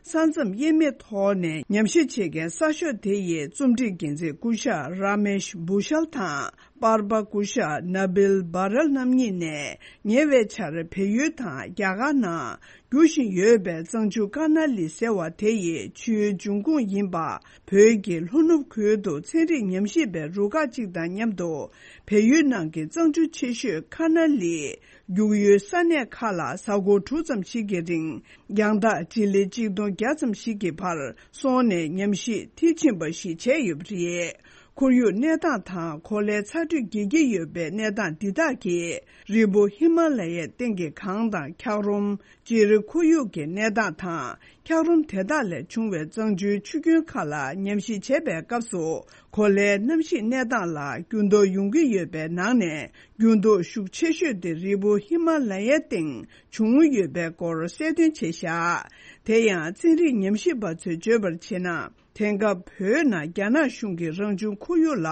ས་མཚམས་དབྱེ་མེད་ཐོག་ནས་ཉམས་ཞིབ་བྱེད་མཁན་གསར་ཤོག་དེ་ཡི་རྩོམ་སྒྲིག་འགན་འཛིན་སྐུ་ཞབས་ར་མེཤ་བྷུ་ཤལ་དང་པར་པ་སྐུ་ཞབས་ན་བིལ་བྷ་རལ་རྣམ་གཉིས་ནས་ཉེ་བའི་ཆར་བལ་ཡུལ་དང་རྒྱ་གར་ནང་རྒྱུ་བཞིན་ཡོད་པའི་གཙང་ཆུ་ཀ་ན་ལི་ཟེར་བ་དེ་ཡི་ཆུའི་འབྱུང་ཁུངས་ཡིན་པ། བོད་ཀྱི་ལྷོ་ནུབ་ཁུལ་དུ་ཚན་རིག་ཉམས་ཞིབ་པའི་རུ་ཁག་ཅིག་དང་མཉམ་དུ། བལ་ཡུལ་ནང་གི་གཙང་ཆུ་ཆེ་ཤོས་ཀ་ན་ལི་རྒྱུག་ཡུལ་ས་གནས་ཁག་ལ་གཟའ་འཁོར་དྲུག་ཙམ་ཞིག་གི་རིང་། རྒྱང་ཐག་ཏྲི་ལི་གཅིག་སྟོང་བརྒྱ་ཙམ་ཞིག་གི་བར་སོང་ནས་ཉམས་ཞིབ་མཐིལ་ཕྱིན་པ་ཞིག་བྱས་ཡོད་པ་རེད། ཁོར་ཡུག་གནས་སྟངས་དང་གོ་ལའི་ཚ་དྲོད་རྒྱས་ཀྱི་ཡོད་པའི་གནས་སྟངས་འདི་དག་གིས། རི་བོ་ཧི་མ་ལ་ཡའི་སྟེང་གི་གངས་དང་འཁྱགས་རོམ། སྤྱིར་ཁོར་ཡུག་གི་གནས་སྟངས་དང་འཁྱགས་རོམ་དེ་དག་ལས་བྱུང་བའི་གཙང་ཆུའི་ཆུ་རྒྱུན་ཁག་ལ་ཉམས་ཞིབ་བྱེད་པའི་སྐབས་སུ། གོ་ལའི་གནམ་གཤིས་གནས་སྟངས་ལ་འགྱུར་ལྡོག་ཡོང་གི་ཡོད་པའི་ནང་ནས། འགྱུར་ལྡོག་ཤུགས་ཆེ་ཤོས་དེ་རི་བོ་ཧི་མ་ལ་ཡའི་སྟེང་བྱུང་ཡོད་པའི་སྐོར་གསལ་སྟོན་བྱས་བཞག་དེ་ཡང་ཚན་རིག་ཉམས་ཞིབ་པ་ཚོས་བརྗོད་པར་བྱས་ན། དེང་སྐབས་བོད་ནང་རྒྱ་ནག་གཞུང་གིས་རང་བྱུང་ཁོར་ཡུག་ལ་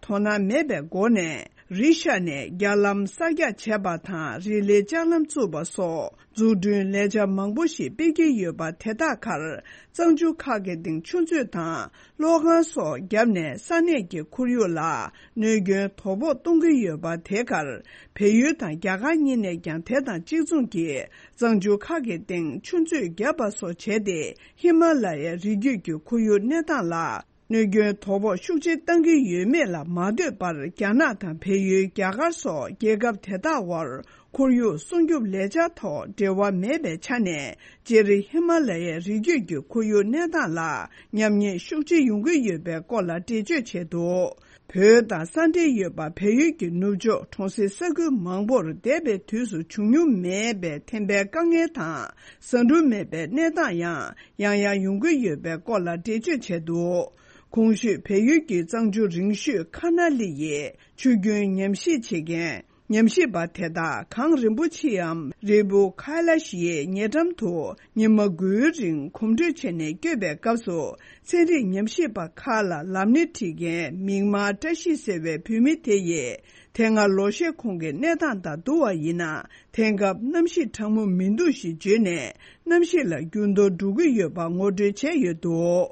དོ་སྣང་མེད་པའི་སྒོ་ནས། རི་ཤ་ནས་རྒྱ་ལམ་གསར་རྒྱག་བྱས་པ་དང་། རི་ལི་ལྕགས་ལམ་བཙུགས་པ་སོགས་འཛུགས་སྐྲུན་ལས་འཆར་མང་པོ་ཞིག་སྤེལ་གྱི་ཡོད་པ། དེ་དག་ཁར་གཙང་ཆུ་ཁག་གི་སྟེང་ཆུ་མཛོད་དང་གློག་ཁང་སོགས་བརྒྱབ་ནས། ས་གནས་ཀྱི་ཁོར་ཡུག་ལ་གནོད་སྐྱོན་དོ་ཕོག་གཏོང་གི་ཡོད་པ། དེ་ཁར་བལ་ཡུལ་དང་རྒྱ་གར་གཉིས་ནས་ཀྱང་དེ་དང་གཅིག་མཚུངས་ཀྱིས་གཙང་ཆུ་ཁག་གི་སྟེང་ཆུ་མཛོད་བརྒྱབ་པ་སོགས་བྱས་ཏེ། ཧི་མ་ལ་ཡའི་རི་རྒྱུད་ཀྱི་ཁོར་ཡུག་གནས་སྟངས་ལ་གནོད་སྐྱོན་དོ་ཕོག་ཤུགས་ཆེ་བཏང་གི་ཡོད་མེད་ལ་མ་ལྟོས་པར། རྒྱ་ནག་དང་བལ་ཡུལ། རྒྱ་གར་སོགས་རྒྱལ་ཁབ་དེ་དག་དབར་ཁོར་ཡུག་སྲུང་སྐྱོབ་ལས་འཆར་ཐོག་འབྲེལ་བ་མེད་པའི་ཆ་ནས། སྤྱིར་ཧི་མ་ལ་ཡའི་རི་རྒྱུད་ཀྱི་ཁོར་ཡུག་གནས་སྟངས་ལ་ཉམས་ཉེས་ཤུགས་ཆེ་ཡོང་གི་ཡོད་པའི་སྐོར་ལ་འགྲེལ་བརྗོད་བྱས་འདུག་བོད་དང་ས་འབྲེལ་ཡོད་པ་བལ་ཡུལ་གྱི་ནུབ་ཕྱོགས་གྲོང་གསེབ་ས་ཁུལ་མང་པོར་འདས་པའི་དུས་སུ་བྱུང་མྱོང་མེད་པའི་ཐན་པའི་དཀའ་ངལ་དང་། ཟ་འབྲུ་མེད་པའི་གནས་སྟངས་ཡང་ཡང་ཡང་ཡོང་གི་ཡོད་པའི་སྐོར་ལ་འགྲེལ་བརྗོད་བྱས་འདུག་གོང་ཞུས་བལ་ཡུལ་གྱི་གཙང་ཆུ་རིང་ཤོས་ཁ་ན་ལི་ཡི་ཆུ་རྒྱུན་ཉམས་ཞིབ་བྱེད་མཁན། ཉམས་ཞིབ་པ་དེ་དག་གངས་རིན་པོ་ཆེའམ་རི་བོ་ཁ་ལ་ཤིའི་ཉེ་འགྲམ་དུ་ཉི་མ་དགུའི་རིང་གོམ་བགྲོད་བྱས་ནས་བསྐྱོད་པའི་སྐབས་སུ། ཚན་རིག་ཉམས་ཞིབ་པ་ཁག་ལ་ལམ་སྣེ་ཁྲིད་མཁན་མིག་དམར་བཀྲ་ཤིས་ཟེར་བའི་བུད་མེད་དེ་ཡིས། དེ་སྔ་ལོ་ཤས་གོང་གི་གནས་སྟངས་དང་བསྡུར་བ་ཡིན་ན། དེང་སྐབས་གནམ་གཤིས་གྲང་མོ་མི་འདུག་ཞེས་བརྗོད་ནས། གནམ་གཤིས་ལ་འགྱུར་ལྡོག་འགྲོ་གི་ཡོད་པ་ངོ་སྤྲོད་བྱས་ཡོད་འདུག་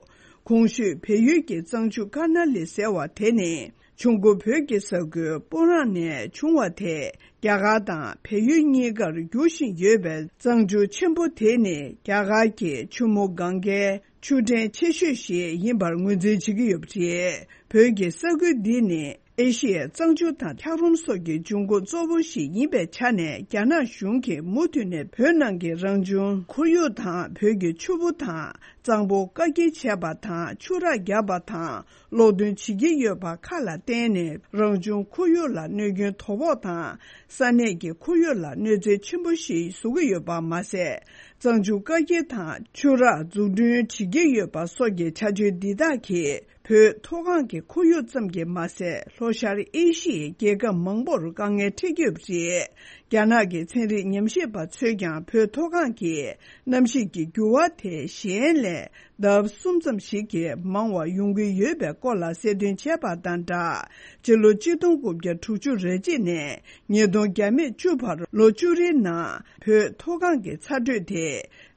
གོང་ཞུས་བལ་ཡུལ་གྱི་གཙང་ཆུ་ཀར་ན་ལི་ཟེར་བ་དེ་ནི། ཆུ་མགོ་བོད་ཀྱི་ས་ཁུལ་སྤུ་རངས་ནས་བྱུང་བ་དེ། རྒྱ་གར་དང་བལ་ཡུལ་གཉིས་ཀར་རྒྱུག་བཞིན་ཡོད་པའི་གཙང་ཆུ་ཆེན་པོ་དེ་ནི། རྒྱ་གར་གྱི་ཆུ་མོ་གངྒཱའི་ཆུ་ཕྲན་ཆེ་ཤོས་ཤིག་ཡིན་པར་ངོས་འཛིན་བྱེད་ཀྱི་ཡོད་པ་རེད། བོད་ཀྱི་ས་ཁུལ་འདི་ནི་ཨེ་ཤི་ཡའི་གཙང་ཆུ་དང་འཁྱགས་རོམ་སོགས་ཀྱི་འབྱུང་ཁུངས་གཙོ་བོ་ཞིག་ཡིན་པའི་ཆ་ནས། རྒྱ་ནག་གཞུང་གིས་མུ་མཐུད་ནས་བོད་ནང་གི་རང་བྱུང་ཁོར་ཡུག་དང་། བོད་ཀྱི་ཆུ་བོ་དང་གཙང་པོ་བཀག་སྐྱིལ་བྱས་པ་དང་། ཆུ་རགས་བརྒྱབ་པ་དང་། གློག་འདོན་བྱེད་ཀྱི་ཡོད་པ་ཁག་ལ་བརྟེན་ནས། རང་བྱུང་ཁོར་ཡུག་ལ་གནོད་སྐྱོན་དོ་ཕོག་དང་། ས་གནས་ཀྱི་ཁོར་ཡུག་ལ་གནོད་འཚེ་ཆེན་པོ་ཞིག་བཟོ་གི་ཡོད་པ་མ་ཟད། གཙང་ཆུ་བཀག་སྐྱིལ་དང་ཆུ་རགས་འཛུགས་སྐྲུན་བྱེད་ཀྱི་ཡོད་པ་སོགས་ཀྱི་བྱ་སྤྱོད་འདི་དག་གིས། བོད་མཐོ་སྒང་གི་ཁོར་ཡུག་ཙམ་གྱིས་མ་ཟད། ལྷོ་ཤར་ཨེ་ཤི་ཡའི་རྒྱལ་ཁབ་མང་པོར་དཀའ་ངལ་འཕྲད་ཀྱི་ཡོད་པ་རེད། རྒྱ་ནག་གི་ཚན་རིག་ཉམས་ཞིབ་པ་ཚོས་ཀྱང་། བོད་མཐོ་སྒང་གི་གནམ་གཤིས་ཀྱི་འགྱུར་བ་དེ་གཞན་ལས་ལྡབ་གསུམ་ཙམ་ཞིག་གིས་མང་བ་ཡོང་གི་ཡོད་པའི་སྐོར་ལ་གསལ་སྟོན་བྱས་པ་དང་སྦྲགས། སྤྱི་ལོ་ཆིག་སྟོང་དགུ་བརྒྱ་དྲུག་ཅུ་རེ་གཅིག་ནས་ཉིས་སྟོང་བརྒྱ་མེད་བཅུ་བར་ལོ་བཅུ་རེའི་ནང་། བོད་མཐོ་སྒང་གི་ཚ་དྲོད་དེ་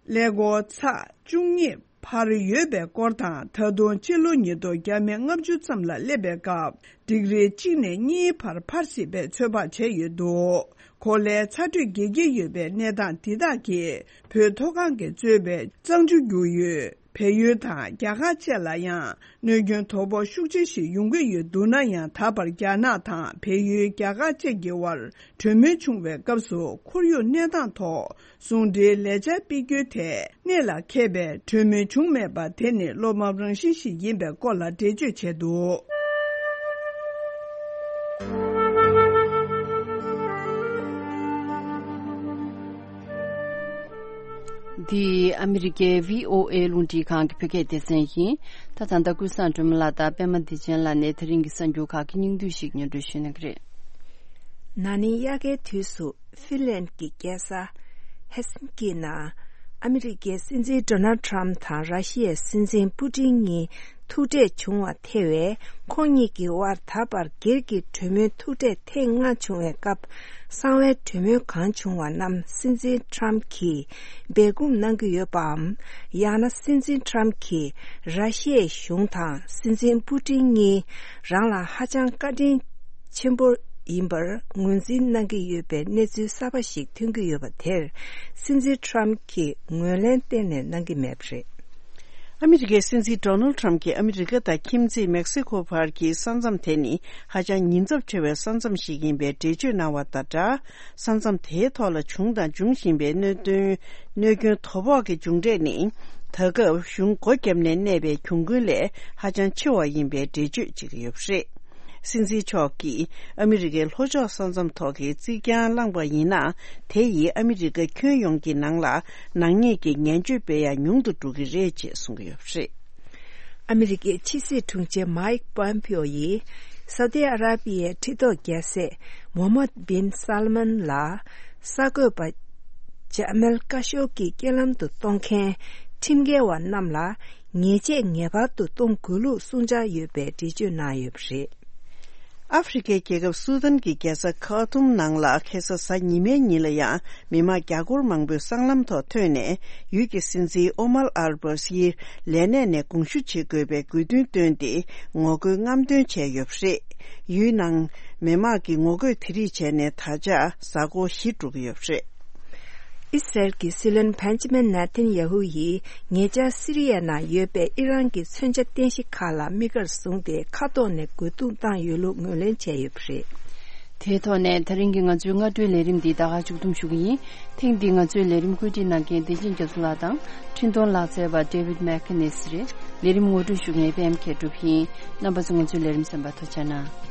ཀླད་ཀོར་ཚེག་བཅུ་གཉིས་བར་ཡོད་པའི་སྐོར་དང་། ད་དུང་སྤྱི་ལོ་ཉིས་སྟོང་བརྒྱ་མེད་ལྔ་བཅུ་ཙམ་ལ་སླེབས་པའི་སྐབས། ཌིག་རི་གཅིག་ནས་གཉིས་བར་འཕར་སྲིད་པའི་ཚོད་དཔག་བྱས་ཡོད་འདུག་གོ་ལའི་ཚ་དྲོད་རྒྱས་ཀྱི་ཡོད་པའི་གནས་སྟངས་འདི་དག་གིས། བོད་མཐོ་སྒང་གིས་གཙོས་པའི་གཙང་ཆུ་རྒྱུག་ཡུལ་བལ་ཡུལ་དང་རྒྱ་གར་བཅས་ལ་ཡང་གནོད་སྐྱོན་དོ་ཕོག་ཤུགས་ཆེ་ཞིག་ཡོང་གི་ཡོད་འདུག་ན་ཡང་། ད་བར་རྒྱ་ནག་དང་བལ་ཡུལ། རྒྱ་གར་བཅས་ཀྱི་དབར་གྲོས་མོལ་བྱུང་བའི་སྐབས་སུ། ཁོར་ཡུག་གནས་སྟངས་ཐོག་ཟུང་འབྲེལ་ལས་འཆར་སྤེལ་རྒྱུའི་ཐད་གནད་ལ་འཁེལ་བའི་གྲོས་མོལ་བྱུང་མེད་པ་དེ་ནི་བློ་ཕམ་རང་བཞིན་ཞིག་ཡིན་པའི་སྐོར་ལ་འགྲེལ་བརྗོད་བྱས་འདུག་འདི་ཨ་མི་རི་ཀའི་བྷི་ཨོ་ཨེ་རླུང་འཕྲིན་ཁང་གི་བོད་སྐད་སྡེ་ཚན་ཡིན། ད་ད་ལྟ་ཀུན་བཟང་སྒྲོལ་མ་ལགས་དང་པད་མ་བདེ་ཆེན་ལགས་ནས་དེ་རིང་གི་གསར་འགྱུར་ཁག་གི་སྙིང་བསྡུས་ཤིག་སྙན་སྒྲོན་ཞུ་གནང་གི་རེད། ན་ནིང་དབྱར་ཁའི་དུས་སུ་ཧྥིན་ལན་གྱི་རྒྱལ་ས་ཧེལ་སིན་ཀི་ནང་ཨ་མི་རི་ཀའི་སྲིད་འཛིན་ཌོ་ནལ་ཊམ་དང་ར་ཤི་ཡའི་སྲིད་འཛིན་པུ་ཏིན་གཉིས་ཐུག་འཕྲད་བྱུང་བ་ཐེ་བའི་ཁོང་གཉིས་ཀྱི་དབར་ད་བར་སྒེར་གྱི་གྲོས་མོལ་ཐུག་འཕྲད་ཐེངས་ལྔ་བྱུང་བའི་སྐབས། གསང་བའི་གྲོས་མོལ་གང་བྱུང་བ་རྣམས་སྲིད་འཛིན་ཊམ་གྱིས་སྦས་སྐུང་གནང་གི་ཡོད་པའམ། ཡང་ན་སྲིད་འཛིན་ཊམ་གྱིས་ར་ཤི་ཡའི་གཞུང་དང་སྲིད་འཛིན་པུ་ཏིན་གཉིས་རང་ལ་ཧ་ཅང་བཀའ་དྲིན་ཆེན་པོ་ཡིན་པར་ངོས་འཛིན་གནང་གི་ཡོད་པའི་གནས་ཚུལ་གསར་པ་ཞིག་ཐོན་གྱི་ཡོད་པ་དེར། སྲིད་འཛིན་ཊམ་གྱིས་ངོས་ལེན་གཏན་ནས་གནང་གི་མེད་པ་རེད། ཨ་མི་རི་ཀའི་སྲིད་འཛིན་ཌོ་ནལ་ཊམ་གྱིས་ཨ་མི་རི་ཀ་དང་ཁྱིམ་མཚེས་མེག་སི་ཁོ་བར་གྱི་ས་མཚམས་དེ་ནི་ཧ་ཅང་ཉེན་ཚབས་ཆེ་བའི་ས་མཚམས་ཤིག་ཡིན་པའི་འགྲེལ་བརྗོད་གནང་བ་དང་སྦྲགས། ས་མཚམས་དེའི་ཐོག་ལ་བྱུང་དང་འབྱུང་བཞིན་པའི་གནད་དོན། གནོད་སྐྱོན་དོ་ཕོག་གི་མཇུག་འབྲས་ནི། ད་སྐབས་གཞུང་སྒོ་བརྒྱབ་ནས་གནས་པའི་གྱོང་གུན་ལས་ཧ་ཅང་ཆེ་བ་ཡིན་པའི་འགྲེལ་བརྗོད་བྱེད་ཀྱི་ཡོད་པ་རེད། སྲིད་འཛིན་མཆོག་གིས་ཨ་མི་རི་ཀའི་ལྷོ་ཕྱོགས་ས་མཚམས་ཐོག་གི་རྩིག་གྱང་བསླངས་པ་ཡིན་ན། དེ་ཡིས་ཨ་མི་རི་ཀ་ཁྱོན་ཡོངས་ཀྱི་ནང་ལ་ནག་ཉེས་ཀྱི་ངན་སྤྱོད་སྤེལ་ཡ་ཉུང་དུ་འགྲོ་གི་རེད་ཅེས་གསུང་གི་ཡོད་པ་རེད། ཨ་མི་རི་ཀའི་ཕྱི་སྲིད་དྲུང་ཆེ་མའིག་པོམ་པིའོ་ཡིས་སའུ་ཏི་ཨ་ར་པི་ཡའི་ཁྲི་ཐོག་རྒྱལ་སྲས་མོ་ཧམ་མད་བིན་སལ་མན་ལ་གསར་འགོད་པ་ཇ་མལ་ཀ་ཤོ་གི་རྐྱེན་ལམ་དུ་གཏོང་མཁན་ཁྲིམས་འགལ་བ་རྣམས་ལ་ཉེས་ཆད་ངེས་པར་དུ་གཏོང་དགོས་ལུགས་གསུང་འཆར་ཡོད་པའི་འགྲེལ་བརྗོད་གནང་ཡོད་པ་རེད། ཨ་ཧྥེ་རི་ཁའི་རྒྱལ་ཁབ་སུ་དཱན་གྱི་རྒྱལ་ས་ཁ་ཐུམ་ནང་ལ་ཁ་སང་གཟའ་ཉི་མའི་ཉིན་ལ་ཡང་མི་མང་རྒྱ་སྒོར་མང་པོས་སྲང་ལམ་ཐོག་ཐོན་ནས། ཡུལ་གྱི་སྲིད་འཛིན་ཨོ་མར་ཨལ་བྷ་ཤིར་ལས་གནས་ནས་དགོངས་ཞུ་བྱེད་དགོས་པའི་དགོས་འདུན་བཏོན་ཏེ་ངོ་རྒོལ་རྔམ་སྟོན་བྱས་ཡོད་པ་རེད། ཡུལ་ནང་མི་མང་གིས་ངོ་རྒོལ་དེ་རིགས་བྱས་ནས་ད་ཆ་གཟའ་འཁོར་བཞི་འགྲོ་གི་ཡོད་པ་རེད། ཨི་སི་རལ་གྱི་སྲིད་བློན་བྷན་ཇ་མིན་ནེ་ཐན་ཡ་ཧུ་ཡིས་ཉེ་ཆར་སི་རི་ཡའི་ནང་ཡོད་པའི་ཨི་རན་གྱི་མཚོན་ཆ་རྟེན་གཞི་ཁག་ལ་དམིགས་བཀར་བཟུང་སྟེ་མཁའ་ཐོག་ནས་རྒོལ་རྡུང་བཏང་ཡོད་ལུགས་ངོས་ལེན་བྱས་ཡོད་པ་རེད། དེའི་ཐོག་ནས་ད་རིང་གི་ང་ཚོའི་སྔ་དྲོའི་ལས་རིམ་འདི་ད་ག་མཇུག་བསྡོམས་ཞུ་གི་ཡིན། ཐེངས་འདིའི་ང་ཚོའི་ལས་རིམ་བཀོད་སྒྲིག་གནང་མཁན་བདེ་ཆེན་རྒྱ་མཚོ་ལགས་དང་འཕྲིན་གཏོང་ལག་རྩལ་བ་ཌེ་ཝིད་མེག་ཁེ་ནེ་སི་རེད། ལས་རིམ་ངོ་སྤྲོད་ཞུ་མཁན་པད་མ་མཁས་གྲུབ་ཡིན། རྣམ་པ་ཚོ་ང་ཚོའི་ལས་རིམ་གསན་པར་ཐུགས་རྗེ་གནང་།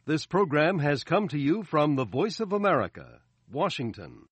This program has come to you from the Voice of America, Washington.